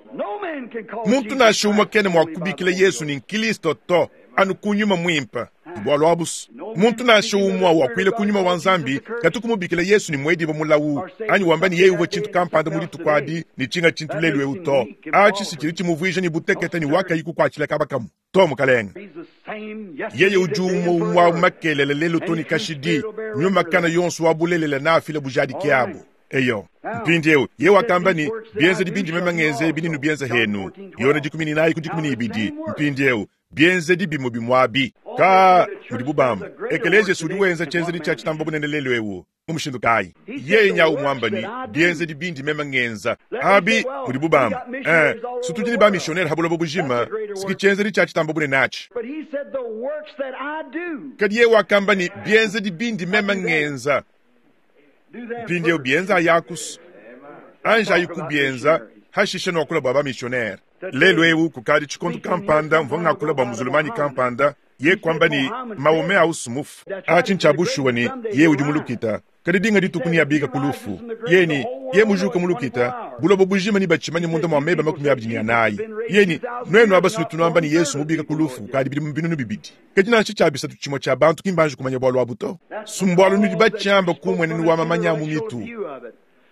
muntu nashuma kene mwa kubikila Yesu ni Kristo to anu kunyuma mwimpa bwalu abusu muntu nasho umwa wakwile kunyuma wa Nzambi katukumubikila Yesu ni mwedi mulawu anyi wamba ni yeye uva chintu kampanda muli tukwadi ni chinga chintu lelu eu to achi sichili chimuvwija ni buteketa ni wakayi kukwachila kabakamu to mukalenga yeye udi umwe umwa makelele lelu to ni kashidi nyuma kana yonso wabulelela na afile bujadiki abo eyo mpindiewu ye wakamba ni bienza dibindi mema ngenze bininu bienza henu yona dikumi ni nayi ku dikumi ni ibidi mpindiewu bienze dibimo bimwabi ka mudi bubamba ekelesia sudi wenza chenze di cha chitamba bunene lelu ewu mumushindu kayi yeye nyawu mwamba ni bienze dibindi mema ngenza abi mudi bubamba eh sutudi ni ba missionnaire habulobo bujima siki chenze di cha chitamba bunene achi kadi ye wakamba ni bienze dibindi mema ngenza mpindiewu bienza yakus anja yikubienza Hashishe nuakula bua bamissionnaire. Lelu eu kukadi tshikondo kampanda mvua ngakula bua muzulumanyi kampanda, ye kwamba ni Mahomet ausu mufu. Atshi ntshia bushuwa ni ye udi mulukita. Kadi dinga dituku ni abika kulufu. Ye ni ye mujuka mulukita, bulobo bujima ni batshimanya munda mua meba makumi abidi ni anayi. Ye ni nuenu abasulu tunuamba ni Yesu mubika kulufu kukadi bidimu binunu bibidi. Kadi nansha tshia bisatu tshimue tshia bantu ki mbanji kumanya bualu abu to. Sumbualu nudi batshiamba kumwenenu wa mamanya mu mitu.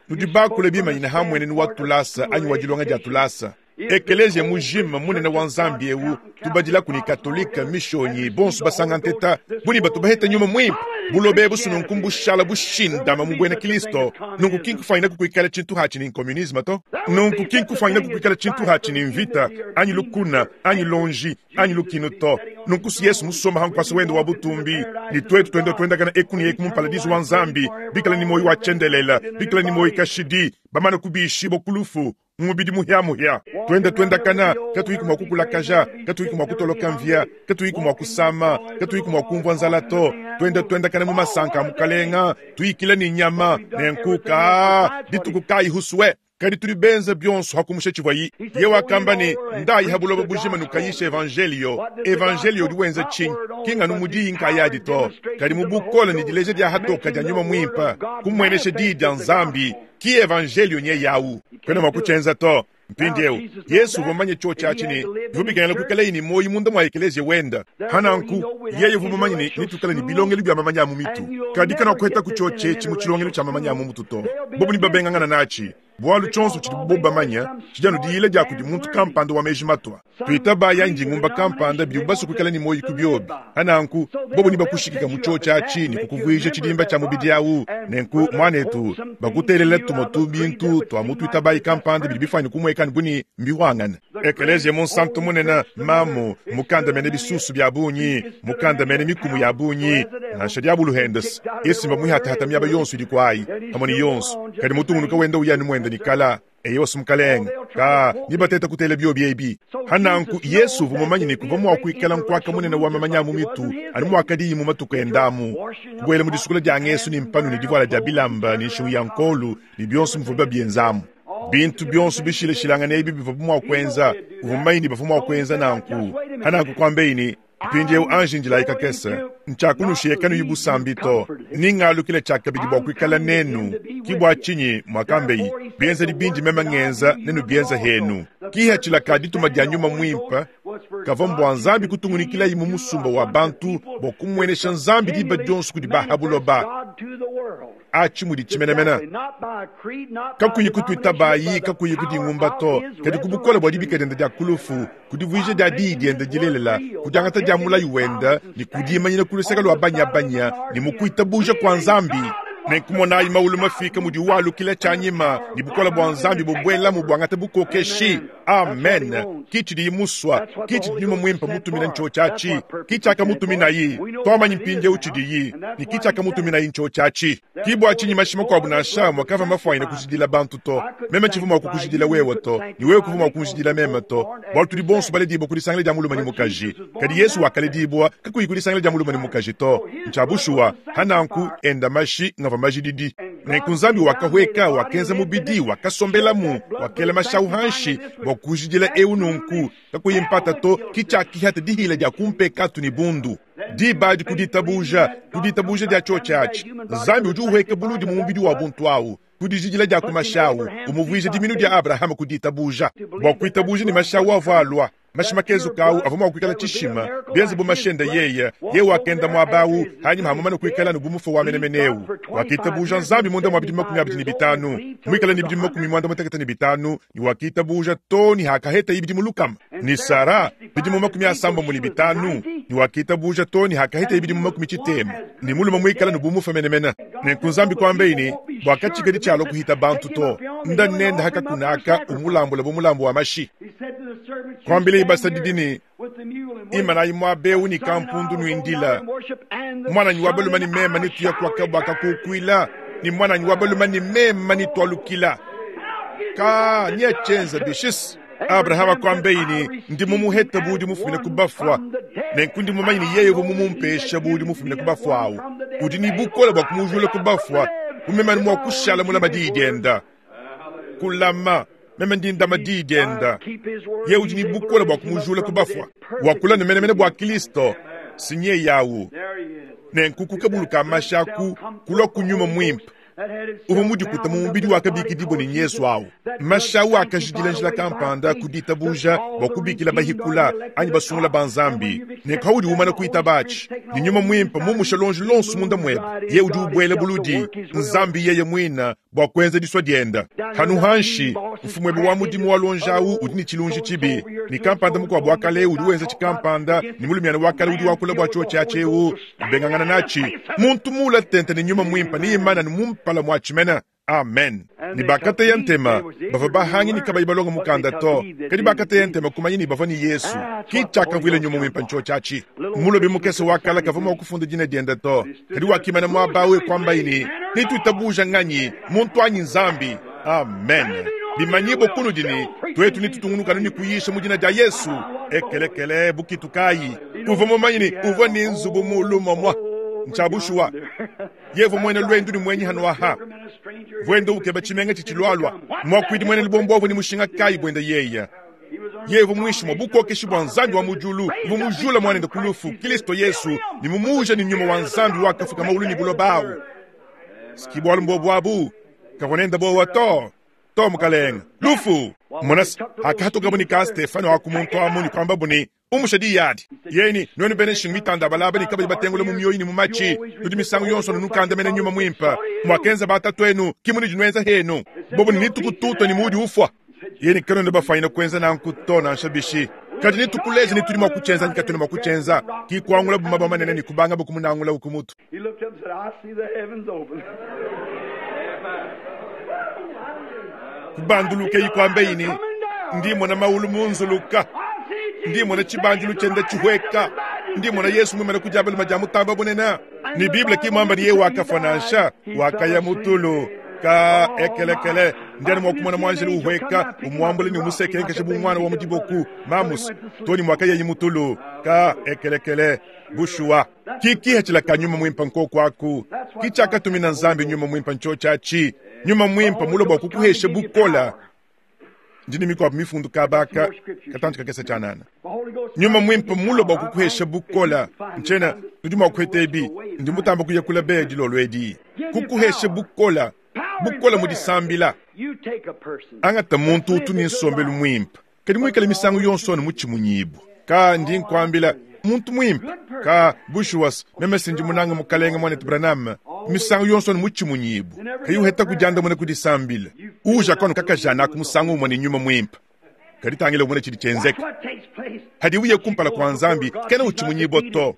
Nudi bakule bimanyina hamwenenu wa tulasa anyi wa dilonga dia tulasa. Ekelezia mujima munene wa nzambi eu tubadila kuni katolika mishonyi bonso basanga nteta buni batu baheta nyuma mwimpe bulobe busunu nkumbushala bushindama mu bwena Kristo. Nunku kinkufanyina kukuikala tshintu hatshi ni communisme to. Nunku kinkufanyina kukuikala tshintu hatshi ni mvita anyi lukuna anyi lonji anyi lukinu to. Nunku si Yesu musoma hankwasa wendo wa butumbi ni twetu twenda twendakana ekuni eku mu paradiso wa nzambi bikala ni moyo wa chendelela bikala ni moyo kashidi bamana kubishi bokulufu mubidi muhya muhya twenda twenda kana katuyiku mwa kukulakaja katuyiku mwa kutoloka mvya katuyiku mwa kusama katuyiku mwa kumvwa nzala to. Twenda twenda kana mu masanka mukalenga tuyikila ni nyama nenkuka dituku kayi huswe kadi tuli benza byonso hakumusha tshivwayi. Ye wakamba ni ndayi habuloba bujima nukayisha evangelio. Evangelio diwenza tshinyi kinga numudiyi nkayadi to kadi mubukola ni dileja dia hatoka dia nyuma mwimpa kumwenesha diyi dia nzambi ki evangelio nye yawu kwena mwakuchenza to. Mpindiewu Yesu vumanye cho chachi ni vubikana kukala ni moyi munda mwa ekelezia wenda hananku yeye vumanye ni nitukala ni bilongelo bya mamanya mu mitu kadi kana kweta kuchoche chimu chilongelo cha mamanya mu mutu to bobu ni babengangana nachi bwalu chonso chidi boba manya chijanu diyile dia kudi muntu kampanda wa meji matwa tuita baya njingumba kampanda bidi kukala ni moyi kubyobi hananku bobu ni bakushikika mu chocha achi ni kukuvuija chidimba cha mubidi awu nenku mwanetu bakutelela tumotu bintu twa mutu itabayi kampanda bidi bifanya kumwekani buni mbiwangana. Ekelezia monsanto munena mamu mukanda mene bisusu bya bunyi mukanda mene mikumu ya bunyi nansha diabulu hendes yesimba muihata miaba yonso idi kwayi pamwe ni yonso kadi mutungunuka wenda uyani mwenda nikala eyo sumkalenga ka nibateta kutela byobi ebi hananku Yesu vumumanye ni kuva mwakuikala nkwaka munene wa mamanya mu mitu ani mwakadi mu matuku endamu kubwela mu disukula dia ngesu ni mpanu ni divuala dia bilamba ni nshingu ya nkolu ni byonso mvuba byenzamu bintu byonso bishileshilangana ebi biva mwakwenza uvumanye ni bavu mwakwenza nanku hananku kwambeini mpindiewu anji njilayika kese nchakunushiye kanu yibusambi to ningalukile chakabidi bwa kuikala nenu kibwa chinyi mwakambeyi bienza dibindi mema ngenza nenu bienza henu kiha chilaka dituma dia nyuma mwimpa kava mbwa nzambi kutungunikila yimu musumba wa bantu bwa kumwenesha nzambi diba dionso kudi bahabuloba achi mudi chimenemena kakuyi kutwita bayi kakuyi kudingumba to kadi kubukola bwa dibika dienda dia kulufu kudivuija dia diyi dienda dilelela kudiangata dia mulayi wenda ni kudimanyina kuluseka lwa banyabanya ni mukuitabuja kwa nzambi nenkumonayi maulu mafika mudi walukila tshanyima ni bukola bwa nzambi bubwela mu bwangata bukokeshi. Amen. Kichi muswa kichi nyuma mwimpa mutumina ncho chachi kichi akamutuminayi twamanyi mpinje uchidiyi ni kichi akamutuminayi ncho chachi kibwa chinyi mashima kwa bunasha mwakava mafwaina kujidila bantu to mema chivuma kukujidila wewe to ni wewe kuvuma kujidila mema to bwalu tuli bonso bale dibo kulisangile dia muluma ni mukaji kadi Yesu wakale dibwa kakuyi kulisangile dia muluma ni mukaji to nchabushuwa hananku enda mashi ngava majididi nenku nzambi wakahweka wakenza mubidi wakasombelamu wakela mashau hanshi bwa kujidila eu nunku kakuyimpata to kichakihata dihila dia kumpekatu ni bundu dibadi kuditabuja kuditabuja dia chochachi nzambi udi uhweka buludi mu mubidi wa buntu awu kudijidila dia kumashawu umuvuija diminu dia Abrahama kuditabuja bwa kuitabuja ni mashawu avalwa mashimakezo kawu avuma kuikala tshishima bienze bu mashenda yeye ye wakenda mwabawu hanyuma hamumana kuikala nubu wa menemeneu wakitabuja nzambi munda mwa bidimu makumi abidi ni bitanu mwikala ni bidimu makumi mwanda mutekete ni bitanu ni wakitabuja to ni hakaheta ibidimu lukama ni Sara bidimu makumi asamba muli bitanu ni wakitabuja to ni hakaheta ibidimu makumi chitema ni muluma mwikala nubu mufa menemena nenku nzambi kwambeini bwakachikadi chalo kuhita bantu to nda nenda hakakunaka umulambula bumulambo wa mashi kwambile basadidini imana imwa beu ni kampundu nuindila mwana nyi wabaluma ni mema ni tuya kwa kabwa kakukwila ni mwana nyi wabaluma ni mema ni twalukila ka nye chenza bishis Abrahama kwambeini ndi mumuheta budi mufumina kubafwa nenku ndi mumanyi ni yeye vumumumpesha budi mufumina kubafwa awu udi ni bukola bwa kumujula kubafwa umemani mwa kushala mula madiyi dienda kulama Meme ndi ndama diyi dienda. Ye udi ne bukole bua kumujula ku bafua. Wakula ne menemene bua Kristo. Sinye yawu. Nenku kabulu ka mashaku kulwa ku nyuma mwimpe. Uvua mudikuta mu mubidi wakabikidibwa ne Yesu awu. Mashawu akajidila njila kampanda ku ditabuja bua kubikila bahikula anyi basungula ba Nzambi. Ne kaudi umana kuitabachi. Ni nyuma mwimpe mumusha lonji lonsu munda mwebe. Ye udi ubwela buludi Nzambi yeye mwina bua kuenza diswa dienda. Hanu hanshi mfumwebe wa mudimu wa lonjawu udi ni chilunji chibi. Ni kampanda mukwabu wa kale udi wenza chikampanda ni mulumiana wa kale udi wakula bua cho chachewu bengangana nachi. Muntu mula tente ni nyuma mwimpe ni imana ni mumpala mwa chimena. Amen. Ni bakate ya ntema bava bahangi ni kabayi balonga mukanda to. Kadi bakate ya ntema kumanyi ni bava ni Yesu. Ki chaka vile nyuma mwimpe ncho chachi. Mulobi mukese wakala kavuma wakufunda jina dienda to. Kadi wakimana mwa bawe kwamba ini ni tuitabuja nganyi muntu anyi Nzambi. Amen. Bimanyibo kunu dini twetu ni tutungunuka ni kuyisha mujina dia Yesu. Ekelekele bukitukayi. Uva mumanyi ni uva ni nzubu mulumo mwa. Nchabushwa. Yevo mwene lwendu ni mwenyi hanuaha. Vwendo ukeba chimenga chichilwalwa. Mwakwidi mwene libombovu ni mushinga kai bwenda yeya. Yevo mwishi mwabukokeshi bwa Nzambi wa mujulu. Vumujula mwanenda kulufu. Kristo Yesu ni mumuja ni nyuma wa Nzambi wakafuka maulu ni bulobawu. Skibwalu mbobwabu. Kavonenda bowa to. To mukalenga. Lufu. Monas akatoka buni ka Stefano akumuntu amuni kwamba buni umushadi yadi. Yeni nwenu bene shingu mitanda balaba ni kabali batengule mu myoyi ni mu machi. Tudi misango yonso nukanda mene nyuma mwimpa. Mwakenza batatu enu kimuni jinwenza henu. Bobu ni nitukututa ni mudi ufwa. Yeni kano ndo bafaina kwenza na nkutona nshabishi. Kadi nitukuleje ni tulima kuchenza nikatuna makuchenza. Ki kuangula bumaba manene ni kubanga bukumunangula ukumutu. He looked up and said, I see the heavens open. Kubanduluke yikwambe yini. Ndimo na maulu munzuluka. Ndimo na chibanjulu chenda chihweka. Ndimo na Yesu mwimana kujabala majamu tamba bunena. Ni Biblia kimwamba ni yewa akafanansha wakaya mutulu ka ekelekele. Ndiani mwakumona mwanjeli uhweka umwambule ni umusekenke shabu mwana wa mudiboku mamus toni mwakaya yimutulu ka ekelekele bushua. Kiki hachila kanyuma mwimpa nko kwaku. Kichaka tumina Nzambi nyuma mwimpa ncho chachi. Nyuma mwimpa muloba kukuheshe bukola. Ndini mikwa mifundu kabaka katanchika kesa chanana. Nyuma mwimpa muloba kukuheshe bukola. Nchena nudima kwetebi ndimutamba kuyakula bedi lolwedi. Kukuheshe bukola. Bukola mudisambila. Angata muntu utuni nsombelu mwimpa. Kadi mwikale misango yonso ni muchimunyibu. Ka ndi nkwambila muntu mwimpa. Ka bushuwas meme sinji munanga mukalenga mwanetu Branham. Misango yonso ni muchimunyibu. Kayu heta kujanda mwana kudisambila. Uja kono kakajana kumusango umwe ni nyuma mwimpa. Kadi tangile umwe chidi chenzeka. Hadi uye kumpala kwa Nzambi kena uchimunyibo to.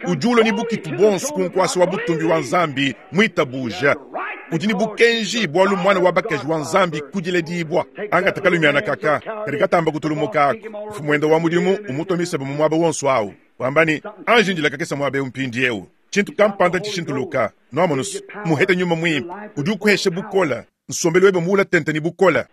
Ujulo ni bukitu bonsu kunkwasi wa butumbi wa Nzambi mwitabuja. Udini bukenji bwalu mwana wa bakaji wa Nzambi kujile dibwa. Anga takalumiana kaka. Karika tamba kutulumuka ako. Mfumwendo wa mudimu umutomisa bu mwaba wonso awu. Wambani anjinjila kakesa mwabe umpindi eu. Chintu kampanda chishintuluka. Noamonus muhete nyuma mwimpa. Uju kuheshe bukola. Nsombelu webe muula tente ni bukola.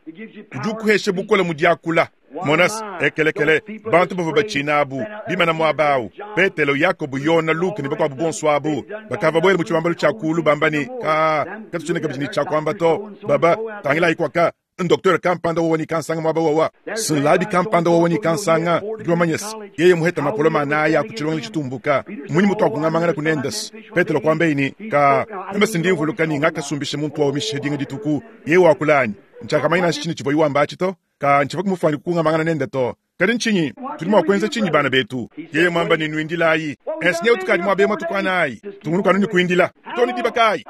Uju kuheshe bukola mudiakula. Monas ekelekele bantu bava bachinabu bimana mwabau Petelo Yakobo Yona Luke ni bakwabu bonswabu bakava bwele mu chibambalo cha kulu bambani ka katuchine kabini cha kwamba to baba tangila ikwaka Docteur kampanda woni kansanga mwaba wawa sinlabi kampanda woni kansanga jomanyes yeye muheta mapoloma naya kuchilonga chitumbuka munyi mutu akungamangana kunendas Petelo kwamba ini ka mbe sindimvuluka ni ngakasumbishe muntu wa mishedinga dituku yeye wakulani nchakamaina chini chivo iwamba chito ka nchiva kumufani kungamangana nenda to kadi nchinyi tulima kwenza chinyi bana betu yeye mwamba ni nwindilayi esinye utukadi mwabe mwatukanayi tunguluka nuni kuindila toni dibakayi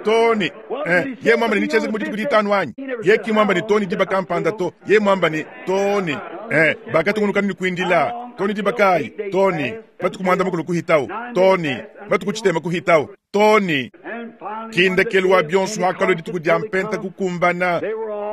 Tony eh ye mwamba ni nicheze kumudi kuditanu anyi ye ki mwamba ni Tony dibakampanda to ye mwamba ni Tony eh bakatunguluka nuni kuindila Tony dibakayi Tony batukumwanda mukulu kuhitau Tony batukuchitema kuhitau Tony kindekelu wa bionso hakalo dituku dia mpenta kukumbana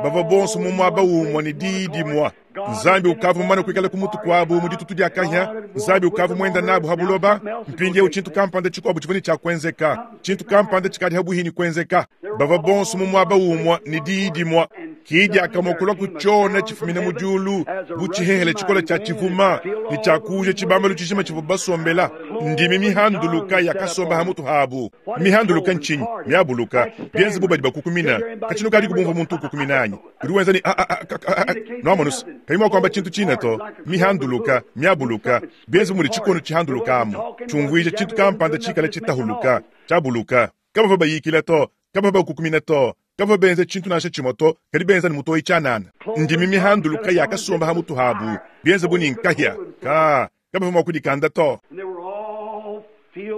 bava bonso mu mwaba umwe ni didi mwa Nzambi ukavu mwana kuikala kumutu kwabu mu ditutu dia kahya Nzambi ukavu mwenda nabu habuloba mpinge uchintu kampanda chikwabu chivoni cha kwenzeka chintu kampanda chikadi habuhini kwenzeka bava bonso mu mwaba umwe ni didi mwa Ki diakamue kulua ku tshiona tshifumina mu diulu bu tshihehele tshikole tshia tshivuma ne tshiakuuja tshibambalu tshijima tshivua basombela. Ndimi mihanduluka yakasomba ha mutu habu. Mihanduluka ntshinyi? Miabuluka bienze bu badi bakukumina. Katshinu kadi kubumva muntu ukukumina anyi? Udi wenza ni a a a a noamonusa kayi mua kuamba tshintu tshina to. Mihanduluka miabuluka bienze bu mudi tshikono tshihandulukamu tshiumvuija tshintu kampanda tshikale tshitahuluka tshiabuluka. Kabavua bayikila to, kabavua bakukumina to, kabavua benza tshintu nansha tshimue to, kadi benza ne mutoyi tshianana. Ndimi mihanduluka yakasomba ha mutu habu bienze bu ni nkahia ka kabavua mua kudikanda to.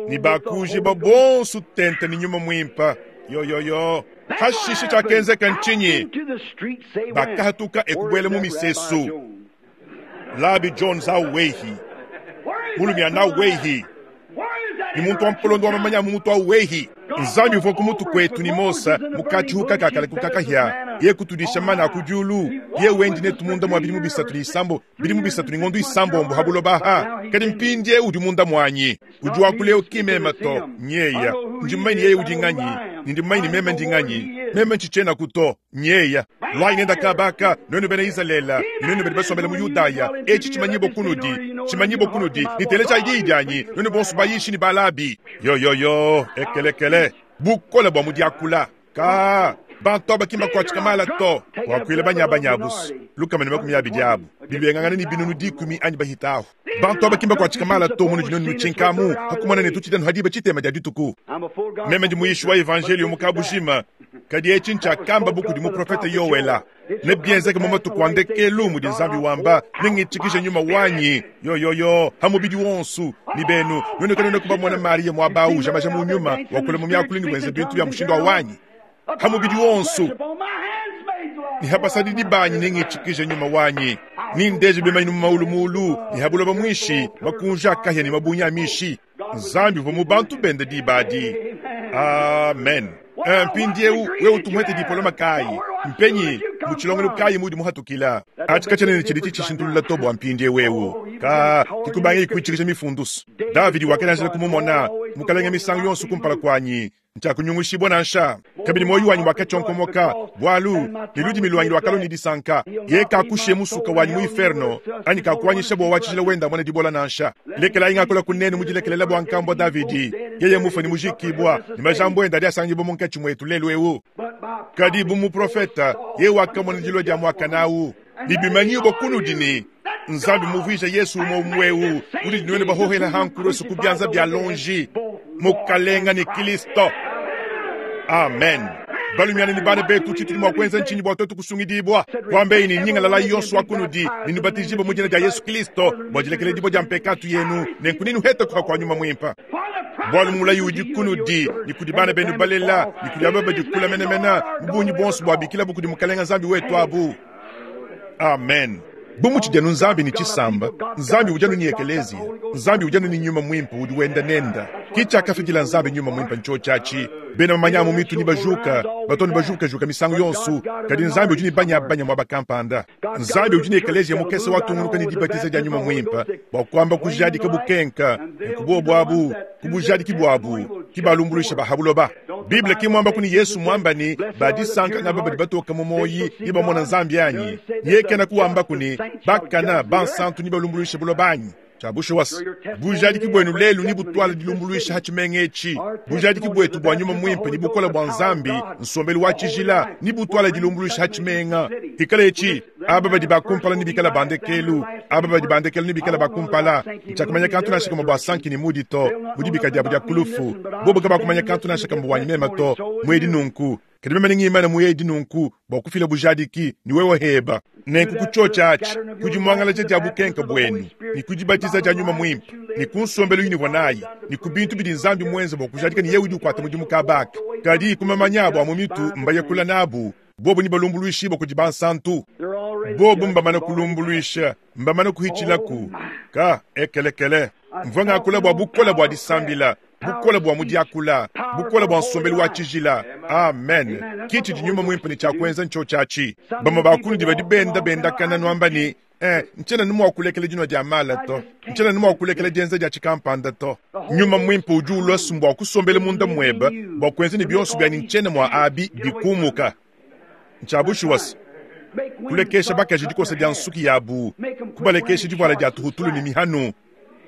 Ni bakujiba bonso tente ni nyuma mwimpa yo yo yo. Hashishe tshiakenzeka ntshinyi? Bakahatuka ekubwela mu misesu. Labi Jones awehi mulumya awehi ni muntu wa mpolondo wa mamanya mu mutu awehi. Nzambi uvua ku mutu kwetu ni Mosa mukachihuka kakale kukakahya ye kutudisha mana ku diulu ye wendi netu munda mwa bilimu bisatu ni isambo bilimu bisatu ni ngondo isambombo habulobaha. Kadi mpindie udi munda mwanyi udi wakuleo kimema to nyeya ndi mmanyi yeye udi nganyi ndi mmanyi meme ndi nganyi meme ntshichena kuto nyeya lwai nenda kabaka nwenu bena Israela nwenu badi basombela mu Yudaya echi chimanyibo kunudi chimanyibo kunudi nitelecha idi idyanyi nwenu bonso bayishi ni balabi yo yo yo ekelekele bukola bwa mudiakula ka bantu abakimba kwa chikamala to wakwile banyabanyabusu lukamene makumi abidi abo bibengangana ni binunu dikumi anyi bahitaho. Bantu abakimba kwa chikamala to munu dinonu chinkamu hakumana ne tutidanu hadiba chitema dia dituku. Meme ndi muyishi wa evangelio mukabushima kadi echi nchakamba buku di muprofeta Yowela ne bienzeke mu matuku andekelu mudi Nzambi wamba nengitshikishe nyuma wanyi yo yo yo hamubidi wonsu ni benu nwenu kanene kuba mwana Maria mwabau jamaja mu nyuma wakule mu myakuli ni wenze bintu bya mushindo wa wanyi hamubidi wonsu ni habasadidi banyi nengitshikishe nyuma wanyi ni ndeje bimanyi mu maulumulu ni habuloba mwishi makunja kahya ni mabunya mishi. Nzambi uvua mu bantu bende dibadi. Amen. Mpindiewu wewe utumwete diploma kayi mpenyi muchilongelo kayi mudi muhatukila achi ne chidi chishintulula to bwa mpindie wewe ka kikubange ikuichikisha mifundusu. Davidi wakenanjela kumumona mukalenge misango yonso kumpala kwanyi nchakunyungushibwa nansha kabili moyo wanyi wakachonkomoka bwalu ni ludimi lwanyi lwakalo ni disanka ye kakushe musuka wanyi mu inferno anyi kakuanyisha bwa wachijila wenda mwana dibola nansha. Lekela ingakola kunene mujilekelela bwa nkambo Davidi yeye mufa ni mujikibwa ni majambo enda dia munkachi mwetu lelu ewu. Kadi bu muprofeta ye wakamona dilo dia mwakanau nibimanyibo kunudini Nzambi muvuija Yesu umwe umwewu uli dinwene bahohela hankurosu kubyanza bya lonji mukalenga ni Kristo. Amen. Balumiana ni bana betu chituli mwa kwenza nchini bwa toto kusungidibwa kwambe ini nyinga lala yonso wakunudi ninibatizibwa mu jina lya Yesu Kristo bwajilekele dibo dia mpekatu yenu nenkuninu heta kwa kwa nyuma mwimpa bwalu mulayi udi kunudi ni kudi bana benu balela ni kudi ababa dikula menemena mbunyi bonso bwa bikila bukudi mukalenga Nzambi wetu abu. Amen. Bumuchi janu Nzambi ni chisamba Nzambi ujanu ni ekelezia Nzambi ujanu ni nyuma mwimpa udi wenda nenda kicha akafikila Nzambi nyuma mwimpa ncho chachi bena manyamu mitu ni bajuka batoni bajuka juka misango yonsu kadi Nzambi udi ni banya banya mwa bakampanda Nzambi udi ni ekelezia mukese watungunuka ni dibatiza dia nyuma mwimpa bwa kwamba kujadi kabukenka kubo bwabu kubujadi kibwabu kibalumbulisha bahabuloba. Biblia kimwamba kuni Yesu mwamba ni badisanka ngaba badi batoka mumoyi ni bamona Nzambi anyi yeke na kuwamba kuni bakana bansantu ni balumbulisha bulobanyi chabusho was bujadi kibwenu lelu ni butwala dilumbuluisha hachimengechi bujadi kibwetu bwa nyuma mwimpe ni bukola bwa Nzambi nsombelu wa chijila ni butwala dilumbuluisha hachimenga ikalechi aba badi bakumpala ni bikala bandekelu aba badi bandekelu ni bikala bakumpala nchakumanya kantu nashika mabwa sanki ni mudi to mudi bikadia budia kulufu bobo kaba kumanya kantu nashika mabwa nyema to mwedi nunku kadi meme ngimana muyedi nunku bwa kufila bujadiki ni wewe heba nenku kuchocha achi kujimwangala cha bukenka bwenu ni kujibatiza cha nyuma mwimpa ni kunsombelo yini vonayi ni kubintu bidi Nzambi mwenze bwa kujadika ni yewe kwata mudimu kabaka kadi kumamanya bwa mumitu mbaye kula nabu bobo ni balumbuluishi bwa kujibansantu bobo mbamana kulumbuluisha mbamana kuhichilaku ka ekelekele mvanga kula bwa bukola bwa disambila bukola bwa mudiakula bukola bwa nsombelu wa chijila. Amen. Kichi dinyuma mwimpe ni cha kwenza ncho chachi bama bakulu dibadi benda benda kana nwamba ni eh nchena numu wakulekele jino dia mala to nchena numu wakulekele dienza dia chikampanda to nyuma mwimpe uju ulwa kusombele munda mweba bwa kwenza ni bionso bya ni nchena mwa abi bikumuka nchabushu wasi Kulekesha bakaji dikosa dia nsuki yabu, kubalekesha divuala dia tuhutulu ne mihanu,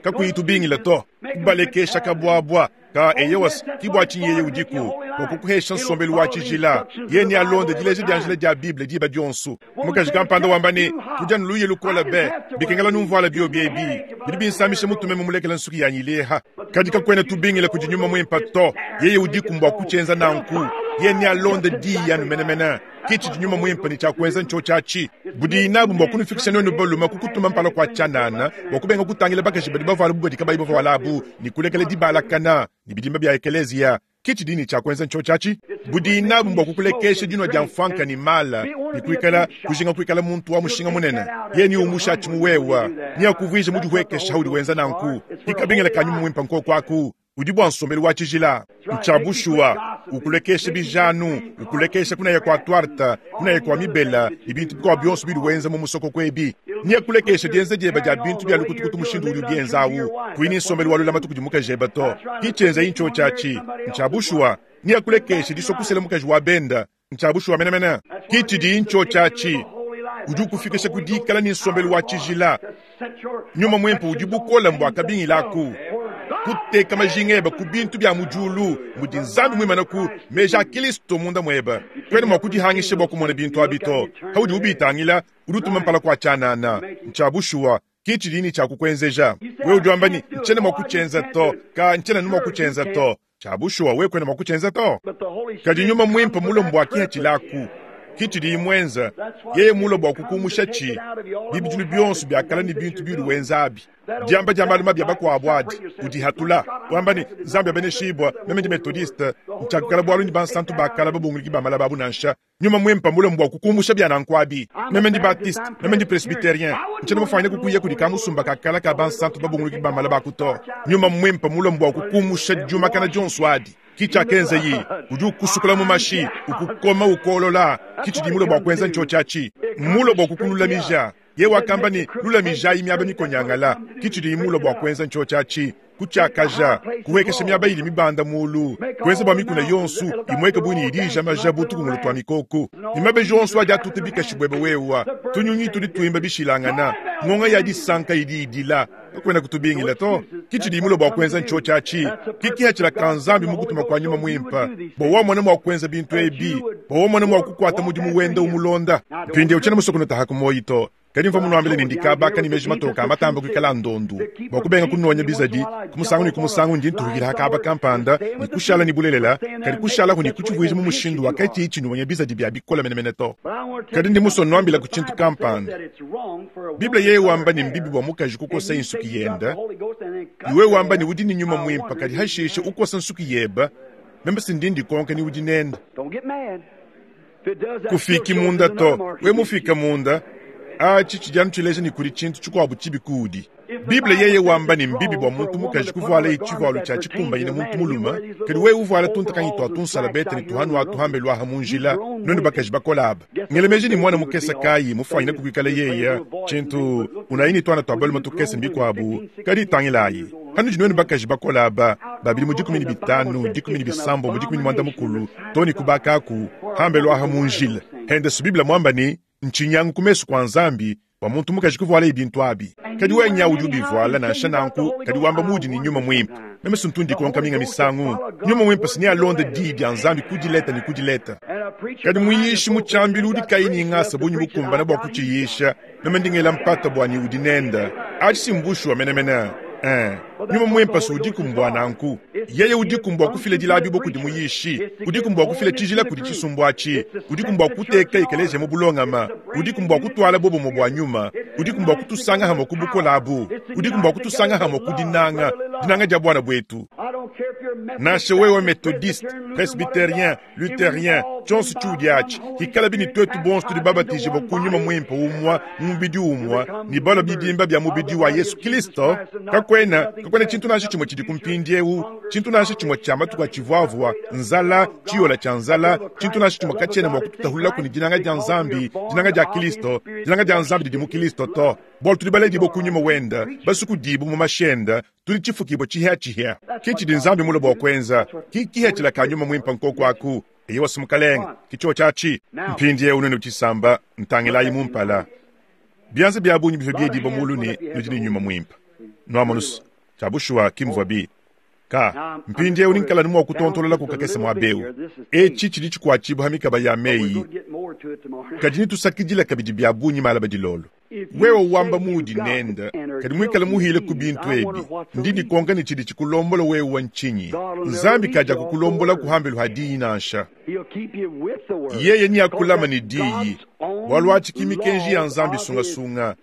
kakuyi tubingila to, kubalekesha kabuabua ka eyewas kibwa tshinyi yeye udiku bua kukuhesha nsombelu wa tshijila. Ye ni alonde dileja dia njila dia Bible diba dionso. Mukaji kampanda wamba ne kudia nluye lukola be bikengela numvuala bio biebi bidi binsamisha mutume mumulekela nsuki yanyi ileha. Kadi kakwena tubingila kudi nyuma mwimpa to, yeye udiku mbwa kuchenza nanku. Ye ni alonde diya numenemene kichi nyuma mwimpa ni cha kuenza ncho chachi budi inabu mbwa kunufikisha nwenu baluma kukutuma mpala kwa chanana bwa kubenga kutangila bakaji badi bavala bubadi kabayi bavala ni kulekele dibalakana ni bidimba bya ekelezia. Kichi dini cha kuenza ncho chachi budi inabu mbwa kukulekesha dinwa dia mfanka ni mala ni kuikala kujinga kuikala muntu wa mushinga munene. Ye ni umusha chimuwewa ni akuvwije mudiwekesha haudi wenza nanku ikabingela kanyuma mwimpa nko kwaku udi bwa nsombelu wa tshijila ntshabushua ukulekesha bijanu ukulekesha kunaya kwa twarta kunaya kwa mibela ibintu bikwa byonso bidi wenza mu musoko kwebi niya kulekesha dienza dieba dia bintu bya lukutukutu mushindu udi bienzawu kuini nsombelu wa lulama tukudi mukajeba to kichenza incho chachi ntshabushua niya kulekesha disokusela mukaji wa benda ntshabushua menemene kichidi incho chachi udi ukufikisha kudikala ni nsombelu wa tshijila nyuma mwempo udi bukola mbwa kabingilaku kuteka majingeba ku bintu bya mujulu mudi nzambi mwimana ku meja Kristo munda mweba kwene mwa kudihangisha bwa kumona bintu abito haudi ubitangila udutuma mpala kwa chanana ntshabushua kichi dini cha kukwenzeja we udi ni nchene mwa kuchenza to ka nchene numa kuchenza to tshabushua we kwene mwa kuchenza to kadi nyuma mwimpa mulo mbwa kihachilaku kichi di mwenza yeye mulo bwa kukumusha chi bibijulu byonso byakala ni bintu bilu wenzabi diamba dia maluma bya bakwabo adi udihatula wamba ni nzambi abeneshibwa meme ndi methodiste ntshiakukala bwalu ni bansantu bakala babunguliki bamala babu nansha nyuma mwempa mulo mbwa kukumusha bya nankwabi meme ndi baptiste meme ndi presbyterien ntshiena mufanyine kukuya kudi kamusumba kakala ka bansantu babunguliki bamala bakuto nyuma mwempa mulo mbwa kukumusha diumakana dionso adi kicha kenze yi udi ukusukula mu mashi ukukoma ukolola kichi di mulo bwa kwenza ncho chachi mulo bwa kukululamija ye wakamba ni lulamija imiaba mikonyangala kichi di mulo bwa kwenza ncho chachi kuchakaja kuwekesha miaba ili mibanda mulu kwenza bwa mikuna yonsu imweke buni idija majabu tukungulu twa mikoko nimabe jonsu aja tutibika shibwebe wewa tunyunyi tudi tuimba bishilangana ngonga ya disanka idi idila kwenda kutubingila to kichi di mulo bwa kwenza ncho chachi kikihachila kanzambi mukutuma kwa nyuma mwimpa bo mwana mwa kwenza bintu ebi bo mwana mwa kukwata mudimu wenda umulonda mpinde uchana musokono tahakumoyito kadi mva munuambile ni ndikabaka ni meji matoka amatamba kuikala ndondu bwa kubenga kunonya bizadi kumusangu ni kumusangu ndi ntuhukila hakaba kampanda ni kushala ni bulelela kadi kushala kuni kuchivuija mu mushindu wakati ichi nuwonya bizadi bya bikola menemene to kadi ndi muso nuambila ku chintu kampanda Biblia yeye wamba ni mbibi bwa mukaji kukosa insuki yenda iwe wamba ni udi ni nyuma mwimpa kadi hashishe ukosa nsuki yeba membe sindindi konka ni udi nenda kufiki munda to we mufika munda achi chijanu chileja ni kuli chintu chikwabu chibikudi Biblia yeye wamba ni mbibi bwa muntu mukaji kuvuala ichivualo cha chikumbanyina muntu muluma kadi we uvuala tuntakanyitwa tunsala bete ni tuhanu atuhambe lwaha munjila nonu bakaji bakolaba ngelemeji ni mwana mukesa kayi mufanyina kukwikala yeya chintu unayini twana twabaluma tukese mbikwabu kadi itangilayi hanu jinwenu bakaji bakolaba babili mu dikumi ni bitanu dikumi ni bisambo mu dikumi ni mwanda mukulu toni kubakaku hambe lwaha munjila hende su Biblia mwamba ni nchinyangu kumesu kwa nzambi wa muntu mukaji kuvuala ibintu abi kadi wenya udi ubivuala nansha nanku kadi wamba mudi ni nyuma mwimpa meme suntundi konka minga misangu nyuma mwimpa sini alonde di dia nzambi kudileta ni kudileta kadi muyishi muchambilu udi kayi ni ngasa bunyi bukumbana bwa kuchiyisha meme ndingela mpata bwani udi nenda achi simbushu wa menemene Eh, nyuma mwempa su udi kumbwa nanku yeye udi kumbwa kufile dilabi bo kudi muyishi udi kumbwa kufile tshijila kudi tshisumbu atshi udi kumbwa kuteka ikeleje mu bulongama udi kumbwa kutwala bobo mu bwa nyuma udi kumbwa kutusanga hamwe ku bukolabu udi kumbwa kutusanga hamwe ku dinanga dinanga dia bwana bwetu nansha wewe methodiste presbyterien lutherien tshonso tshiudi atshi hikala bini twetu bonso tudi babatije bo kunyuma mwimpe umwa mubidi umwa ni balo bidimba bya mubidi wa Yesu Kristo kakwena kakwena chintu nansha chimwe chidi kumpindi eu chintu nansha chimwe cha matuku achivuavua nzala chiyola cha nzala chintu nansha chimwe kachena mwa kututahulula kuni dinanga dia nzambi dinanga dia Kristo dinanga dia nzambi didi mu Kristo to bolo tudi baledi bo kunyuma wenda basuku dibu mu mashenda tuli chifukibwa chihya chihya kichi di nzambi mulo bwa kwenza kikihya chila kanyuma mwimpa nkoko aku Eyowa mukalenge, ki tshiatshi. Mpindieu nuenu tshisamba, ntangilayi mumpala. Byanza bya bungi bivua biediba mulu ne nudi ne nyuma mwimpe. Nwamonusu, tshia bushuwa ki muvua bi. Ka, mpindieu ninkala ni mwa kutontolola kukakese mwa beu. Etshi tshidi tshikuatshibua ha mikaba ya meyi. Kadi nitusakidila kabidi bya bungi malaba dilolo. Wewe wamba mudi nenda, kadi mwikala muhile ku bintu ebi. Ndi dikonka ne tshidi tshikulombola wewe wa nchinyi. Nzambi kaja kukulombola kuhambelu ha diyi nansha. Yeye ni akulama ni diyi. Bwalu atshi mikenji ya Nzambi sungasunga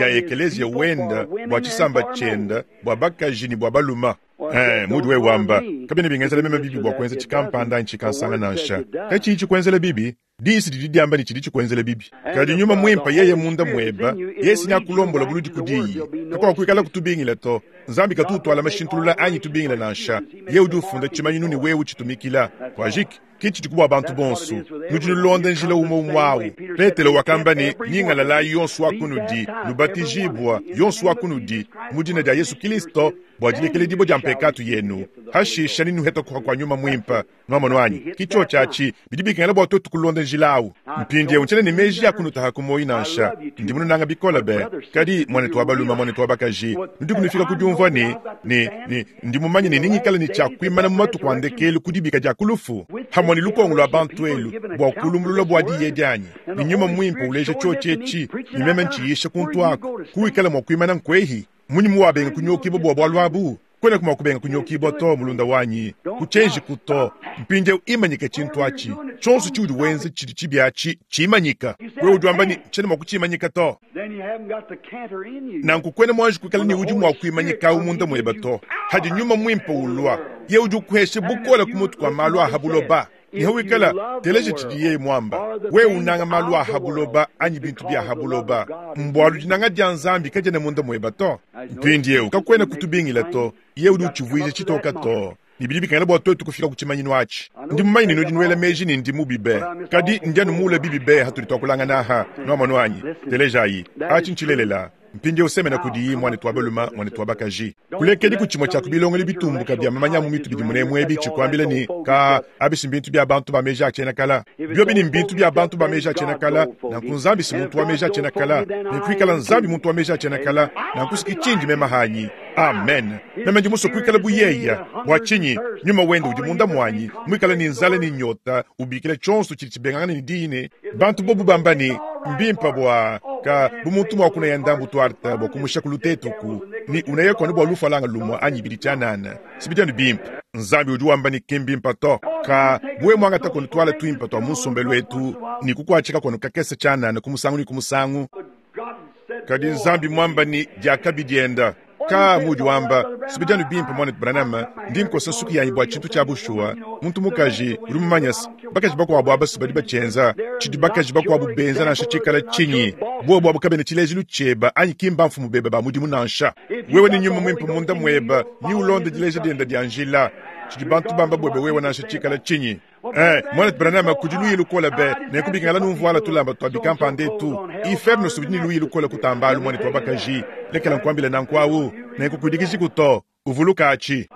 ya ekelezia wenda bwa tshisamba tshienda bwa bakaji ni bwa baluma. Eh, mudi wewe wamba kabena bingenzela meme bibi bwa kuenza tshikampanda ntshikansanga nansha. Kachi tshikwenzela bibi? Disi didi diamba ni tshidi tshikwenzela bibi. Kadi nyuma mwimpa yeye munda mweba, yesi nyakulombola buludi kudiyi. Kakwa kuikala kutubingila to. Nzambi katutwala mashintulula anyi tubingila nansha. Ye udi ufunda tshimanyinu ni wewe utshitumikila. Kwajiki kitshi tshikubwa bantu bonso. Nudi nulonda njila umwe umwawu. Petelo wakamba ni nyingalala yonso wakunudi, nubatijibwa yonso wakunudi mu dina dia Yesu Kristo bwa dilekele dibo dia mpekatu yenu. Hashisha ni nuheta kwa kwa nyuma mwimpa. Nwamono anyi kicho chachi bidi bikengela bwa tutu kulonda njila awu. Mpindie unchele ni meji ya kunutaha kumoyi nansha. Ndi mununanga bikola be. Kadi mwanetu wa baluma mwanetu wa bakaji. Nudi kunufika kudiumvua ni ni ni ndi mumanye ni ningikala ni tshia kuimana mu matuku a ndekelu kudibika dia kulufu. Hamwe ni lukongo lwa bantu elu bwa kulumbulula bwa diye dianyi. Ni nyuma mwimpa uleja tshiotshi ni meme ntshiisha kuntu ako. Kuikala mwa kuimana nkwehi. Munyi muwabenga kunyokibo bwa bwalu abu. Kwena kuma kubenga kunyokibo to mulunda wanyi. Kuchenji kuto. Mpinde imanyika chintu achi. Chonso chiudi wenze chidi chibiachi chimanyika. Wewe udi wamba ni chene mwa kuchimanyika to. Nanku kwena mwanji kukala ni udi mwa kuimanyika umunda mweba to. Hadi nyuma mwimpa ulwa. Ye udi ukuheshe bukola kumutu kwa malu ahabuloba. Niho wikala teleje tshidi yeye mwamba. Wewe unanga malu ahabuloba anyi bintu bya habuloba. Mbwalu dinanga dia Nzambi kajena munda mweba to. Mpindiewu kakwena kutubingila to. Ye udi utshivuije tshitoka to. Nibidi bikengela bwa twetu kufika ku tshimanyinu atshi. Ndi mumanyi ne nudi nuela meji ne ndi mubi be. Kadi ndi anu mula bibi be hatudi twakulangana aha. Nwamonu anyi. Telejayi. Atshi ntshilelela. Mpindiewu semena kudiyi mwanetu wa baluma mwanetu wa bakaji. Kulekedi ku tshimue tshia kubilongela bitumbuka bya mamanya mu mitu bidi munemu ebi tshikwambila ni ka abisi mbintu bya bantu ba meji a tshiena kala. Biobi ni mbintu bya bantu ba meji a tshiena kala, nanku Nzambi si muntu wa meji a tshiena kala. Nikuikala Nzambi muntu wa meji a tshiena kala, nanku siki tshindi mema hanyi. Amen. Meme ndi muso kuikala buyeya. Bwa tshinyi nyuma wende udi munda mwanyi, muikala ni nzala ni nyota, ubikila tshonso tshidi tshibengangana ni dine. Bantu bobu bamba ni mbimpa bwa ka bumuntu mwa kuna ya ndambu twarta bwa kumusha kulutetuku ni unayeko ni bwa lufalanga lumwa anyi bidi tyanana sibidi bimpa. Nzambi udi wamba ni kimbimpa to ka bwe mwanga ta kono twala twimpa twa musombelo wetu ni kukwachika kono kakese tyanana kumusangu ni kumusangu. Kadi Nzambi mwamba ni diakabidienda. Ka mudi wamba sibidi bimpa mwana Branham ndi nkosa suku yanyi bwa tshintu tshia bushuwa. Muntu mukaji uri mumanyasa bakaji bakwabo abasu badi bachenza tshidi bakaji bakwabo benza nansha tshikala tshinyi bobo abo kabena tshilejilu tshieba anyi kimba mfumu beba ba mudimu nansha. Wewe ni nyuma mwimpe munda mweba ni ulonde dileja dienda dia njila tshidi bantu bamba bwebe wewe nansha tshikala tshinyi. Eh, mwana Branham kudi luyi lukola be nekubikala numvuala tulamba twabikampande tu inferno subidi luyi lukola kutambalu mwana twabakaji lekela nkwambila nankwawu nekukudikiji kuto uvuluka achi.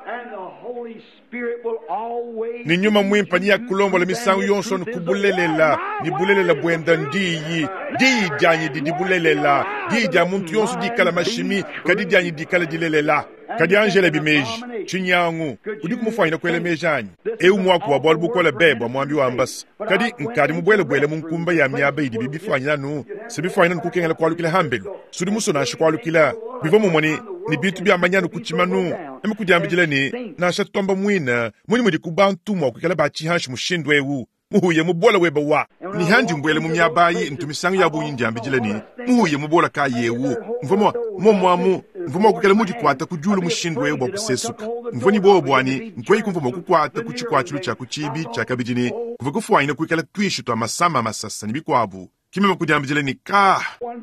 Ni nyuma mwimpa ni yakulombola misangu yonso nikubulelela ni bulelela bwenda ndiyi diyi dyanyi didi bulelela diyi dya muntu yonso dikala mashimi kadi dyanyi dikala dilelela. Kadi Angela bimeji chinyangu udi kumufanyina kwele meji anyi eu mwaku wa bwalu bukola bebwa mwambi wa ambasa. Kadi nkadi mubwelebwele mu nkumba ya miaba idi bibifanyina nu sebifanyina nukukengela kwalukila hambelu sudi muso nansha kwalukila bivua mumwe ni ni bintu bya manyanu kuchimanu emikudiambidila ni nansha tutomba mwina munyi mudi kubantu mwa kuikala bachihanshi mushindu ewu muhuye mubola weba wa ni handi mbwele mu miabayi ntumisangu ya bunyi ndiambidila ni muhuye mubola ka yewu mvua momwamu mvua kukela mudi kwata kujulu mushindu ewu bwa kusesuka mvua ni bobo bwani nkweyi kumvua mwakukwata kuchikwachulu cha kuchibi cha kabidini kuva kufuanyina kuikala twishu twa masama masasa ni bikwabu kimema kudiambidila ni ka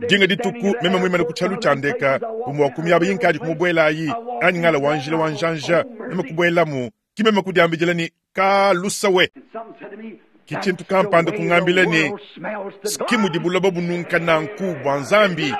dinga dituku meme mwimana kuchalu chandeka kumwa kumyaba yinkadi kumubwelayi anyi ngala wanjila wanjanja meme kubwelamu kimema kudiambidila ni ka lusawe. Kichintu kampanda kungambila ni skimu dibulaba bununka nanku bwa Nzambi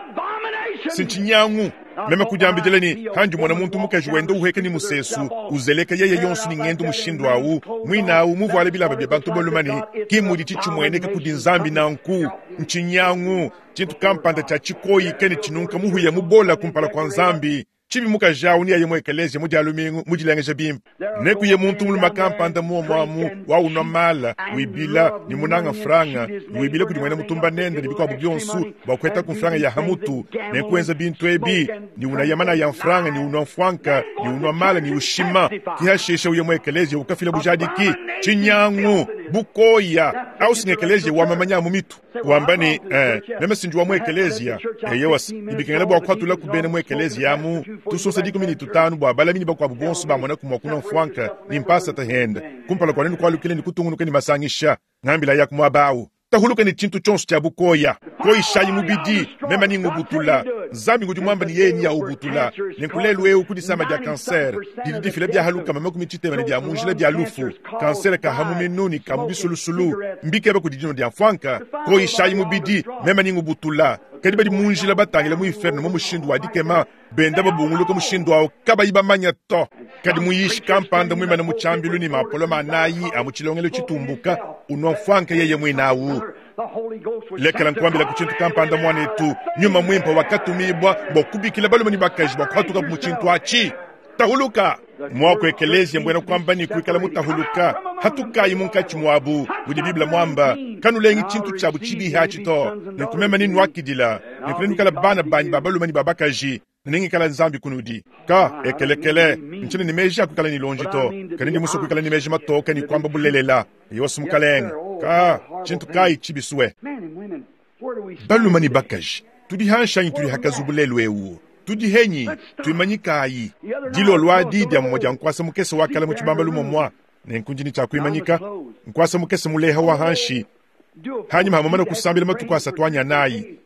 sinchinyangu. Meme kudiambidila ne handi mona muntu mukaji wenda uheka ni musesu uzeleka yeye yonso ni ngendo mushindu awu mwina awu muvuale bilamba bya bantu balume ne ki mudi tshitshimueneka kudi nzambi nanku nchinyangu tshintu kampanda tshia tshikoyi kene tshinunka muhuya mubola kumpala kwa nzambi chibi mukaji awu ni aye mu ekelezia mu dia lumingu mu dilengeja bimpe nekuye muntu mulume kampanda muomwamu waunwa mala wibila ni munanga franga ni wibila kudi mwena mutumba nende ni bikwabu byonsu bwa kuheta ku franga ya hamutu nekuenza bintu ebi ni unayamana ya franga ni unwa mfwanka ni unwa mala ni ushima kihashisha uye mu ekelezia ukafila bujadiki chinyangu bukoya au singekelezia wamamanya mu mitu wamba ni eh, meme sinji wa mu ekelezia eyewas ibikengela bwa kwatula kubene mu ekelezia amu tusosa dikumi ni tutanu bwa balamini bakwabu bonso bamona kumwa kuna mfwanka ni mpasa tahenda kumpala kwa nenu kwalukile ni kutungunuka ni masangisha ngambila ya kumwabawu tahuluka ni chintu chonso cha bukoya koishayi mubidi mema ni ngubutula nzambi ngudi mwamba ni yeye ni ya ubutula nenkulelu eu kudisama dia kanser didi difila bya haluka mama kumitsitema ne bya munjila bya lufu kanser ka hamu minuni ka mubisulusulu mbikeba kudi dino dia mfwanka koishayi mubidi mema ni ngubutula kadi badi munjila batangila mu inferno mu mushindu wa dikema benda babunguluka mushindu awo kabayi bamanya to kadi muyishi kampanda mwimana mu tshambilu ni mapolo manayi a mu tshilongelo tshitumbuka unwa mfwanka yeye mwinawu lekela nkuambila ku tshintu kampanda mwanetu nyuma mwimpa wakatumibwa bwa kubikila balume ni bakaji bwa kuhatuka mu tshintu atshi tahuluka mwako ekelezia mbwena kwamba ni kuikala mutahuluka hatukayi munkatshi mwabu budi biblia mwamba kanulengi tshintu tshabu tshibihi atshi to nenkumema ninwakidila nenkunenukala bana banyi ba balume ni ba bakaji nengikala nzambi kunudi ka ekelekele ntshine ni meji akuikala ni lonji to kadi ndi musu kuikala ni meji matoka ni kwamba bulelela yosu mukalenga ka tshintu kayi tshibisue balume ni bakaji tudi hanshanyi tudi hakazubulelu ewu tudi henyi tuimanyikayi dilolwa didi amumwe dia nkwasa mukese wakala mu tshibamba lumomwa nenkunjini tshia kuimanyika nkwasa mukese muleha wa hanshi hanyuma hamamana kusambila matuku asatu anyanayi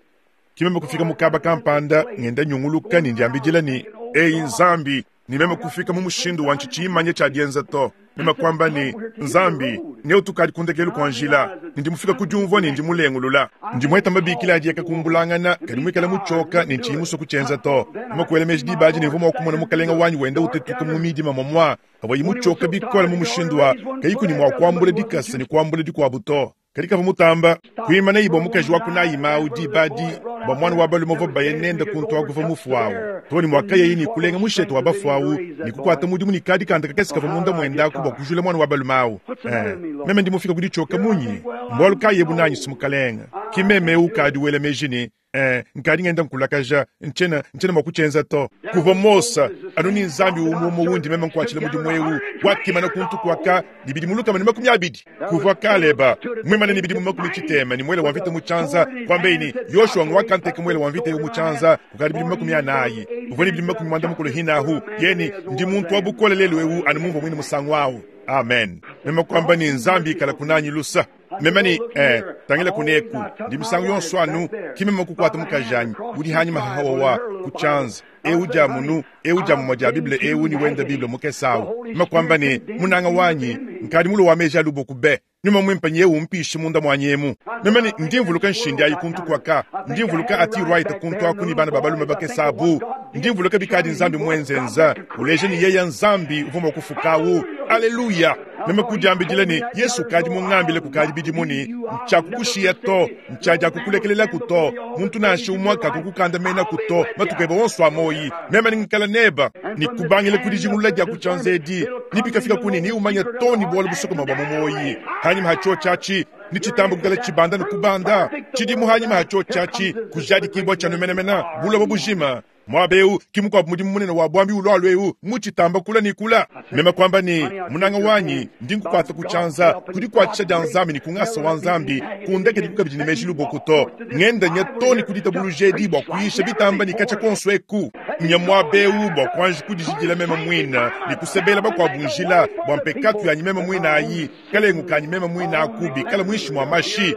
kimeme kufika mukaba kampanda ngenda nyunguluka ni ndiambidila ni eyi nzambi nimeme kufika mu mushindu wa ntshitshimanye tshia dienza to meme kwamba ni nzambi neutukadi kundekelu kwa njila nindimufika kudiumvua ni ndimulengulula ndimweta mabikila adieka kumbulangana kadi muikala mutshoka ni ntshiyimuso kutshenza to meme kuela meji dibaji nimvua mua kumona mukalenga wanyi wenda utetuka mu midima momwa avua yimutshoka bikola mu mushindu wa kayiku ni mua kuambula dikasa ni kuambula dikuabu to kadi kava mutamba kuimana ibwa mukaji wa kunayima dibadi bwa mwana wa balume uvua baye nenda kuntu akuva mufu wawu toni mwakaya yini kulenga mushete wa bafu awu ni kukwata mudimu ni kadi kanda kakesi kava munda mwendaku bwa kujula mwana wa balume awu eh, meme ndimufika kuditshoka munyi mbwalu kayebu nanyi simukalenga kimeme ukadi wela meji ni eh, nkadi ngenda nkulakaja ntshena ntshena mua kutshenza to kuva mosa anu ni nzambi umuomo wundi meme nkuatshila mudimu ewu wakimana kuntu kuaka ni bidi mulukama ni makumi abidi kuva kaleba mwimana ni bidi mu makumi tshitema ni mwele wa mvita mutshanza kwambeini yoshua ngwakanteka mwele wa mvita ewu mutshanza kukadi bidi mu makumi anayi uvua ni bidi mu makumi mwanda mukulu hinahu yeni ndi muntu wa bukole lelu ewu anu mumvua mwine musangu awu amen meme kwamba ni nzambi ikala kunanyi lusa meme ni eh, tangila kuneku ndi misangu yonso anu kimeme kukwata mukajanyi udi hanyuma hahawawa kutshanza ewu dia munu ewu dia mumwa dia biblia ewu ni wenda biblia mukesawu meme kwamba ni munanga wanyi nkadi mulo wa meji aluboku be nyuma mwimpa nyewu mpishi munda mwanyemu meme ni ndi mvuluka nshindi ayi kuntu kwaka ndi mvuluka ati rwaita kuntu aku ni bana babalume bakesabu ndi mvuluka bikadi nzambi mwenzenza uleje ni yeya nzambi uvuma kufukawu aleluya meme kudiambidila ni yesu kadi mungambile kukadi bidimuni ntshakukushiya to ntshadia kukulekelelaku to muntu nansha umwe kakukukandamena ku to matuku ebe wonso amoyi meme ningikala neba nikubangile kudijingulula dia kutshanza edi nipikafika kuni niumanya to ni bualu busokoma bua mumoyi hanyuma hatsho tshatshi ni tshitambo kukala tshibanda ni kubanda tshidimu hanyuma hatsho tshatshi kujadikibwa tshanu menemena buloba bujima mwabeu kimukwabu mudimu munene wa bwambi ulwalu eu muchitamba kula ni kula meme kwamba ni munanga wanyi ndi nkukwata kutshanza kudikwatshisha dia nzambi ni kungasa wa nzambi kundeke dikukabidi ni meji luboku to ngenda nya to ni kuditabuluja edi bua kuyisha bitamba ni katsha konso eku nya mwabeu bua kuanji kudijidila meme mwina ni kusebela bakuabu njila bua mpekatu yanyi meme mwina ayi kalengu kanyi meme mwina akubi kala mwishi mwa mashi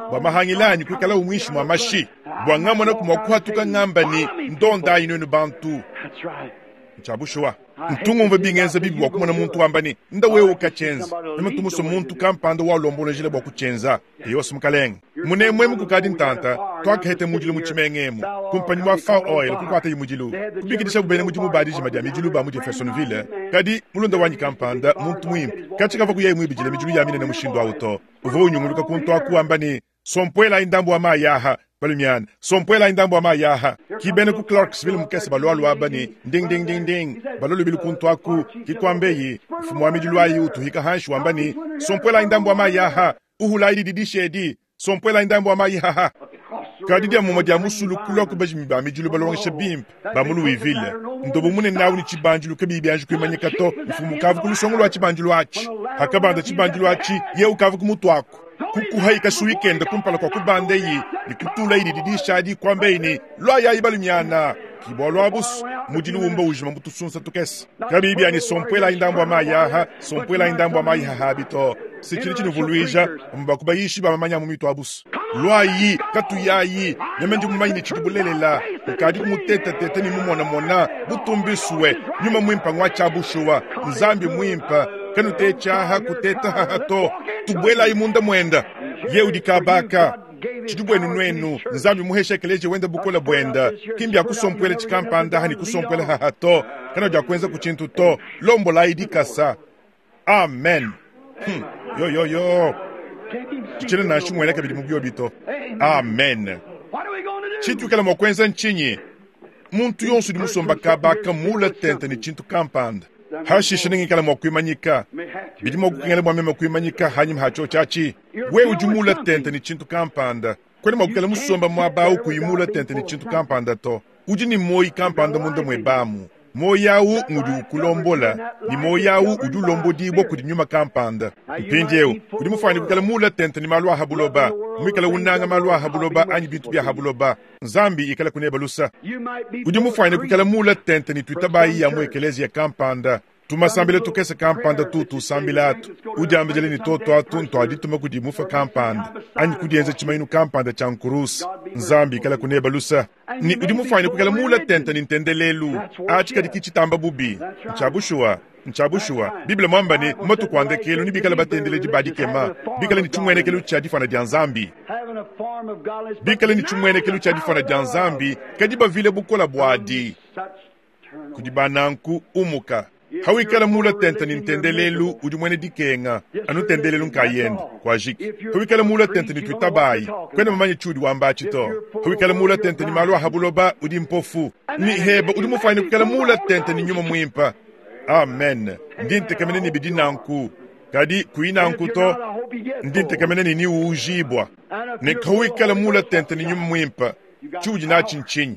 bua mahangila anyi kuikala umwishi mwa mashi bua ngamona kumua kuhatuka ngamba ni ndonda ayi nwenu bantu That's right. Ncha bushuwa. Ntungumva bingenza bibi bua kumona muntu wamba ne nda wewe ukachenza. Meme tumuso muntu kampanda wa lombola bua kuchenza. Yose mukalenge. Munemwe mukukadi ntanta twakahete mudilu mu tshimengemu. Kumpanyi wa Fao Oil kukwata yimudilu. Kubikidisha bubene mudimu badijima dia midilu ba mu Jeffersonville. Kadi mulunda wanyi kampanda muntu mwimpe. Kachikava kuyayi mwibijile midilu ya minene mushindu auto. Uvo unyunguluka kuntu akuamba ne sompwela indambu wa mayaha. Balumiana sompwela indambu wa mayaha. Kibene ku Clarksville mukese balwalu abani ding ding ding ding. Balolu bilukuntu aku kikwambeyi mfumu wa midilu ayi utuhika hanshi wambani sompwela indambu wa mayaha. Uhula idi didishedi sompwela indambu wa mayaha. Kadi dia mumwa dia musulu kulwa kubajimi ba midilu balongesha bimpe ba mu Louisville. Ndobo mune nawu ni chibanjilu kabibi byanji kwimanyika to mfumu kavu kulusongo lwa chibanjilu achi. Hakabanda chibanjilu achi ye ukavu kumutwako. Kukuhaika suikenda kumpala kwa kubandeyi ni kutula idi didishadi kwambeini lwa yayi balumiana. Kibwa lwa busu mudilu umba ujima mutusunsa tukese. Kabibi ani sompwela indambu wa mayaha, sompwela indambu wa mayaha habito. Sichili chinuvuluija mbakubayishi ba mamanya mu mitu abusu. Lwayi katuyayi nemendi mumanyi ni chibulelela ukadi kumuteta tete ni mumona mona butumbiswe nyuma mwimpa ngwa chabushuwa nzambi mwimpa kanute chaha kuteta hato tubwela imunda mwenda ye udikabaka chidubwenu nwenu nzambi muhesha keleje wenda bukola bwenda kimbya kusompwela chikampanda hani kusompwela hato kana ja kwenza kuchintu to lombo la idikasa. Amen. Hmm. Yo yo yo. Chile na shimwele kabili mubyo bito. Amen. Chitu kala mokwenza nchinyi. Muntu yonsu di musomba kabaka mula tente ni chintu kampanda. Hashisha ningi kala mokwimanyika. Bidi mokukengele mwa mema kwimanyika hanyuma hacho chachi. We ujumula tente ni chintu kampanda. Kwene mokukela musomba mwabau kuyimula tente ni chintu kampanda to. Uji ni moi kampanda munda mwebamu. Moyawu ngudi ukulombola ni moyawu udi ulombodibwa kudi nyuma kampanda. Mpindiewu udi mufanye kukala mula tente ni malu ahabuloba. Mwikala unanga malu ahabuloba anyi bintu bya habuloba. Nzambi ikala kunebalusa. Udi mufanye kukala mula tente ni tuitabayi ya mwekelezi ya kampanda. Tumasambile tukese kampanda tutu sambila atu. Udi ambejele ni toto atu nto adituma kudi mufa kampanda. Anyi kudienze chimainu kampanda cha nkurusi. Nzambi ikala kunebalusa. Ni udi mufanye kukala mula tente ni ntendelelu. Achi kadi kichitamba bubi. Nchabushua. Nchabushua. Biblia mwamba ni matu kuandekelu ni bikala batendeleji badikema. Bikala ni chumwenekelu cha difana dia nzambi. Bikala ni chumwenekelu cha difana dia nzambi. Kadiba vile bukola bwadi. Kudibananku umuka. Hawikala mula tente ni ntendelelu udi mwene dikenga anu tendelelu nkayenda kwa jiki. Hawikala mula tente ni tuitabayi kwene mamanye chudi wamba chito. Hawikala mula tente ni malu ahabuloba udi mpofu ni heba udi mufanye kukala mula tente ni nyuma mwimpa. Amen. Ndinte kamene ni bidi nanku kadi kuina nkuto ndinte kamene ni ni ujibwa ne hawikala mula tente ni nyuma mwimpa chudi na chinchinyi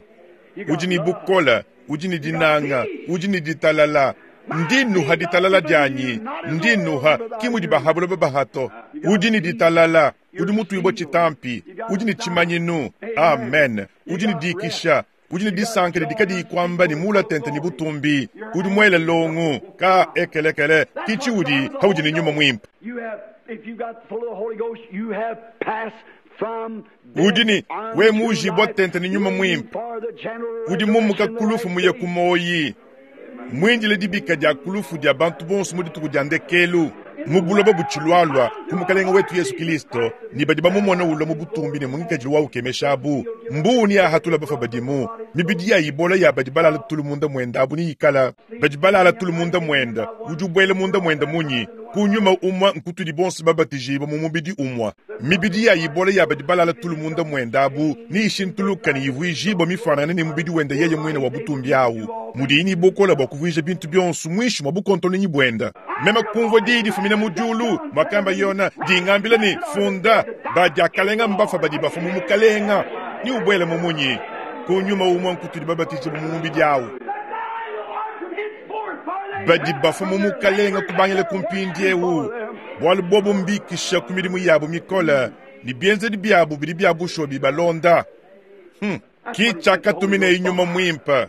udi ni bukola udi ni dinanga udi ni ditalala. Ndinuha ditalala dyanyi, ndinuha kimudi bahabulo bahato. Udi ni ditalala, udi mutuibo chitampi, udi ni chimanyinu. Amen. Udi ni dikisha, udi ni disankele dikadi kwamba ni mula tente ni butumbi, udi mwele longu ka ekelekele kichi udi haudi ni nyuma mwimpa. Udi ni we mujibo tente ni nyuma mwimpa. Udi mumuka kulufu muye kumoyi. Mwinjile dibika dia kulufu dia bantu bonso mu dituku dia ndekelu mubuloba buchilwalwa kumukalenga wetu Yesu Kristo ni badi bamumona ulo mu butumbi ne mungikajili wa ukemeshabu mbuni ahatula bafa badimu mibidi ya ibola ya badi balala tulu munda mwenda abu ni ikala badi balala tulu munda mwenda ujubwele munda mwenda munyi kunyuma umwa nkutudi bonso babatijiba mu mubidi umwa mibidi ya ibola ya badi balala tulu munda mwenda abu ni ishintuluka ni ivuijiba mifanana ni mubidi wenda yeye mwene wa butumbi awu mudini bokola bwa kuvuija bintu byonso mwishi mwa bukontolo ni bwenda mema kumva didi fumina mujulu makamba yona dingambila ni funda badiakalenga mbafa badi bafa mu mukalenga ni ubwele mumunyi kunyuma umwa nkutudi babatijiba mu mubidi awu badi bafa mu mukalenga kubangele kumpindi ewu bwalu bobo mbikisha ku milimu yabo mikola ni bienzedi byabo bidi bya busho bibalonda. Hmm. Kichakatumine inyuma mwimpa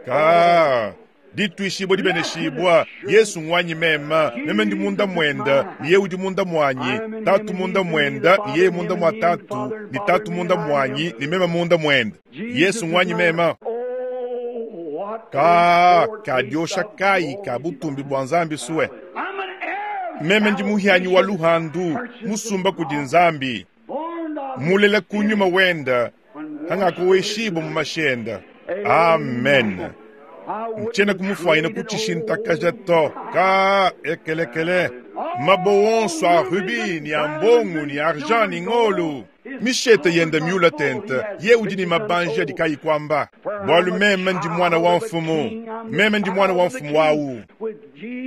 ka ditwishibwa dibeneshibwa Yesu ngwanyi mema meme ndi munda mwenda ni ye udi munda mwanyi tatu munda mwenda ni ye munda mwa tatu ni tatu munda mwanyi ni mema munda mwenda Yesu ngwanyi mema. Ka kadiosha kayi ka butumbi bua Nzambi suwe. Meme ndi muhianyi wa luhandu musumba kudi Nzambi. Mulela kunyuma wenda hangakuweshibo mu mashenda. Amen. Nchena kumufwayina kuchishintakaja to ka ekelekele. Mabowonso a rubi ni a mbongo ni argent ni ngolu. Mishete yenda miula tente ye udi ni mabanja dikayi kwamba bwalu meme ndi mwana wa mfumu, meme ndi mwana wa mfumu wawu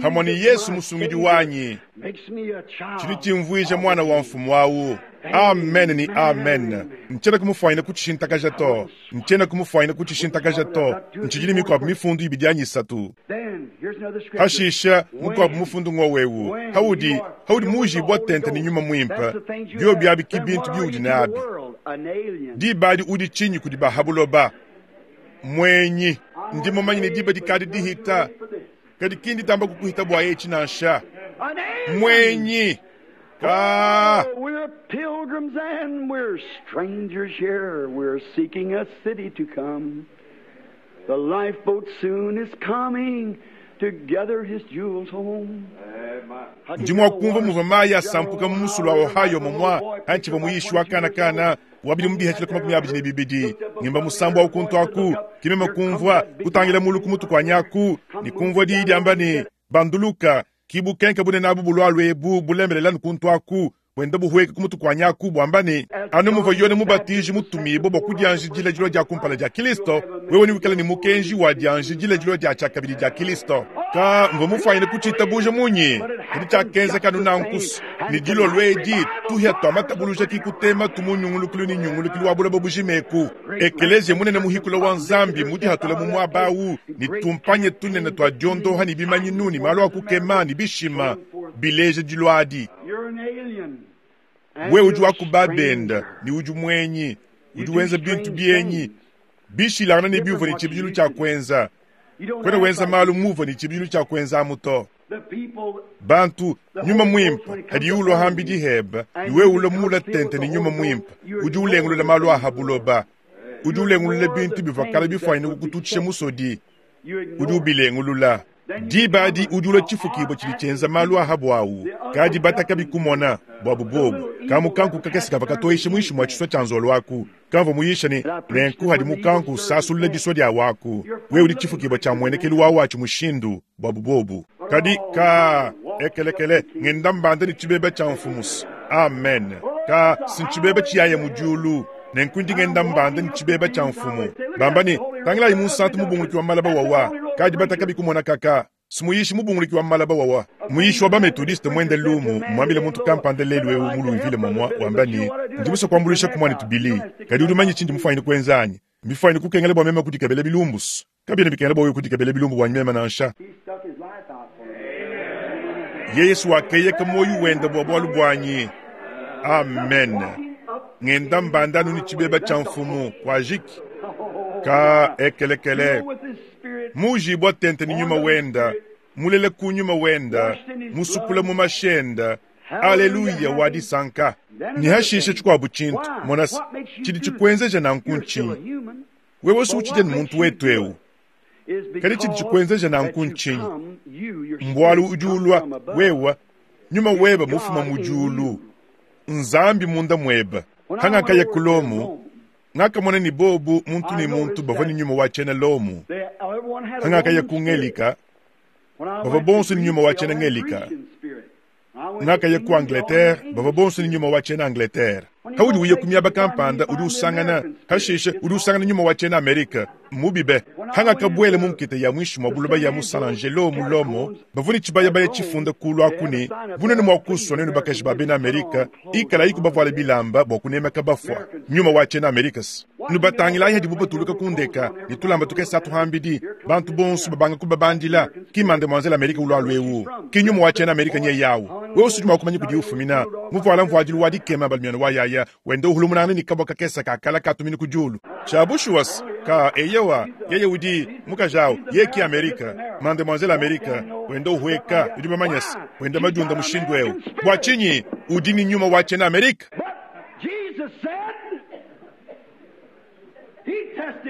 hamwe ni Yesu musungidi wanyi chili chimvuija mwana wa mfumu wawu. Amen ni amen. Nchena kumufwayina kuchishintakaja to, nchena kumufwayina kuchishintakaja to. Nchijili mikwabu mifundu ibidi anyisatu hashisha mukwabu mufundu ngowewu haudi haudi mujibwa tente ni nyuma mwimpa byo byabi kibintu biudi nabi dibadi udi chinyi kudi bahabuloba mwenyi ndi mumanyi ni diba dikadi dihita kadi kindi tamba kukuhita bwa yechi nansha mwenyi. Ah. Oh, we're pilgrims and we're strangers here. We're seeking a city to come. The lifeboat soon is coming to gather his jewels home. Ndimwa kumva muva mayi asampuka mumusulu wa Ohio momwa hanchiva muyishi wa kana kana wabili mubihachila kuma kumi abili ne bibidi ngimba musambu wa kuntu aku kimema kumvwa kutangila mulu kumutu kwa nyaku ni kumvwa diidi amba ni banduluka kibu kenka bune nabu bulwalu ebu bulembelela nkuntu aku bwenda buhweka kumutu kwa nyaku bwamba ni anu muva yone mubatiji mutumibo bwa kudianjidila jilo dia kumpala dia Kristo wewe ni wikala ni mukenji wa dianjidila jilo dia chakabili dia Kristo ka mva mufanyine kuchita buja munyi kadi chakenza kanu nankusu ni dilo lwedi tuhya twa matabuluja kikutema tumunyungulukulu ni nyungulukulu wa bulaba bujimeku ekelezia munene muhikula wa Nzambi mudi hatula mu mwabawu ni tumpanye tunene twa diondoha ni bimanyinu ni malo akukema ni bishima bileje dilwadi we udi wakubabenda ni udi mwenyi udi wenza bintu byenyi bishilana ni biuvo ni chibilu cha kwenza kwena wenza malu muvo ni chibilu cha kwenza amuto bantu nyuma mwimpa hadi ulo hambi diheba iwe ulo mula tente ni nyuma mwimpa udi ulengulula malu ahabuloba udi ulengulula bintu bivakala bifwanyine kukututshisha musodi udi ubilengulula dibadi udi ula chifukibo chili chenza malu ahabu awu kadi bataka bikumona bwabu bobu kamukanku kakesi kava katoisha mwishi mwa chiswa cha nzolo waku kamva muyisha ni nenku hadi mukanku sasulula diswa dia waku we udi chifukibo cha mwenekelu wawu achi mushindu bwabu bobu kadi ka ekelekele ngenda mbanda ni chibeba cha mfumusi amen ka sinchibeba chiyaya mujulu nenkundi ngenda mbanda ni chibeba cha mfumu bambani tangilayi munsantu mubunguluki wa malaba wawa kadi bataka bikumona kaka simuyishi mubunguluki wa malaba wawa muyishi wa bametodiste mwende lumu mwambile muntu kampanda lelu ewu muluivile momwa wambani ndimusa kuambulisha kumwani tubili kadi udumanyi chindi mufanyine kwenzanyi mbifanyine kukengela bwa mema kudikabela bilumbusu kabina bikengela bwa kudikabela bilumbu bwa mema nansha ye Yesu wakeyeka moyo wenda bwa bwalu bwanyi amen ngenda mbandanu ni chibeba cha mfumu kwa jiki ka ekelekele mujibwa tente ni nyuma wenda mulele kunyuma wenda musukula mu mashenda aleluya wadisanka ni hashishe chikwabu chintu monasi chili chikwenzeja nankunchinyi wewe suchite ni muntu wetu ewu kadi chili chikwenzeja nankunchinyi mbwalu ujulwa wewa nyuma weba mufuma mujulu nzambi munda mweba hangakaya kulomu ngakamona ni bobu muntu ni muntu bava ni nyuma wa chena lomu hangakaya kungelika bava bonso ni nyuma wa chena ngelika ngakaya ku Angleterre bava bonso ni nyuma wa chena Angleterre haudi uye kumiaba kampanda udi usangana hashishe udi usangana nyuma wa chena Amerika mubibe hangakabwele mumkite ya mwishi mwa buloba ya mu San Angelo mulomo bavuni chibaya baya chifunda kulu akuni bunene mwa kuswa nenu bakaji ba bena Amerika ikala iku bavuala bilamba bwa kunemeka bafwa nyuma wa chena Amerikas nubatangila hadi bubatuluka kundeka ni tulamba tukesa tuhambidi bantu bonso babanga kubabandila kimande mwanzela Amerika ulwalu ewu kinyuma wa chena Amerika nye yawu wewe usujuma kumanya kudi ufumina muvuala mvuadilu wa dikema balmiano wa yaya wenda uhulumunana ni kabwa kakesa kakala katumini kujulu chabushuwas ka eyewa yeye udi mukajao yeki Amerika mademoiselle Amerika wenda uhweka udi mamanyasi wenda majunda mushindu ewu bwa chinyi udi ni nyuma wa chena Amerika. Jesus said, he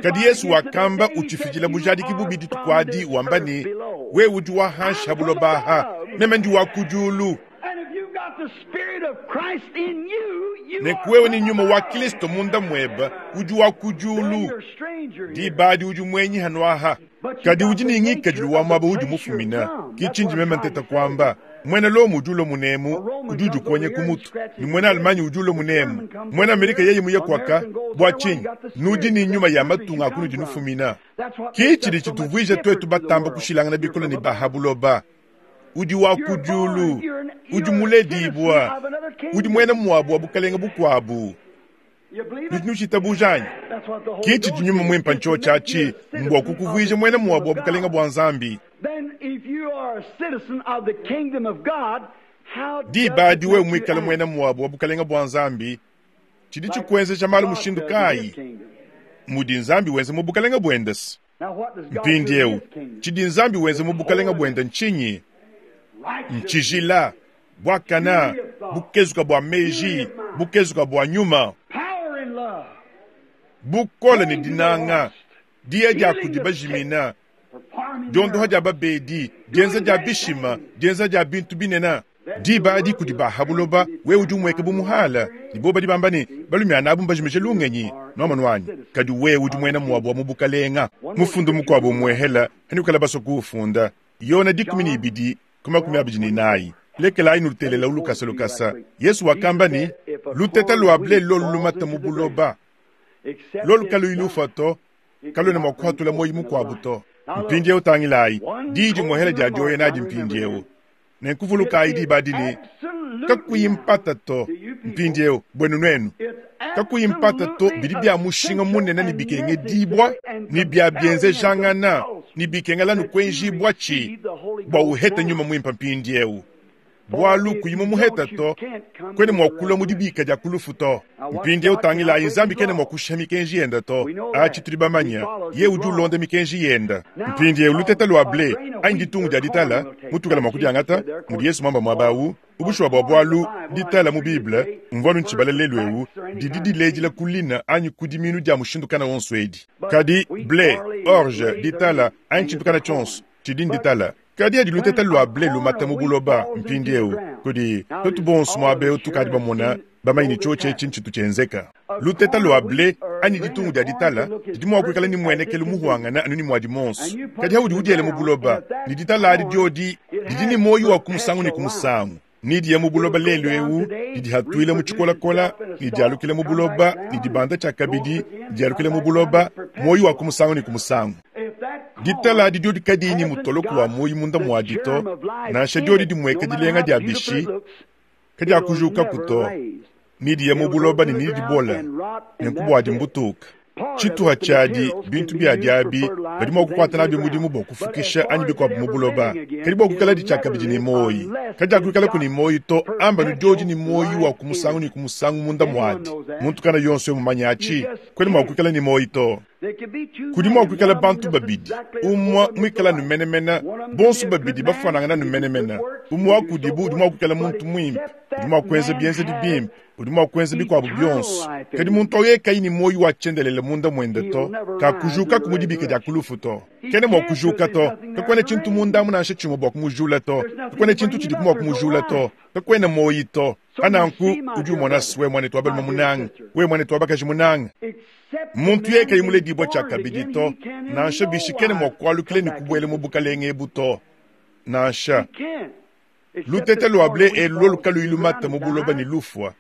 Kadi Yesu wakamba utshifidila bujadiki bubi dituku adi wamba ne, wewe udi wa hanshi ha buloba aha, meme ndi wa ku diulu. Nenku wewe ni nyuma wa Kristo munda mweba udi wa ku diulu, diba adi udi mwenyi hano aha. Kadi udi ni ngikadilu wa mwaba udi mufumina, ki tshindi meme nteta kuamba. Mwena Lomo udi ulo munemu, udi udikonya ku mutu. Ni mwena Alemanya udi ulo munemu. Mwena Amerika yeye muye kwaka, bua tshinyi? Nudi ni nyuma ya matunga akunudi nufumina. Ki tshidi tshituvuija twetu batamba kushilangana bikole ne baha buloba. Udi wa ku diulu, udi muledibua, udi mwena muabu wa bukalenga bukuabu. Nudi nushitabuja anyi? Ki tshidi nyuma mwimpa ncho tshiatshi, mbua kukuvuija mwena muabu wa bukalenga bua Nzambi. Diba adi wewe muikale mwena muabu wa bukalenga bua Nzambi, tshidi tshikuenzesha malu mushindu kayi? Mudi Nzambi wenza mu bukalenga buende se. Mpindieu, tshidi Nzambi wenza mu bukalenga buende ntshinyi? Ntshijila, buakana, bukezuka bua meji, bukezuka bua nyuma, bukole ne dinanga, diya dia kudi bajimina, diondoha dia babedi, dienza dia bishima, dienza dia bintu binene. Diba adi kudi baha buloba, wewe udi umweka bu muhala, ne bo badi bamba ne, balumiana abu mbajimeje lungenyi, nuamanu wanyi. Kadi wewe udi mwena muabu wa mu bukalenga. Mufundu mukuabu umuehela, hani ukala baso kuufunda. Yona dikumi ne ibidi, ku makumi abidi ne inayi. Lekelayi nulutelela ulukasa lukasa. Yesu wakamba ne, luteta lua ble lolu lumata mu buloba. Lolu kaluyi lufa to, kaluena mua kuhatula moyi mukuabu to. Mpindieu utangilayi, diyi dimuehela dia dioya nadi mpindieu. Nenkuvulukayi diba adi ne, kakuyi mpata to, mpindieu bwenu nwenu. Kakuyi mpata to bidi bia mushinga munene ne bikengedibwa, ne bia bienzejangana, ne bikengela nukwenjibwa tshi, bua uhete nyuma mwimpa mpindieu. Bwalu kuyi mumuheta to, kwene mua kulua mu dibika dia kulufu to. Mpindieu tangilayi Nzambi kene mua kushiha mikenji yenda to. Atshi tudi bamanya, ye udi ulonda mikenji yenda. Mpindieu luteta lua ble, anyi ditungu dia ditala, mutukala mua kudiangata, mudi Yesu mwamba muaba awu, ubushwa bua bwalu ditala mu Bible, mvua ntshibala lelu ewu, didi diledila kulina anyi kudiminu dia mushindu kana wonso edi. Kadi ble, orge, ditala, anyi tshintu kana tshionso, tshidi nditala. Kadi adi luteta lua ble lumata mu buloba mpindieu, kudi twetu bonso muaba eu tukadi bamona bamanye ne tshio etshi ntshitu tshienzeka. Luteta lua ble anyi ditungu dia ditala didi mua kuikala ni muenekelu muhuangana anu ni muadi monso. Kadi haudi udiele mu buloba, ni ditala adi diodi didi ni moyi wa kumusangu ni kumusangu. Ni diya mu buloba lelu eu, didi hatuile mu tshikolakola, ni dialukile mu buloba, ni dibanda tshia kabidi, dialukile mu buloba, moyi wa kumusangu ni kumusangu. Ditala adi diodi kadiyi ni mutoloko wa moyi munda muadi to, nansha diodi dimweka dilenga dia bishi, kadiakujuka kuto, ni diya mu buloba ni ni dibola, nenku adi mbutuka. Tshituha tshiadi bintu bia diabi badi mua kukwata nabyo mudimu bua kufukisha anyi bikuabu mu buloba. Kadi bua kuikala ditshia kabidi ni moyi. Kadiakuikala ku ni moyi to, amba nudiodi ni moyi wa kumusangu ni kumusangu munda muadi. Muntu kana yonso mumanya atshi, kwene mua kuikala ni moyi to. Kudi mua kuikala bantu babidi, umwa muikala numenemena, bonso babidi bafanangana numenemena. Umwa kudibu udi mua kuikala muntu mwimpe, udi mua kuenza bienza dibimpe, udi mua kuenza bikuabu bionso. Kadi muntu oye kayi ni moyi wa tshiendelele munda mwende to, kakujuka kumudibika dia kulufu to. Kene mua kujuka to, kakwene tshintu munda munansha tshimwe bua kumujula to, kakwene tshintu tshidi mua kumujula to, kakwene moyi to. Ananku udi umona we mwane twabali munanga, we mwane twabakaji munanga. Muntu yeye kayi muledibwa tshia kabidi to, nansha bishikene mua kualukile ni kubwele mu bukalenge ebu to. Nansha luteta lua ble elu lukalu ilumata mu buloba ni lufwa.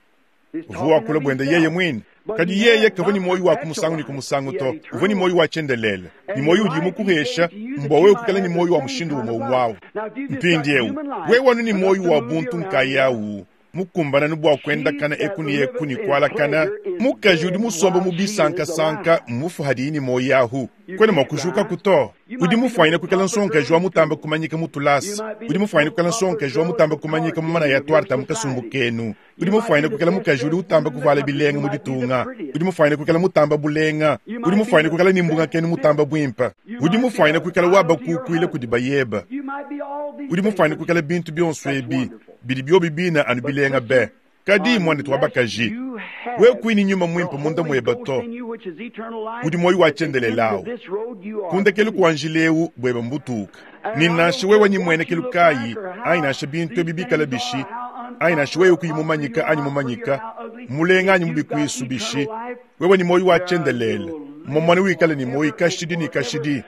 Uvua kula bwende yeye mwine. Kadi yeye kavua ni moyi wa kumusangu ni kumusangu to, uvua ni moyi wa tshiendelele. Ni moyi udi mukuhesha, mbwa wewe kukala ni moyi wa mushindu umwe umwawu. Mpindieu, wewe wanu ni moyi wa buntu nkayawu. Mukumbana nubwa kwenda kana eku ni eku ni kwala kana mukaji udi musomba mu bisankasanka mufu hadi ni moyi ahu kwene mwakujuka kuto udi mufwanyina kuikala nsonkaji wa mutamba kumanyika mutulasa udi mufwanyina kuikala nsonkaji wa mutamba kumanyika mu mana ya twarta mu kasumbu kenu udi mufwanyina kuikala mukaji udi utamba kuvala bilenga mu ditunga udi mufwanyina kuikala mutamba bulenga udi mufwanyina kuikala ni mbunga kenu mutamba bwimpa udi mufwanyina kuikala waba kukuile kudi bayeba udi mufwanyina kuikala bintu bionso ebi bidi byobi bina anu bilenga be Kadi mwanetu wa bakaji, wewe kuyi nyuma mwimpe munda mweba to, udi moyo wa tshiendelelawu. Kundekelu kwa njileu bweba mbutuka. Ni nansha wewe ni mwenekelu kayi, anyi nansha bintu ebi bikala bishi, anyi nansha wewe kuyi mumanyika anyi mumanyika, mulenga anyi mubikwisu bishi, wewe ni moyo wa tshiendelele. Momwana wikala ni moyo kashidi ni kashidi.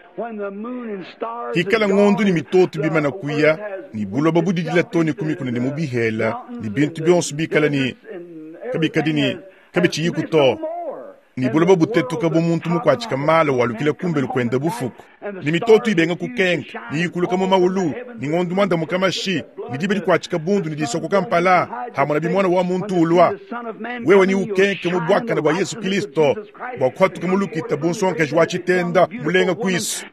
Hikala ngondu ni mitoto bimana kuya, ni buloba budidila to ni kumikuna ni mubihela, ni bintu byonso bikala ni kabikadi ni kabichiyiku to. Ni buloba butetuka bu muntu mukwatshika mala walukila kumbelu kwenda bufuku. Ni mitoto ibenga kukenka, ni yikuluka mu maulu, ni ngondu mwanda mukamashi, ni dibe dikwatshika bundu ni disokoka mpala, hamona bimwana wa muntu ulwa. Wewe ni ukenke mu bwakana bwa Yesu Kristo, bwa kwatuka mulukita bunsonkaji wa tshitenda mulenga kwisu.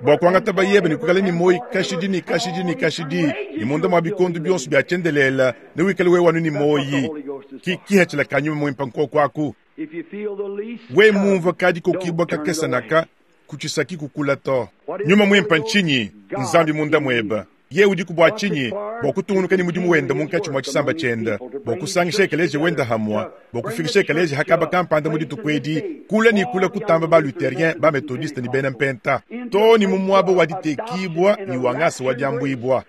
Bwa kwangata bayebe ni kukala ni moyi kashidi ni kashidi ni kashidi, ni munda mwa bikondu byonso bya tshiendelela, ne wikale wewe wanu ni moyi. Ki kihachila kanyuma mwimpa nkoko aku. We mumva kadi kokibwa kakesa naka, kuchisaki kukula to. Nyuma mwimpa nchinyi, nzambi munda mweba. Ye udi kubwa chinyi, bwa kutungunuka ni mudimu wenda munkatshi mwa tshisamba tshienda, bwa kusangisha ekeleje wenda hamwa, bwa kufikisha ekeleje hakaba kampanda mu dituku edi, kula ni kula kutamba ba luthérien, ba methodiste ni bena mpenta. To ni mumwabo wa ditekibwa ni wangasa wa diambuibwa.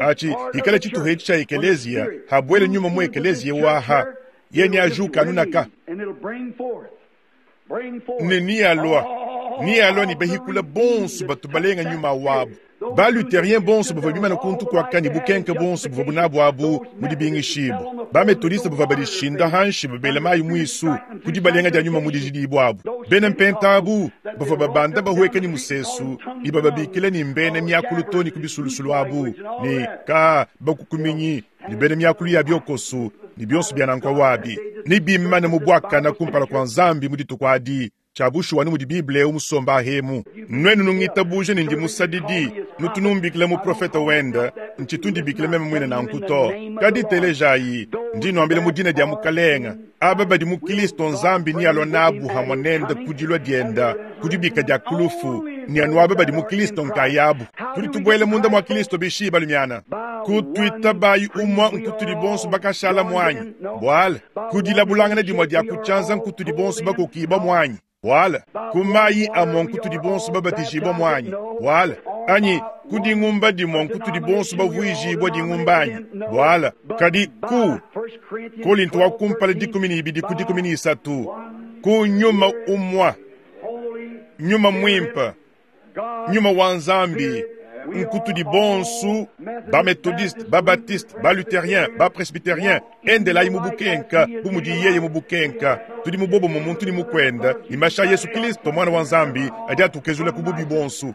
Achi, ikala tshituha etshi tsha ekelezia, habwele nyuma mu ekelezia waha. Ye ni ajuka anunaka. Ne ni alwa. Ni alwa ni behikula bonso batu balenga nyuma wabu. Ba luthérien bonso bavua bimana kuntu kwaka ni bukenke bonso buvua bunabu abu mu dibingishibu. Ba methodiste bavua badishinda hanshi babela mayi mwisu kudi balenga dia nyuma mu dijidibu abu. Bena mpenta abu bavua babanda bahueka ni musesu, ni bababikila ni mbene miakulu to ni kubisulusulu abu, ni ka bakukuminyi, ni bene miakulu ya byokosu, ni byonso bya nankwa wabi. Ni bimana mu bwakana kumpala kwa nzambi mu dituku adi. Chabushu wanu mudi Bible umusomba hemu. Nwenu nungitabuje ni ndi musadidi, nutunumbikile mu profeta wenda, nchitundibikile meme mwine na nkuto. Kadi telejayi, ndi nwambile mu dina dia mukalenga. Aba badi mu Kristo nzambi ni alonabu hamwanenda kudilwa dienda, kudibika dia kulufu, ni anu aba badi mu Kristo nkayabu. Tudi tubwele munda mwa Kristo bishi balumiana. Kutwita bayi umwa nkutudi bonso bakashala mwanyi. Bwala, kudilabulangana dimwa dia kuchanza nkutudi bonso bakokiba mwanyi. Wala, kumayi amwa nkutudi bonso babatijibwa mwanyi. Wala, anyi kudingumba dimwa nkutudi bonso bavuijibwa dingumbanyi. Wala, kadi ku Korinto wa kumpala dikumi ni ibidi ku dikumi ni isatu. Ku nyuma umwa, nyuma mwimpa, nyuma wa nzambi, nkutudi bonso ba methodiste, ba baptiste, ba luthérien, ba presbytérien, endela imubukenka, bumudi yeye mubukenka. Tudi mubobo mu muntu ni mukwenda, ni masha Yesu Kristo mwana wa nzambi, adi atukezula kububi bonso.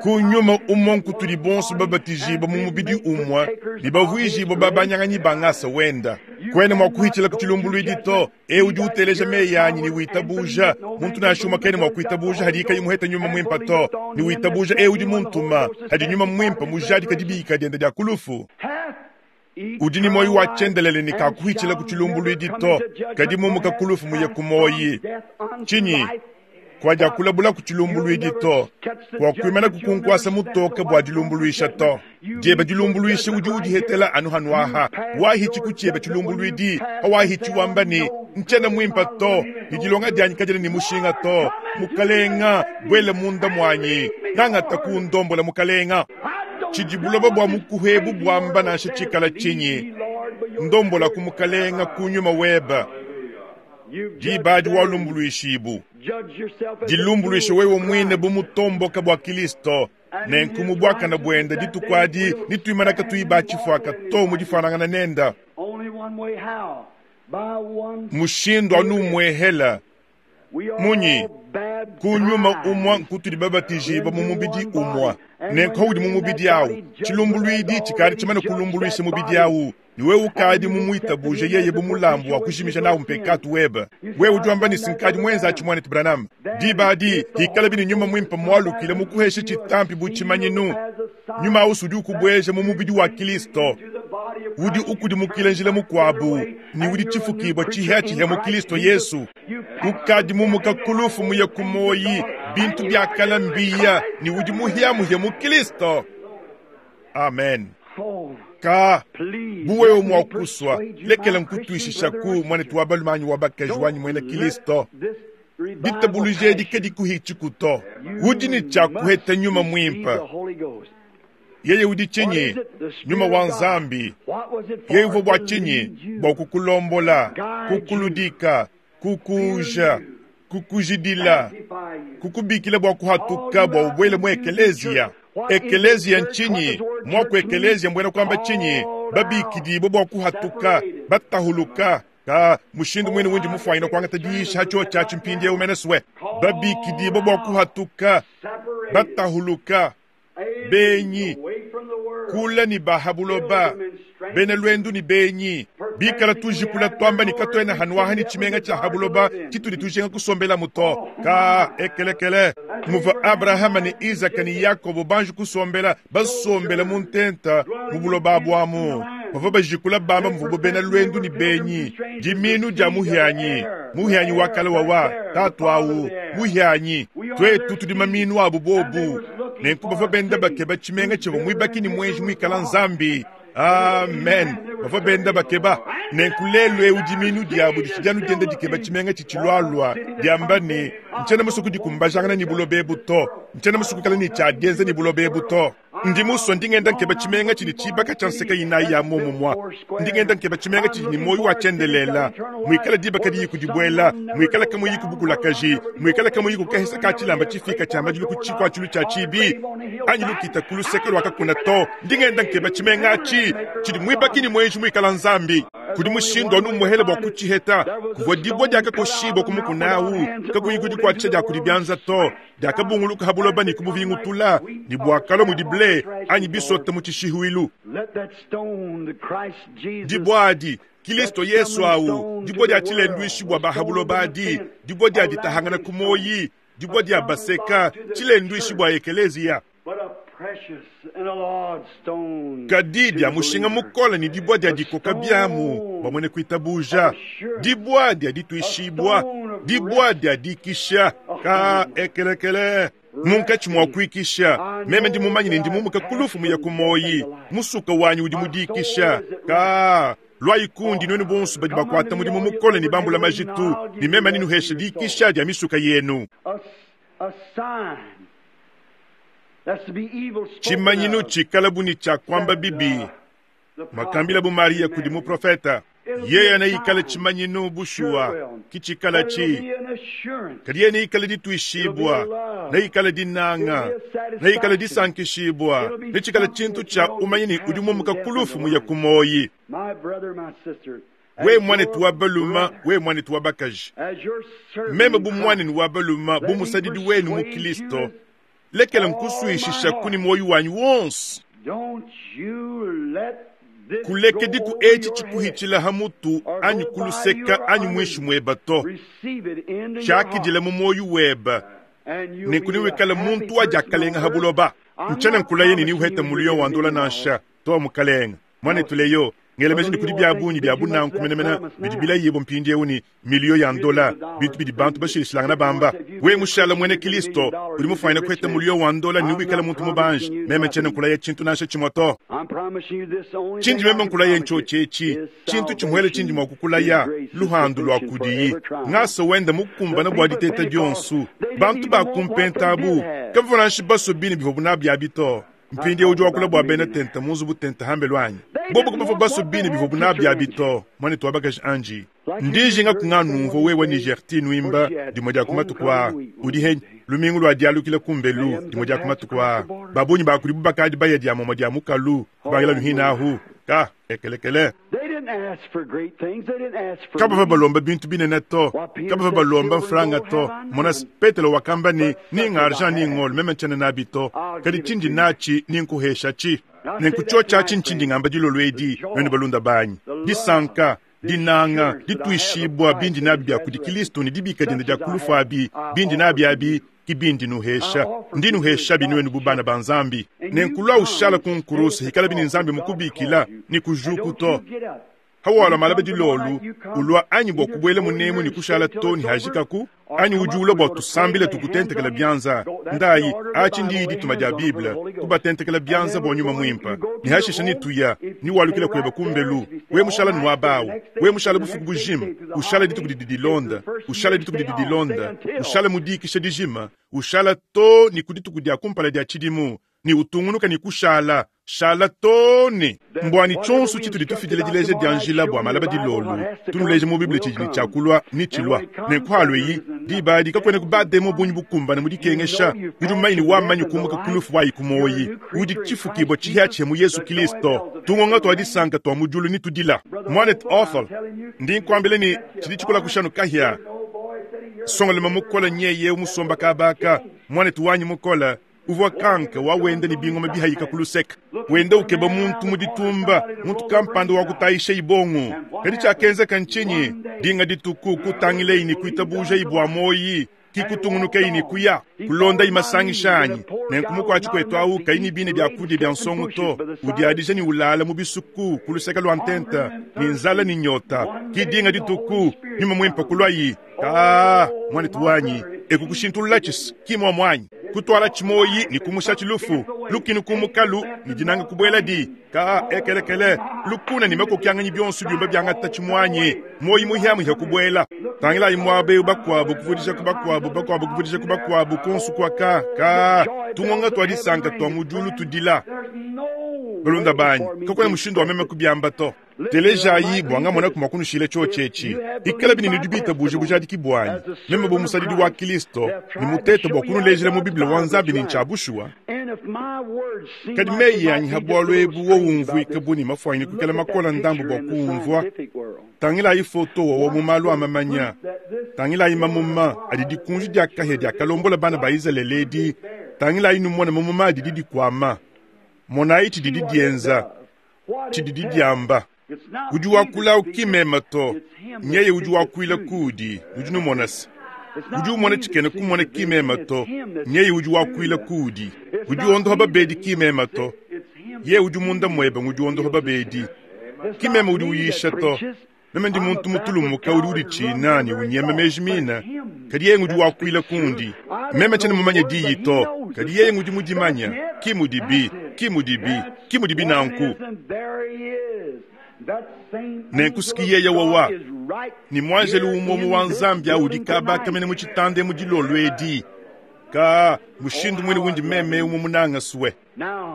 Ku nyuma umwa nkutudi bonso babatijibwa mu mubidi umwa, ni bavuijibwa babanyanganyi bangasa wenda. Kwene mwa kuhitila kuchilumbulwidi to, e udi uteleja meyanyi ni witabuja, muntu nashuma kene mwa kuitabuja hadi ikayi muheta nyuma mwimpa to, ni witabuja e udi muntuma, hadi nyuma mwimpa mujadi kadibika dienda dia kulufu. Udi ni moyi wa tshiendelele ni kakuhitshila kuchilumbulwidi to, kadi mumuka kulufu muye kumoyi. Chinyi, kwa diakulabula kuchilumbulwidi to, kwa kuimana kukunkwasa mutoka bwa dilumbulwisha to. Dieba dilumbulwisha udi udihetela anu hanuaha. Wahichi kuchieba chilumbulwidi, hawahichi wamba ni nchena mwimpa to, ni dilonga dianyi kadila ni mushinga to. Mukalenga, bwele munda mwanyi, nangata kundombola mukalenga. Chidibuloba bwa mukuhebu bwamba nansha chikala chinyi. Ndombola kumukalenga kunyuma weba. Dibadi walumbulwishibu. Dilumbulwisha wewe mwine bumutomboka bwa Kristo. Nenkumu bwakana bwenda ditukwadi nitwimanaka tuiba chifwaka to mudifanangana nenda. Mushindu anu mwehela. Munyi, kunyuma umwa nkutudi babatijibwa mu mubidi umwa. Nenko udi mu mubidi awu. Chilumbulwidi chikali chimana kulumbulwisha mubidi awu. Niwe ukadi mumuitabuje yeye bumulambu wa kushimisha nawu mpekatu weba. Wewe udi ni sinkadi mwenza achimwane Branham. Dibadi hikala bini nyuma mwimpa mwalukile mukuheshe chitampi buchimanyinu. Nyuma usudi ukubweje mu mubidi wa Kristo. Udi ukudimukile njila mukwabu. Ni udi chifukibwa chihya chihya mu Kristo Yesu. Ukadi mumuka kulufu muye kumoyi. Bintu byakala mbiya. Ni udi muhya muhya mu Kristo. Amen. Ka bu wewe mua kusua, lekela nkutuishishaku muanetu wa balume anyi wa bakaji wanyi muena Kilisto. Ditabuluja edi kadikuhitshiku to. Udi ne tshia kuheta nyuma muimpe. Yeye udi tshinyi? Nyuma wa Nzambi. Yeye uvua bua tshinyi? Bua kukulombola, kukuludika, kukuuja, kukujidila, kukubikila bua kuhatuka bua ubwele mu ekeleziya. Ekeleziya ntshinyi? Mwaku ekeleziya mbwena kuamba tshinyi? Babikidibwe bua kuhatuka, batahuluka. Ka mushindu mwene wundi mufuanyina kuangata diisha hatshio tshiatshi mpindieu meneswe. Babikidibwe bua kuhatuka, batahuluka, benyi, kula ni bahabuloba, bena lwendu ni benyi, bikala tujikula twamba ni katwena hanuaha ni tshimenga tshia habuloba tshitudi tujenga kusombela muto. Ka ekelekele muva Abrahama ni Isaka ni Yakobo banji kusombela basombela mu ntenta mu buloba bwamu. Bavua bajikula bamba muvubo bena lwendu ni benyi, diminu dia muhianyi, muhianyi wa kale wawa tatu awu muhianyi, twetu tudi maminu abu bobu. Nenku bavua benda bakeba tshimenga tshivua muibaki ni mwenji muikala Nzambi. Amen. Bavua benda bakeba. Nenku lelu eu diminu diabu ditshidi dienda dikeba tshimenga tshitshilualua, diamba ne ntshiena musue kudikumbajangana ni buloba ebu to, ntshiena musue kuikala ne tshia dienza ni buloba ebu to. Ndi musue ndi ngenda nkeba tshimenga tshidi tshibaka tshia nseka inayi ya momumua. Ndi ngenda nkeba tshimenga tshidi ne muoyo wa tshiendelela, muikala diba kadiyi kudibuela, muikala kamuyi kubukulakaji, muikala kamuyi kukahesa ka tshilamba tshifika tshia madilu ku tshikuatshilu tshia tshibi anyi lukita ku luseke lua kakuna to. Ndi ngenda nkeba tshimenga atshi tshidi muibaki ni mwenji muikala Nzambi. Kudi mushindu anu muhele bua kutshiheta, kuvua dibua diakakoshibua ku mukuna awu, kakuyi kudikuatshisha dia kudi bianza to, diakabunguluka ha buloba ne kubuvingutula, ne buakalua mudi ble anyi bisota mu tshishihuilu. Dibua adi Kilisto Yesu awu, dibua dia tshilenduishi bua ba ha buloba adi, dibua dia ditahangana ku moyi, dibua dia baseka, tshilenduishi bua ekeleziya. Kadi dia mushinga mukole ni dibua dia dikoka biamu bua mwene kuitabuja, dibua dia dituishibua, dibua dia dikisha ka ekelekele. Munkatshi mua kuikisha, meme ndi mumanye ne ndi mumuka kulufu muya ku moyi, musuka wanyi udi mudikisha ka lwai kundi nwenu bonso badi bakuata mudimu mukole ni bambula majitu, ni meme ninuhesha dikisha dia misuka yenu. Tshimanyinu tshikala bu ni tshia kuamba bibi, makambila bu Maria kudi muprofeta. Yeye anaikala tshimanyinu bushuwa kitshikala tshi, kadi yeye neikale dituishibua, neikale dinanga, neikale disankishibua, netshikale tshintu tshia umanye ni udi mumuka kulufu muya ku moyi. We mwanetu wa baluma, we mwanetu wa bakaji, meme bu mwanenu wa baluma, bu musadidi wenu mu Kilisto, lekela nkusuishisha kuni moyo wanyi wonso. Kulekediku etshi tshikuhitshila ha mutu anyi kuluseka anyi mwishi mweba to. Tshiakidila mu moyo weba, nenku niwikale muntu wa diakalenga ha buloba. Ntshiena nkulaye ne niuheta muliyo wa ndola nansha to mukalenga. Mwanetu leyo ngelemeji ni kudi bia bungi bia bunanku menemene bidi bilayibo mpindieu ni miliyo ya ndola, bintu bidi bantu bashilishilangana bamba. We mushala mwene Kilisto udi mufuanyina kuheta muliyo wa ndola ni wikala muntu mubanji. Meme ntshiena nkulaye tshintu nansha tshimue to. Tshindi meme nkulaye ntsho tshetshi, tshintu tshimuele tshindi mua kukulaya luhandu lua kudiyi. Ngasa wenda mukumbana bua diteta dionsu. Bantu bakumpenta abu kavua nansha baso bine bivua bunabyabi to. Mpindi udi wakula bua bena tenta munzu butenta hambelu anyi. Bobo kubavua baso bine bivua bunabyabi to. Mwanetu wa bakaji anji ndijinga kunganumvua wewe ni Gertine wimba dimue dia kumatuku aa. Udi henyi lumingu lua dialukila kumbelu dimue dia kumatuku aa. Babunyi bakudi bakadi baya dia momo dia mukalu kubangila nuhina ahu ka ekelekele. Kabava balomba bintu binene to, kabava balomba mfranga to. Mona Petelo wakamba ni ninga argent ni ngolo meme ntshiena nabi to, kadi tshindi natshi ni nkuhesha tshi. Nenku tsho tshiatshi ntshindi ngamba dilolo edi nwenu balunda banyi. Disanka, dinanga, dituishibua bindi nabi bia kudi Kilisto ni dibika diende dia kulufu abi, bindi nabi abi ki bindi nuhesha. Ndi nuhesha binuenu bu bana ba Nzambi. Nenku lwa ushala ku nkurusu hikala bini Nzambi mukubikila ni kujuku to. Hawalwa malaba dilolu ulwa anyi bwa kubwela munemu ni kushala to ni hajikaku anyi udi ulwa bwa tusambile tukutentekela byanza ndayi achi ndi dituma dia Bible kubatentekela byanza bwa nyuma mwimpa ni hashisha ni tuya ni walukila kweba kumbelu we mushala nwabawu we mushala bufuku bujima ushala dituku didi dilonda ushala dituku didi dilonda ushala mudikisha dijima ushala to ni kudituku dia kumpala dia chidimu ni utungunuka ni kushala shala tone mbwani chonso chitu litufidile dileje dia njila bwa malaba dilolu tunuleje mu Bible chijini chakulwa ni chilwa nenkwalwe yi dibadi kakwene kubademo bunyi bukumbana mudikengesha udi mumanyi wamanyi kumuka kulufu wayi kumoyi udi chifukibwa chihya mu Yesu Kristo tungonga twa disanka twa mujulu ni tudila mwanet othol ndi nkwambile ni chidi chikola kushanu kahya songolema mukola nyeye musomba kabaka mwanet wanyi mukola uvwa kanka wawenda ni bingoma bihayika kuluseka wenda ukeba muntu muditumba muntu kampanda wakutayisha ibongo kadi chakenzeka nchinyi dinga dituku kutangileyi ni kuitabuja ibwa moyi kikutungunukeyi ni kuya kulonda imasangisha anyi nenkumukwachi kwetu awu kayi bine byakudia bya nsongo to udiadija ni ulala mu bisuku kuluseka lwa ntenta ni nzala ni nyota kidinga dituku nyuma mwimpa kulwayi kaa mwanetu wanyi ekukushintulula chisi kimwa mwanyi kutwala chimoyi ni kumusha chilufu lukinu kumukalu ni dinanga kubwela di ka ekelekele lukuna ni makokyanganyi byonso byumba byangata chimwanyi moyi muhyamu kubwela tangila imwabe bakwabo kuvudisha kubakwabo bakwabo kuvudisha kubakwabo konsu kwa ka ka tungonga twa disanka twa mujulu tudila balunda banyi kakwena mushindo wa meme kubyamba to telejayi bwanga mona kumakunushile chochechi ikala bini nidubita buje bujadiki bwanyi meme bo musadidi wa Kristo ni mutete bwa kunulejela mu Biblia wa Nzambi ni nchabushwa kadi meyi yanyi habwalo ebu wo umvwika buni mafwanyi kukela makola ndambu bwa kumvwa tangila ifoto wo mu malu amamanya tangila imamuma adi dikunji dia kahya dia kalombola bana ba Israeli edi tangila inumona mumuma adi didikwama monayi tididi dienza tididi diamba udi wakula ukimema to nyeye udi wakwila kudi udi numonasa udi umona chikene kumona kimema to nyeye udi wakwila kudi udi ondoha babedi kimema to ye udi munda mwebe udi ondoha babedi kimema udi uyisha to meme ndi muntu mutulumuka udi udi china ni unyema meji mina kadi yeye udi wakwila kundi meme chene mumanye diyi to kadi yeye udi mudimanya kimudibi kimudibi kimudibi nanku nenkusikiyeya wawa ni mwanjelu umomu wa Nzambi audi kabaka mene muchitande mudilolo edi ka mushindu mwene wundi meme umo munanga suwe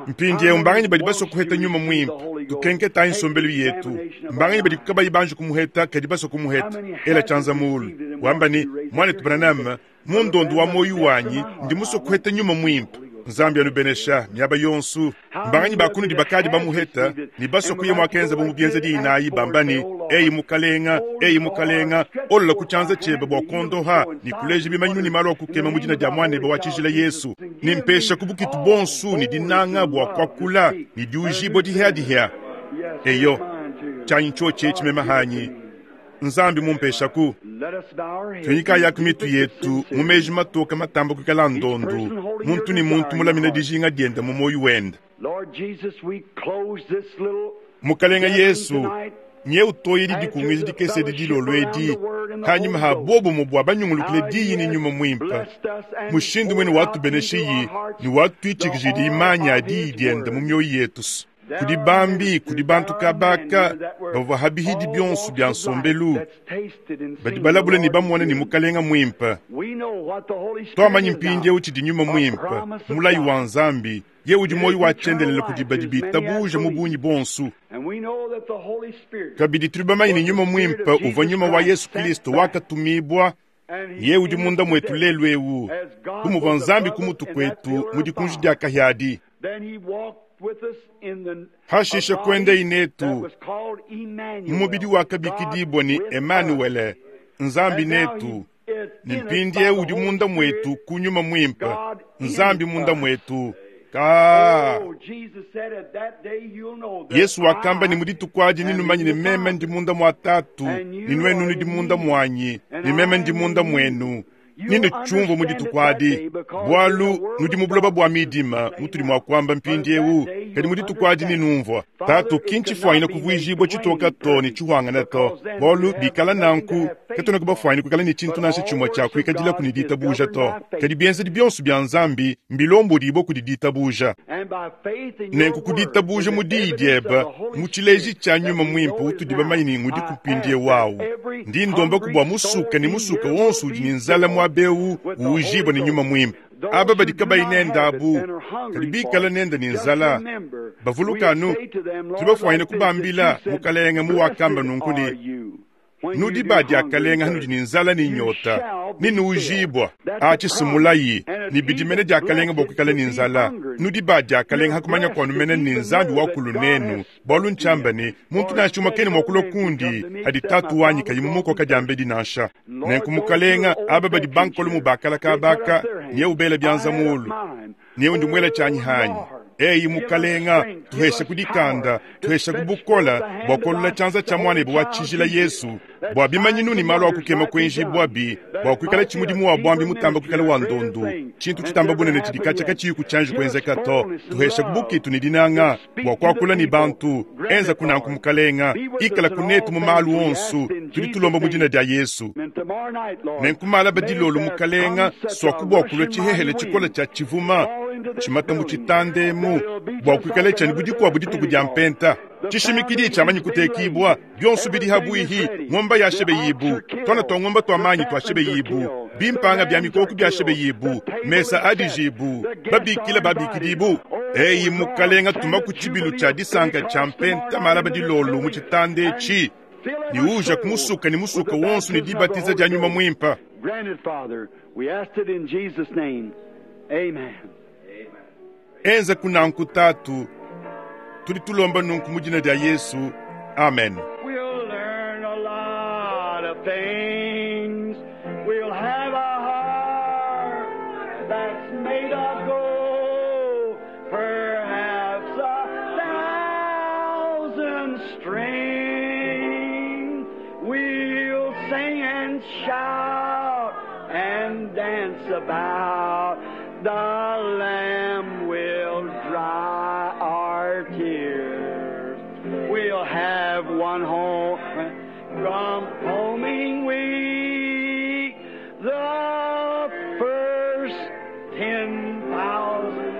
mpindiewu mbanganyi badi baswa kuheta nyuma mwimpe tukenketayi nsombelu yetu mbanganyi badi kabayi banji kumuheta kadi baswa kumuheta ela chanza mulu wamba ni mwanetu Branham mundondo wa moyo wanyi ndi muswa kuheta nyuma mwimpe Nzambi anubenesha miaba yonsu mbanganyi bakunudi bakadi bamuheta ni baswa kuye mwakenza bomu byenza dinayi bambani eyi mukalenga eyi mukalenga olola kuchanza chebe bwa kondoha ni kuleja bimanyinu ni malo akukema mudina dia mwanebe wa chijila Yesu ni mpesha kubukitu bonsu ni dinanga bwa kwakula ni diujibo dihya eyo chanyi choche chimema hanyi Nzambi mumpesha ku twenyika yaku mitu yetu mumeji matoka matamba kukala ndondu muntu ni muntu mulamina dijinga dienda mu moyo wenda mukalenga Yesu nye utoyeli dikungizi dikese didilolo edi hanyuma ha bobo mubwa banyungulukile diyi ni nyuma mwimpa mushindu mwene watubeneshiyi ni watwitshikijidi imanya diyi dienda mu mioyo yetu kudi bambi kudi bantu kabaka bavua habihidi byonso bya nsombelu badi balabula ni bamona ni mukalenga mwimpa twamanyi mpindiewu tshidi nyuma mwimpa mulayi wa Nzambi ye udi moyo wachendelela kudi badi bitabuja mu bunyi bonsu kabidi tuli bamanyi ni nyuma mwimpa uvua nyuma wa Yesu Kristo wakatumibwa ye udi munda mwetu lelu ewu kumuvua Nzambi kumutu kwetu mu dikunji dia kahyadi hashisha kwenda inetu mumubidi wakabikidibwa ni Emanuele Nzambi netu ni mpindie udi munda mwetu kunyuma mwimpa Nzambi munda mwetu ka Yesu wakamba ni muditukwaji ninumanyine meme ndi munda mwa tatu ni nwenu ndi munda mwanyi ni meme ndi munda mwenu Nini chumvwa mu dituku adi, bwalu nudi mu buloba bwa midima mutudi mwa kwamba mpindiewu, kadi mu dituku adi ninumvwa. Tatu kinchifwanyina kuvwijibwa chitoka to ni chihwangana to, bwalu bikala nanku katwena kubafwanyina kwikala ni chintu nansha chimwe cha kwikadilaku ni ditabuja to. Kadi bienzedi byonso bya Nzambi mbilombodibwa kudi ditabuja. Nenku kuditabuja mu diyi dyeba mu chileji cha nyuma mwimpe utudi bamanyi ni ngudi kupindie wawu. Ndi ndomba kubwa musuka ni musuka wonso udi ni nzala mwabewu uujibwa ni nyuma mwimpe. Aba badi kabayi nenda abu, kadi bikala nenda ni nzala. Bavulukanu, tudi bafwanyina kubambila mukalenga mu wakamba nunku ni nudi badi akalenga hanudi ni nzala ni nyota ni nuujibwa achisimulayi ni bidimene dia akalenga bwa kwikala ni nzala nudi badi akalenga hakumanya kwanu mene ni nzambi wakulu nenu bwalu nchamba ni muntu nachuma kene mwakulwa kundi hadi tatu wanyi kayi mumukoka diambedi nansha nenku mukalenga aba badi bankolo mu bakala kabaka niye ubela byanza mulu niye undi mwela chanyi hanyi eyi mukalenga tuheshe kudikanda tuheshe kubukola bwa kolola chanza cha mwana bwa chijila Yesu bwa bimanyinu ni malo akukema kwenji bwabi bwa kwikala chimudimu wa bwambi mutamba kwikala wa ndondu chintu chitamba bunene chidikacha kachiyi kuchanji kwenzeka to tuheshe kubukitu ni dinanga bwa kwakula ni bantu enza kunanku mukalenga ikala kunetu mu malu onsu tudi tulomba mu dina dia Yesu nenkumala badilolo mukalenga swakubwa kulwa chihehele chikola cha chivuma chimata mu chitandemu bwa kwikala chani budikwa budituku dia mpenta chishimikidi chamanyi kutekibwa byonso bidi habwihi ng'omba yashebe yibu twana twa ng'omba twa manyi twashebe yibu bimpanga bya mikoko byashebe yibu mesa adijibu babikila babikidibu eyi mukalenga tuma ku chibilu cha disanka cha mpenta mala badilolo mu chitande chi ni uja kumusuka ni musuka wonso ni dibatiza dia nyuma mwimpa. Granted, Father, we asked it in Jesus' name. Amen. Enza kunanku tatu tudi tulomba nunku mu dina dia Yesu. Amen. We'll learn a lot of things. We'll have a heart that's made of gold, perhaps a thousand strings. We'll sing and shout and dance about. The Lamb will dry our tears. We'll have one home from homing week, the first ten thousand.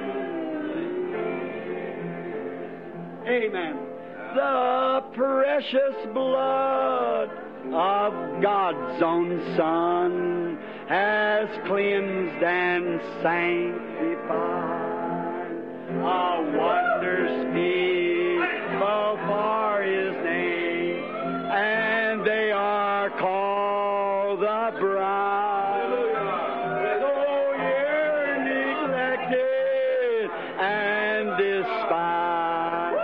Amen. The precious blood of God's own Son has cleansed and sanctified. A wondrous people for His name, and they are called the bride. Though you're neglected and despised,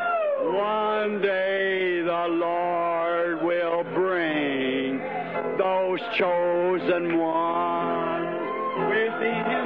one day the Lord will bring those chosen ones with Him.